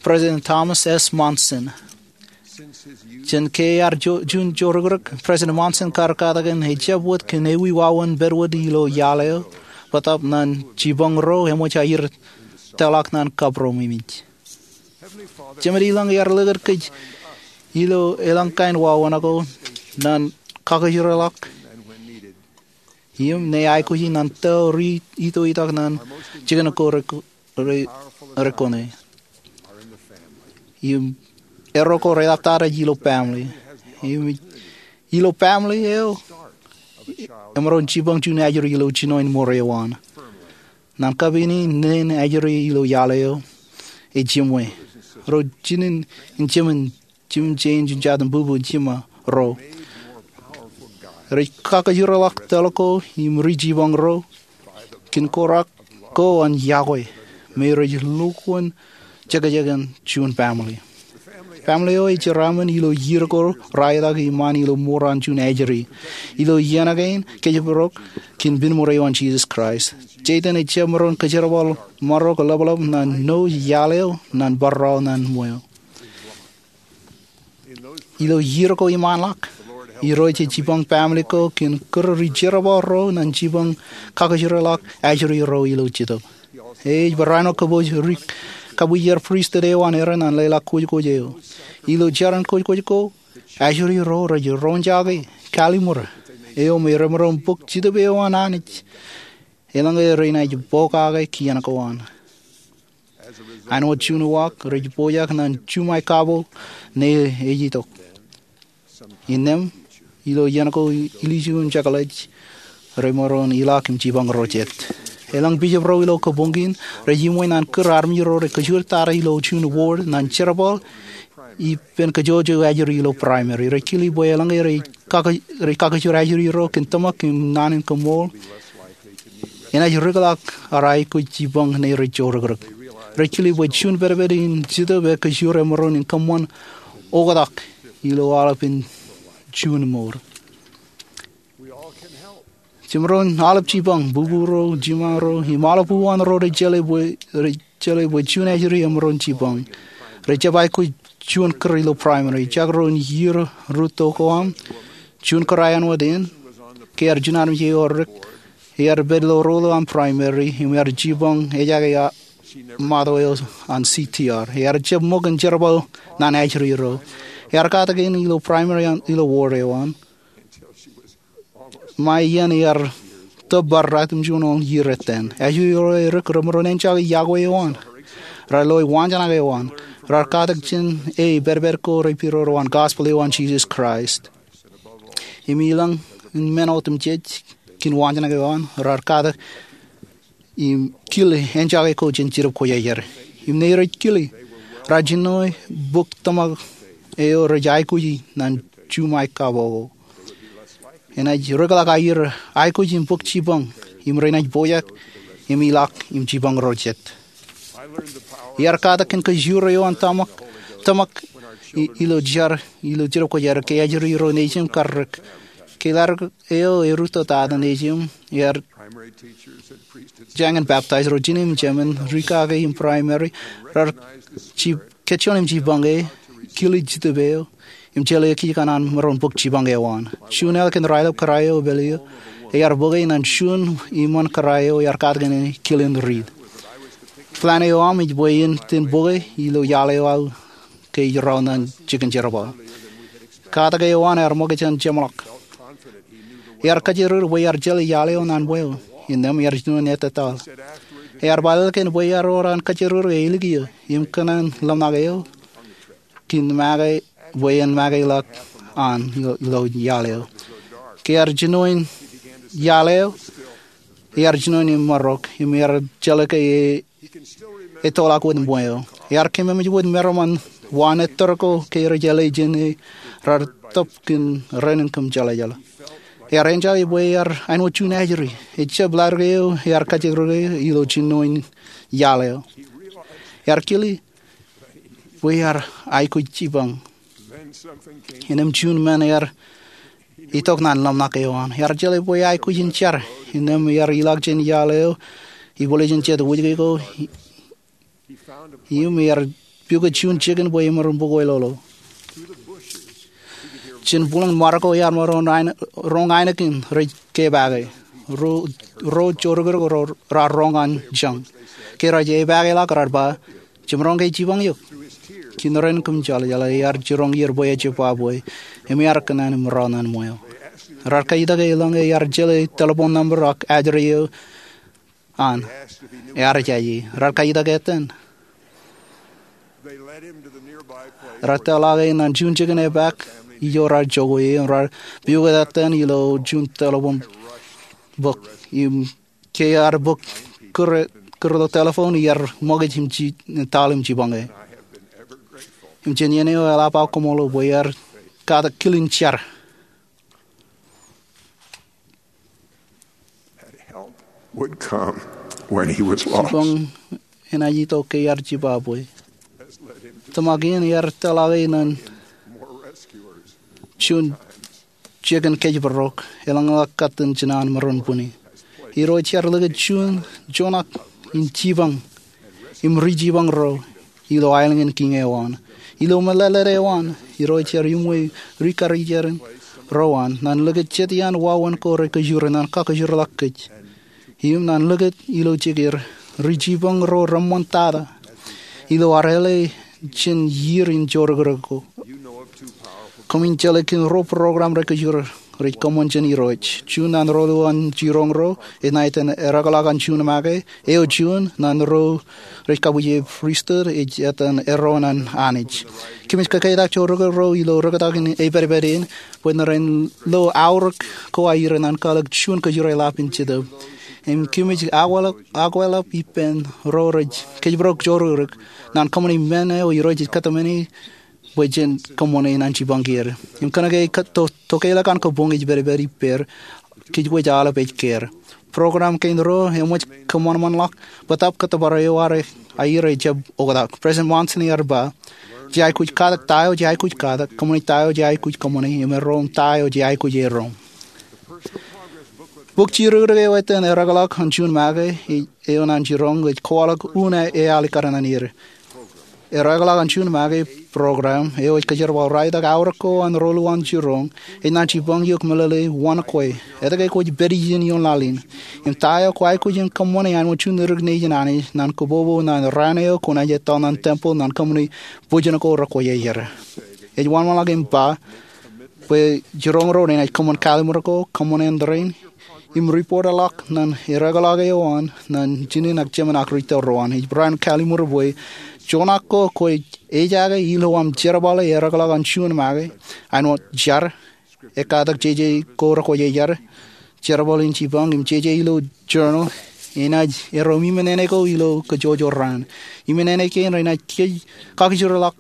President Thomas S. Monson. Jān ke ear juon jorōkrōk, President Monson kar katakin ejjab wōt kōn ewi wāween pād wōt ilo iaḷ eo bōtab ñan jipañ ro eṃōj aer tōlḷọk ñan kabro im ej. Jemed Ilọñ ear likūt kōj ilo elōñ kain wāween ko ñan kakōjro ḷọk im ñe aikuji ñan tō ri ito itak ñan jikin ko rekone. Im erro ko reḷaptata ej ilo family. Im ilo family eo emaroñ jipañ juon ajri ilo jinoin mour eo an. Ñan kapin in, neen ajri ilo iaḷ eo ej jiṃwe. Ro jinen in jemān, jimjeen, jimjatūṃ, bubu, jiṃa ro rej kakōjro ḷọk tōl ko im ri jipañ ro kōn korak ko an yokwe me rej lukkuun jekjek in juon family. Family eo ej jeraaṃṃan ilo iiō ko raelọk iṃaan ilo mour an juon ajri. Ilo iien kein kōjparok kōn pen mour eo an Jisōs Kraist, Satan ejjab maroñ kōjerbal ṃarok ḷapḷap ñan ṇo iaḷ eo ñan barro ñan ṃweo. Ilo iiō ko iṃaanḷọk, Irooj ej jipañ family ko kōn kūr ri jerbal ro ñan jipañ kakōjro ḷọk ajri ro ilo Jetōb. E ej barāinwōt kōpooj ri kabwijer pristut eo an Aaron ñan leḷọk kōjkōj eo. Ilo jeran kōjkōj ko, ajri ro rej roñjake kalliṃur eo me remaroñ bōk Jetōb eo an Anij eḷaññe renaaj pokake kien ko an. Āinwōt juon uwaak, rej pojak ñan juṃae kabbokbok ñe ej itok. Innām, ilo iien ko, ilju im jekḷaj remaroñ ilọk im jipañ ro jet. Elōñ bishop ro ilo kabuñ kein rej iṃwe ñan kūr armej ro rej kōjwōj tata ilo juon ward ñan jerbal ippān kōjwōj ajri ilo primary. Rej kile bwe eḷaññe rej kakōjwōj ajri ro kōn tōmak im naan in kaṃṃool, enaaj rūkḷọk ar aikuj jipañ ñe rej jorōkrōk. Rej kile bwe juon pedped in Jetōb ekōjwōj emaroñ in kōṃṃan oktak ilo aolepān juon mour. Jemaroñ aolep jipañ, bubu ro, jiṃa ro, im aolep uwaan ro rej jeḷā bwe juon ajri emaroñ jipañ. Rej jab aikuj juon kūr ilo primary. Ejjab ro in iiō rūtto ko aṃ, juon kūr āinwōt in, ke ear juon armej eo dik, ear pād ilo rūtto an primary im ear jipañ ejaake ṃato eo an C T R. Ear jab ṃōk in jerbal ñan ajri ro. Ear katakin ilo primary ilo ward eo an ṃae iien ear tōb bar ratimjuon ḷọk iiō ettan. Ajri ro edik remaroñ enjoy yokwe eo an. Raar loi waanjoñak eo an. Raar katak jān e pedped ko repidodo an gospel eo an Jisōs Kraist. Im ilañ in men otemjej kōn waanjoñak eo an, raar katak im kile enjoy ko jān Jetōb Kwōjarjar. Im ñe rej kile, raar jinoe bōk tōmak eo rej aikuji ñan juṃae kabbokbok ko. Enaaj rūkḷọk aer aikuj im bōk jipañ, im renaaj pojak im ilọk im jipañ ro jet. Iar katak kōn kōjwōj eo an tōmak, tōmak ilo jar ilo Jetōb Kwōjarjar ke ajri ro nejin kar dik. Ke ḷaddik eo erūtto tata nejin, ear jañin baptize, ro jinō im jemān, ri kake in primary, raar kajjioñ im jipañ e, kile Jetōb eo, im jeḷā kōj kōṇaan maroñ bōk jipañ eo an. Juon ālikin raelep kōrā eo epād eo, ear bōke ñan juon iṃaan kōrā eo ear katakin kile in riit. Plan eo aṃ ej bwe in iten bōke ilo iaḷ eo aō ke ij raon ñan jikin jerbal. Katak eo an ear ṃōkaj jān jeṃḷọk. Ear kōjatdikdik bwe ear jeḷā iaḷ eo ñan ṃweo, innām ear jino ettōtaḷ. Ear ba ālikin bwe ear ewōr an kōjatdikdik e ālik eō im kōṇaan ḷōmṇak eō kōn make, bwe en make ḷọk an ilo iaḷ eo. Ke ear jinoin iaḷ eo, ear jinoin im marok, im ear jeḷā ke e ettoḷọk wōt ṃweo. Ear kōmemej wōt meram an wa ettōr ko ke rej jeḷā jān e raar tōp kōn raan in kōmjeḷājeḷā. Ear enjeḷā bwe ear āinwōt juon ajri. Ejab ḷadik eo ear kajjirere ilo jinno in iaḷ eo. Ear kile bwe ear aikuj jipañ. Innām juon men ear itok ñan ḷōmṇak eo an. Ear jeḷā bwe aikuj in jar. Innām ear ilọk jān iaḷ eo, ibwiljin jet wūjke ko, im ear pukot juon jikin bwe emaroñ bōk wāween. Jān būḷōn ṃare ko ear maroñ roñ ainikien rej kepaake. Ro, ro jorrāān ro raar roñ an jañ. Ke rej epaake ḷọk raar ba, "Jemaroñ ke jipañ eok?" Kōn ren kōm jeḷā, jeḷā ear jiroñ er bwe ejab ba bwe, im ear kōṇaan im ro ñan ṃweo. Raar kaitōk e eḷaññe ear jeḷā telephone number ak ajri eo an. Ear jaje. Raar kaitōk etan. Raar tōl ḷọk e ñan juon jikin epaak ijo raar jokwe im raar pukot etan ilo juon telephone bōk. Im ke ear bōk kūr, kūr ilo telephone, ear ṃōkaj im ji, tōl im jipañ e. Im jān iien eo eḷap aō koṃṃool bwe ear katak kilin jar. Would come when he was lost. Jipañ enaaj itok ke ear jibabwe. Tōmak in ear tōl ḷọk e ñan juon jikin kōjparok, eḷaññe ḷọk katten jinen an maroñ bwini. Irooj ear likūt juon joñak in jipañ im rijipañ ro ilo aelōñ in kiiñ eo an. Ilo meḷeḷe eo an, Irooj ear uṃwei rikarijeran ro an ñan likūt jet iaan wāween ko rej kōjure ñan kakōjorḷọk kōj. Im ñan likūt ilo jekar, rijipañ ro reṃṃan tata ilo ad āle jān iiō in jorrāān ko. Koṃwin jeḷā kōn ruo program rej kōjure rej kōṃṃan jān Irooj. Juon ñan ro ilo an jiroñ ro, enaaj etan Ereokḷọk an Juun Make, eo juon ñan ro rej kabwije pristut, ej etan Erro an Anij. Kōmij kōketak jorrāān ro ilo rūktak in epedped in, bwe ren lo aorōk ko aer ñan kwaḷọk juon kōjure ḷap in Jetōb. Im kōmij akweḷap, akweḷap ippān ro rej kōjparok jorrāān ñan kōṃṃani men eo Irooj ej kōtmāne bwe jen kōṃṃane ñan jipañ er. Im kōnke to, tokeḷọk an kōbuñ ej pedped ippāer, kōj wōj aolep ej kōm. Program kein ro eṃōj kōṃanṃanḷọk bōtaab kōttōpar eo aer ejab oktak. President Monson ear ba, "Jej aikuj katak ta eo jej aikuj katak, kōṃṃani ta eo jej aikuj kōṃṃani, im erro im ta eo jej aikuj erro." Bok jidikdik eo etan Ereokḷọk an Juun Make, eo an jiroñ, ej kwaḷọk unin eaḷ ikar ñan er. Ereokḷọk an Juun Make program eo ej kōjerbal raeltok aorōk ko an ro ilo an jiroñ, enaaj jipañ eok meḷeḷe wōn kwe, etke kwōj pād ijin ioon laḷ in, im ta eo kwōj aikuj in kōṃṃane āinwōt juon dik nejin Anij ñan kōpopo ñan raan eo kwōnaaj etto ñan tempeḷ ñan kōṃṃane bōjjān ko rekwōj aer. Ej wōnṃaanḷọk im ba bwe jiroñ ro renaaj kōṃṃan kalimur ko, kōṃṃan āindein, im report ḷọk ñan ereokḷọk eo an ñan jinen ak jemān ak rūtto ro an. Ej barāinwōt kalimur bwe joñak ko kwōj ejaake ilo aṃ jerbale Ereokḷọk an Juun Make, āinwōt jar, ekkatak jeje ko rekwōj ejar, jerbal in jipañ im jeje ilo journal, enaaj erro im iminene ko ilo kōjwōjwōj raan. Iminene kein renaaj kōj, kakōjorḷọk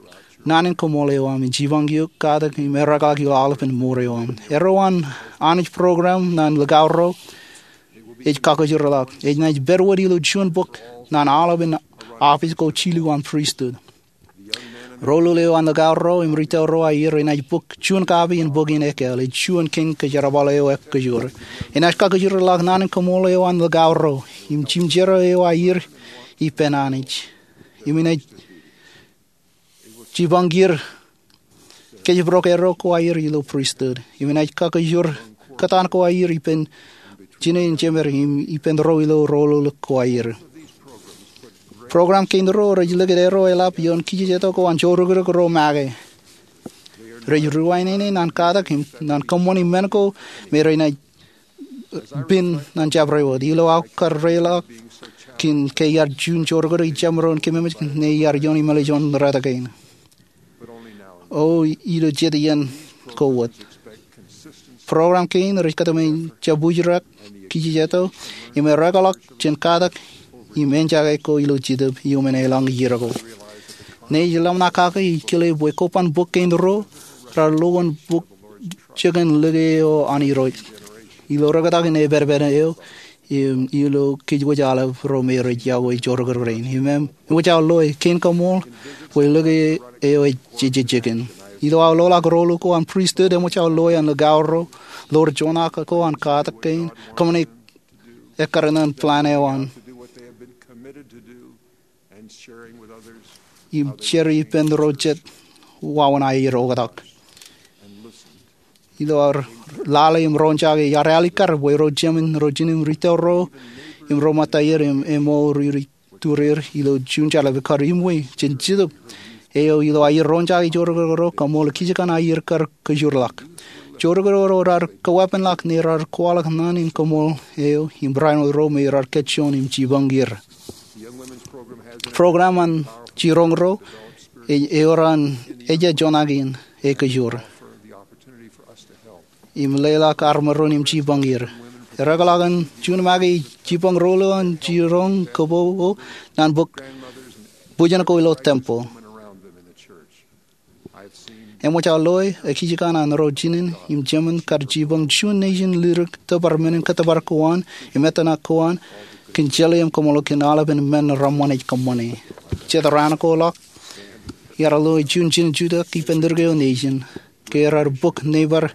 naan in koṃṃool eo aṃ, im jipañ eok, katak im ereokḷọk ilo aolepān mour eo aṃ. Erro an Anij program ñan likao ro ej kakōjorḷọk. Enaaj pād wōt ilo juon bok ñan aolepān office ko jilu an pristut. Ro lolo eo an likao ro im rūtto ro aer enaaj bōk juon kapi in bok in ekāāl, ej juon kein kōjerbal eo ekōjur. Enaaj kakōjorḷọk naan in koṃṃool eo an likao ro im jimjerro eo aer ippān Anij. Im enaaj jipañ er kōjparok erro ko aer ilo pristut. Im enaaj kakōjor kōtaan ko aer ippān jinen jemed im ippān ro ilo ro lolo ko aer. Program kein ro rej likūt erro eḷap ioon kijejeto ko an jorrāān ro make. Rej ruwainene ñan katak im ñan kōṃṃani men ko me renaaj pen ñan jabdewōt. Ilo aō karreoḷọk kōn ke iar juon jorrāān ijemaroñ kememej ñe iar ioon emālij ioon rot kein. O ilo jet iien ko wōt. Program kein rej kōtmāne jabdewōt kijejeto im ereokḷọk jān katak im eñjake ko ilo Jetōb iuṃwin elōñ iiō ko. Ñe ij ḷōmṇak kake ij kile bwe koban bok kein ro raar lo wōn bok jikin like eo an Irooj. Ilo rekōtak in epād eo, im ilo kōj wōj aolep ro me rej iọkwe joorōkrōk rein, im eṃōj aō loe kein kaṃool bwe lōke eo ej jejjekān. Ilo aō loḷọk rool ko an pristut, eṃōj aō loe an likao ro, ḷoor juon ak ko an katak kein, kōṃṃane ekkar ñan plan eo an, im jar ippān ro jet wāween aier oktak. Ilo ad lale im roñjake, iar alikkar bwe ro jemān, ro jinen, ri tōl ro im ro ṃōttaier im eṃool ri ri tūreer ilo juon jeḷā kar iṃwe jān Jetōb eo ilo aer roñjake joorōkrōk ro, kaṃool kōjkan aer kar kajoorḷọk. Joorōkrōk ro raar kaweeppānḷọk ñe raar kwaḷọk naan in kaṃool eo im barāinwōt ro me raar kajjoon im jipañ er. Program an jiroñ ro ej ewōr an ejja juon ak in ekajoor im leḷọk armej ro im jipañ er. Ereokḷọk an juon make ej jipañ rool eo an jiroñ kōpopo ñan bōk bwijin ko ilo tempel. Eṃōj aō loe kōjkan an ro jinen im jemān kar jipañ juon nejin lirik tōpar men in kōtōpar ko an im ettōṇak ko an kōn jeḷā im kaṃool kōn aolepān men reṃṃan ej kōṃṃane. Jet raan ko ḷọk, iar loe juon jinen jutak ippān dik eo nejin ke raar bōk neighbor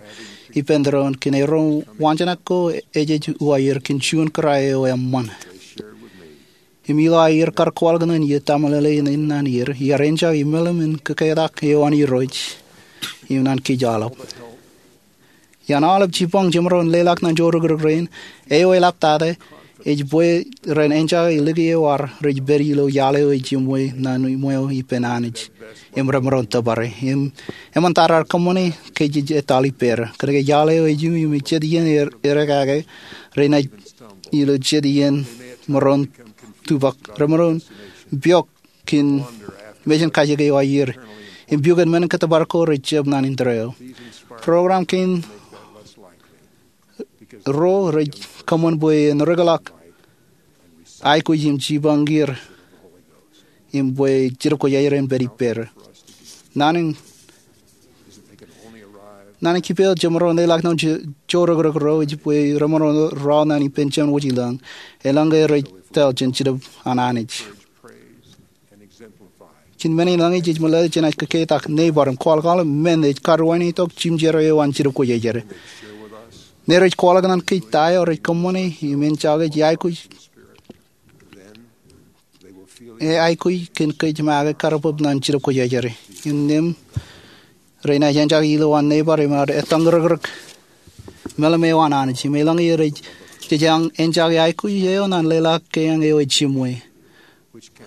ippān doon kōn ro waanjoñak ko ejej uwaer kōn juon kōrā eo eṃṃan. Im ilo aer kar kwaḷọk ñan ie taṃōḷeḷe in naan er, iar enjake meḷeḷe in kōketak eo an Irooj im naan kōj aolep. Ian aolep jipañ jemaroñ in leḷọk ñan joorōkrōk rein, eo eḷaptata ej bwe ren enjake lōke eo ar rej pād ilo iaḷ eo ej iṃwe ñan iṃweo ippān Anij im remaroñ tōpare. Im eṃṃan ta raar kōṃṃane ke jej etal ippāer. Kōnke iaḷ eo ej iṃwe im jet iien er, erekake, renaaj ilo jet iien maroñ tubak, remaroñ piọk kōn mejān kajjik eo aier im piọk kōn men in kōtōpar ko rej jab ñan indeeo. Program kein ro rej kōṃṃan bwe en rekḷọk aikuj im jipañ er im bwe Jetōb Kwōjarjar en pād ippāer. Naan in, naan in kiiō jemaroñ in leḷọk ñan joorōkrōk ro ej bwe remaroñ rọọl ñan ippān Jemān Wōj i lañ, eḷaññe rej tōl jān Jetōb an Anij. Kōn men in lañe jej meḷeḷe jenaaj kōketak, neighbor im kwaḷọk aolep men ej kar wāween itok jimjer eo an Jetōb Kwōjarjar. Ñe rej kwaḷọk ñan kōj ta eo rej kōṃṃane im enjake, jej aikuj, e aikuj kōn kōj make kar bōb ñan Jetōb Kwōjarjar. Innām renaaj enjake ilo an neighbor im ad ettōñrōkrōk meḷeḷe eo an Anij. Im eḷaññe rej, jej enjake aikuj eo ñan leḷọk kein eo ej iṃwe,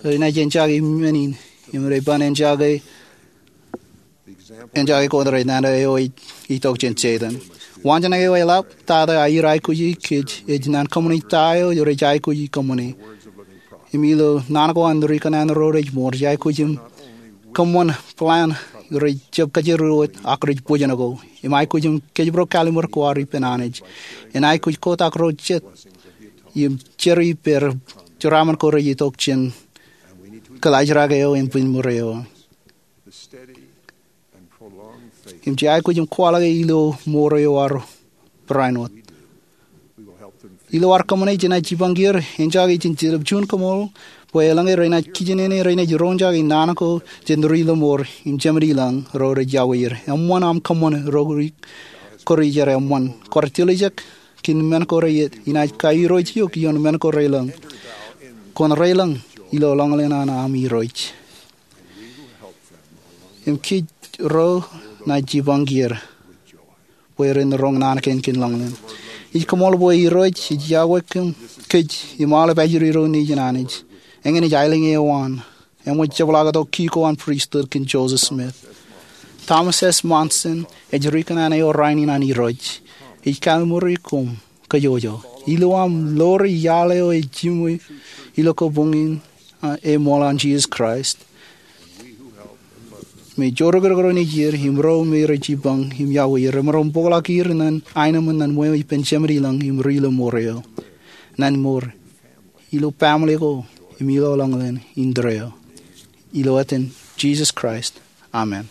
renaaj enjake men in im rej ban enjake, enjake ko rej nana eo ej itok jān Setan. Waanjoñak eo eḷaptata aer aikuji kōj ej naan kōṃṃani ta eo rej aikuji kōṃṃane. Im ilo naan ko an ri kōnnaan ro rej mour, jej aikuj im kōṃṃan plan rej jab kajjitōk wōt ak rej bōjṇọ ko. Im aikuj im kōjparok kallim̧ur ko ad ippān Anij. En aikuj kotak ro jet im jerā ippāer jeraaṃṃan ko rej itok jān kōḷaajrak eo im bwijin mour eo. Im jej aikuj im kwaḷọke ilo mour eo ad barāinwōt. Ilo ad kōṃṃane, jenaaj jipañ er, enjake jān Jetōb juon kaṃool, bwe eḷaññe renaaj kijenene, renaaj roñjake naan ko jān ri lọmọọr im Jemān i lañ ro rej iọkwe er. Eṃṃan aṃ kōṃṃan ro ri kōrā jar eṃṃan. Kwōj tiljek kōn men ko rej iien, inaaj kairooj eok ioon men ko rej lañ. Kwōn rej lañ ilo ḷañlōñ an aṃ Irooj. Im kōj ro naaj jipañ er bwe ren roñ naan kein kōn ḷañlōñ. Ij koṃṃool bwe Irooj ej iọkwe kōm, kōj im aolep ajri ro nejin Anij. Eñin ej aelōñ eo an, eṃōj jepḷaaktok ki ko an pristut kōn Joseph Smith. Thomas S. Monson ej ri kōnnaan eo rainin an Irooj. Ij kaiṃuri koṃ kōjwōjwo ilo aṃ ḷoori iaḷ eo ej iṃwe ilo kabuñ in, a, eṃool an Jisōs Kraist. Me joorōkrōk ro nejier im ro me rej jipañ im iọkwe er, remaroñ bōkḷọk er ñan aenōṃṃan ñan ṃweo ippān Jemān i lañ im ri lọmọọr eo. Ñan mour, ilo baaṃle ko, im ilo ḷañlōñ indeeo. Ilo etan Jisōs Kraist. Amen.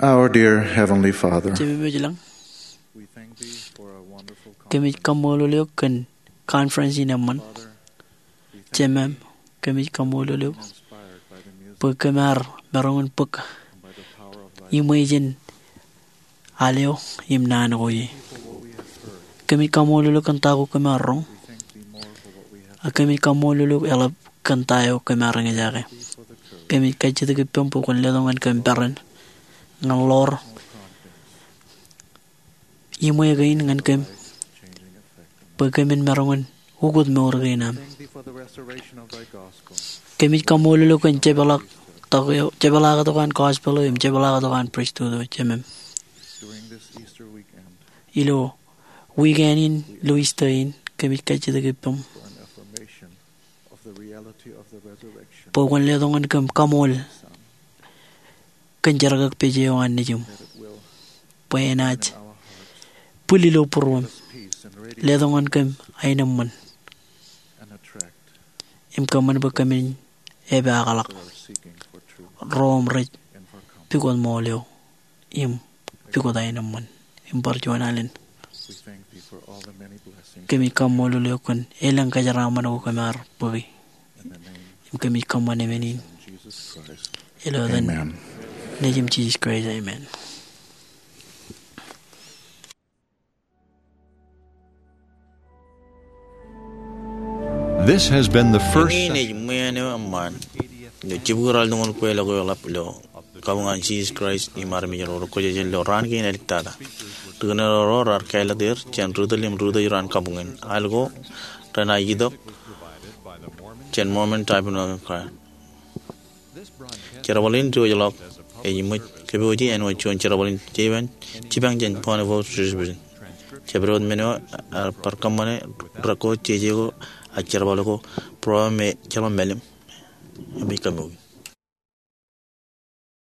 Our dear Heavenly Father, Jemem eo ej ilañ, we thank thee for a wonderful conference. Kōmij kaṃṃoolol eok kōn conference in eṃṃan. Father, we thank Jemem, kōmij kaṃṃoolol eok inspired by the music bwe kōm ar maroñ in bōk by the power of thy iṃwe jān al eo im naan ko ie. Thank you for what we have heard. Kōmij kaṃṃoolol eok kōn ta ko kōm ar roñ. We thank thee more for what we have Ak kōmij kaṃṃoolol eok eḷap kōn ta eo kōm ar eñjake. Thank thee for the courage. Kōmij kajjitōk ippaṃ bwe kwōn letok ñan kōm peran ñan ḷoor iṃwe kein ñan kōm bwe kōmin maroñ in ukōt mour kein aṃ. Kōmij kaṃṃoolol eok kōn jepḷaaktok eo, jepḷaaktok an gospel eo im jepḷaaktok an pristut eo, Jemem. Ilo wikan in ilo Easter in, kōmij kajjitōk ippaṃ bwe kwōn letok ñan kōm kaṃool kōn jerkakpeje eo an Nejiṃ, bwe enaaj bwil ilo būruōm, letok ñan kōm aenōṃṃan, im kōṃṃan bwe kōmin epaakḷọk ro im rej pukot ṃool eo im pukot aenōṃṃan im bar juon alen. Kōmij kaṃṃoolol eok kōn elōñ kōjeraaṃṃan ko kōm ar bōki. Im kōmij kōṃṃan emān in ilo etan Amen. Nejiṃ Jisōs Kraist, amen. This has been the first Eñin ej ṃwiin eo eṃṃaan ilo jibukwi ralitōñoul kweilọk eo eḷap ilo kabuñ an Jisōs Kraist im armej ro rekwōjarjar ilo raan kein āliktata. Ri-kōnono ro raar kāālōt er jān ri-tōl im ri-utōj ro an kabuñ in. Al ko renaaj itok jān Mormon Tabernacle Choir. Jerbal in diwōjḷọk ej ṃōj kōpooje āinwōt juon jerbal in jipañ jān Bonneville Distribution. Jabdewōt men eo ear bar kōṃṃane record jeje ko ak jerbal ko, program eo ej jerbal mālim. Im ej kōmij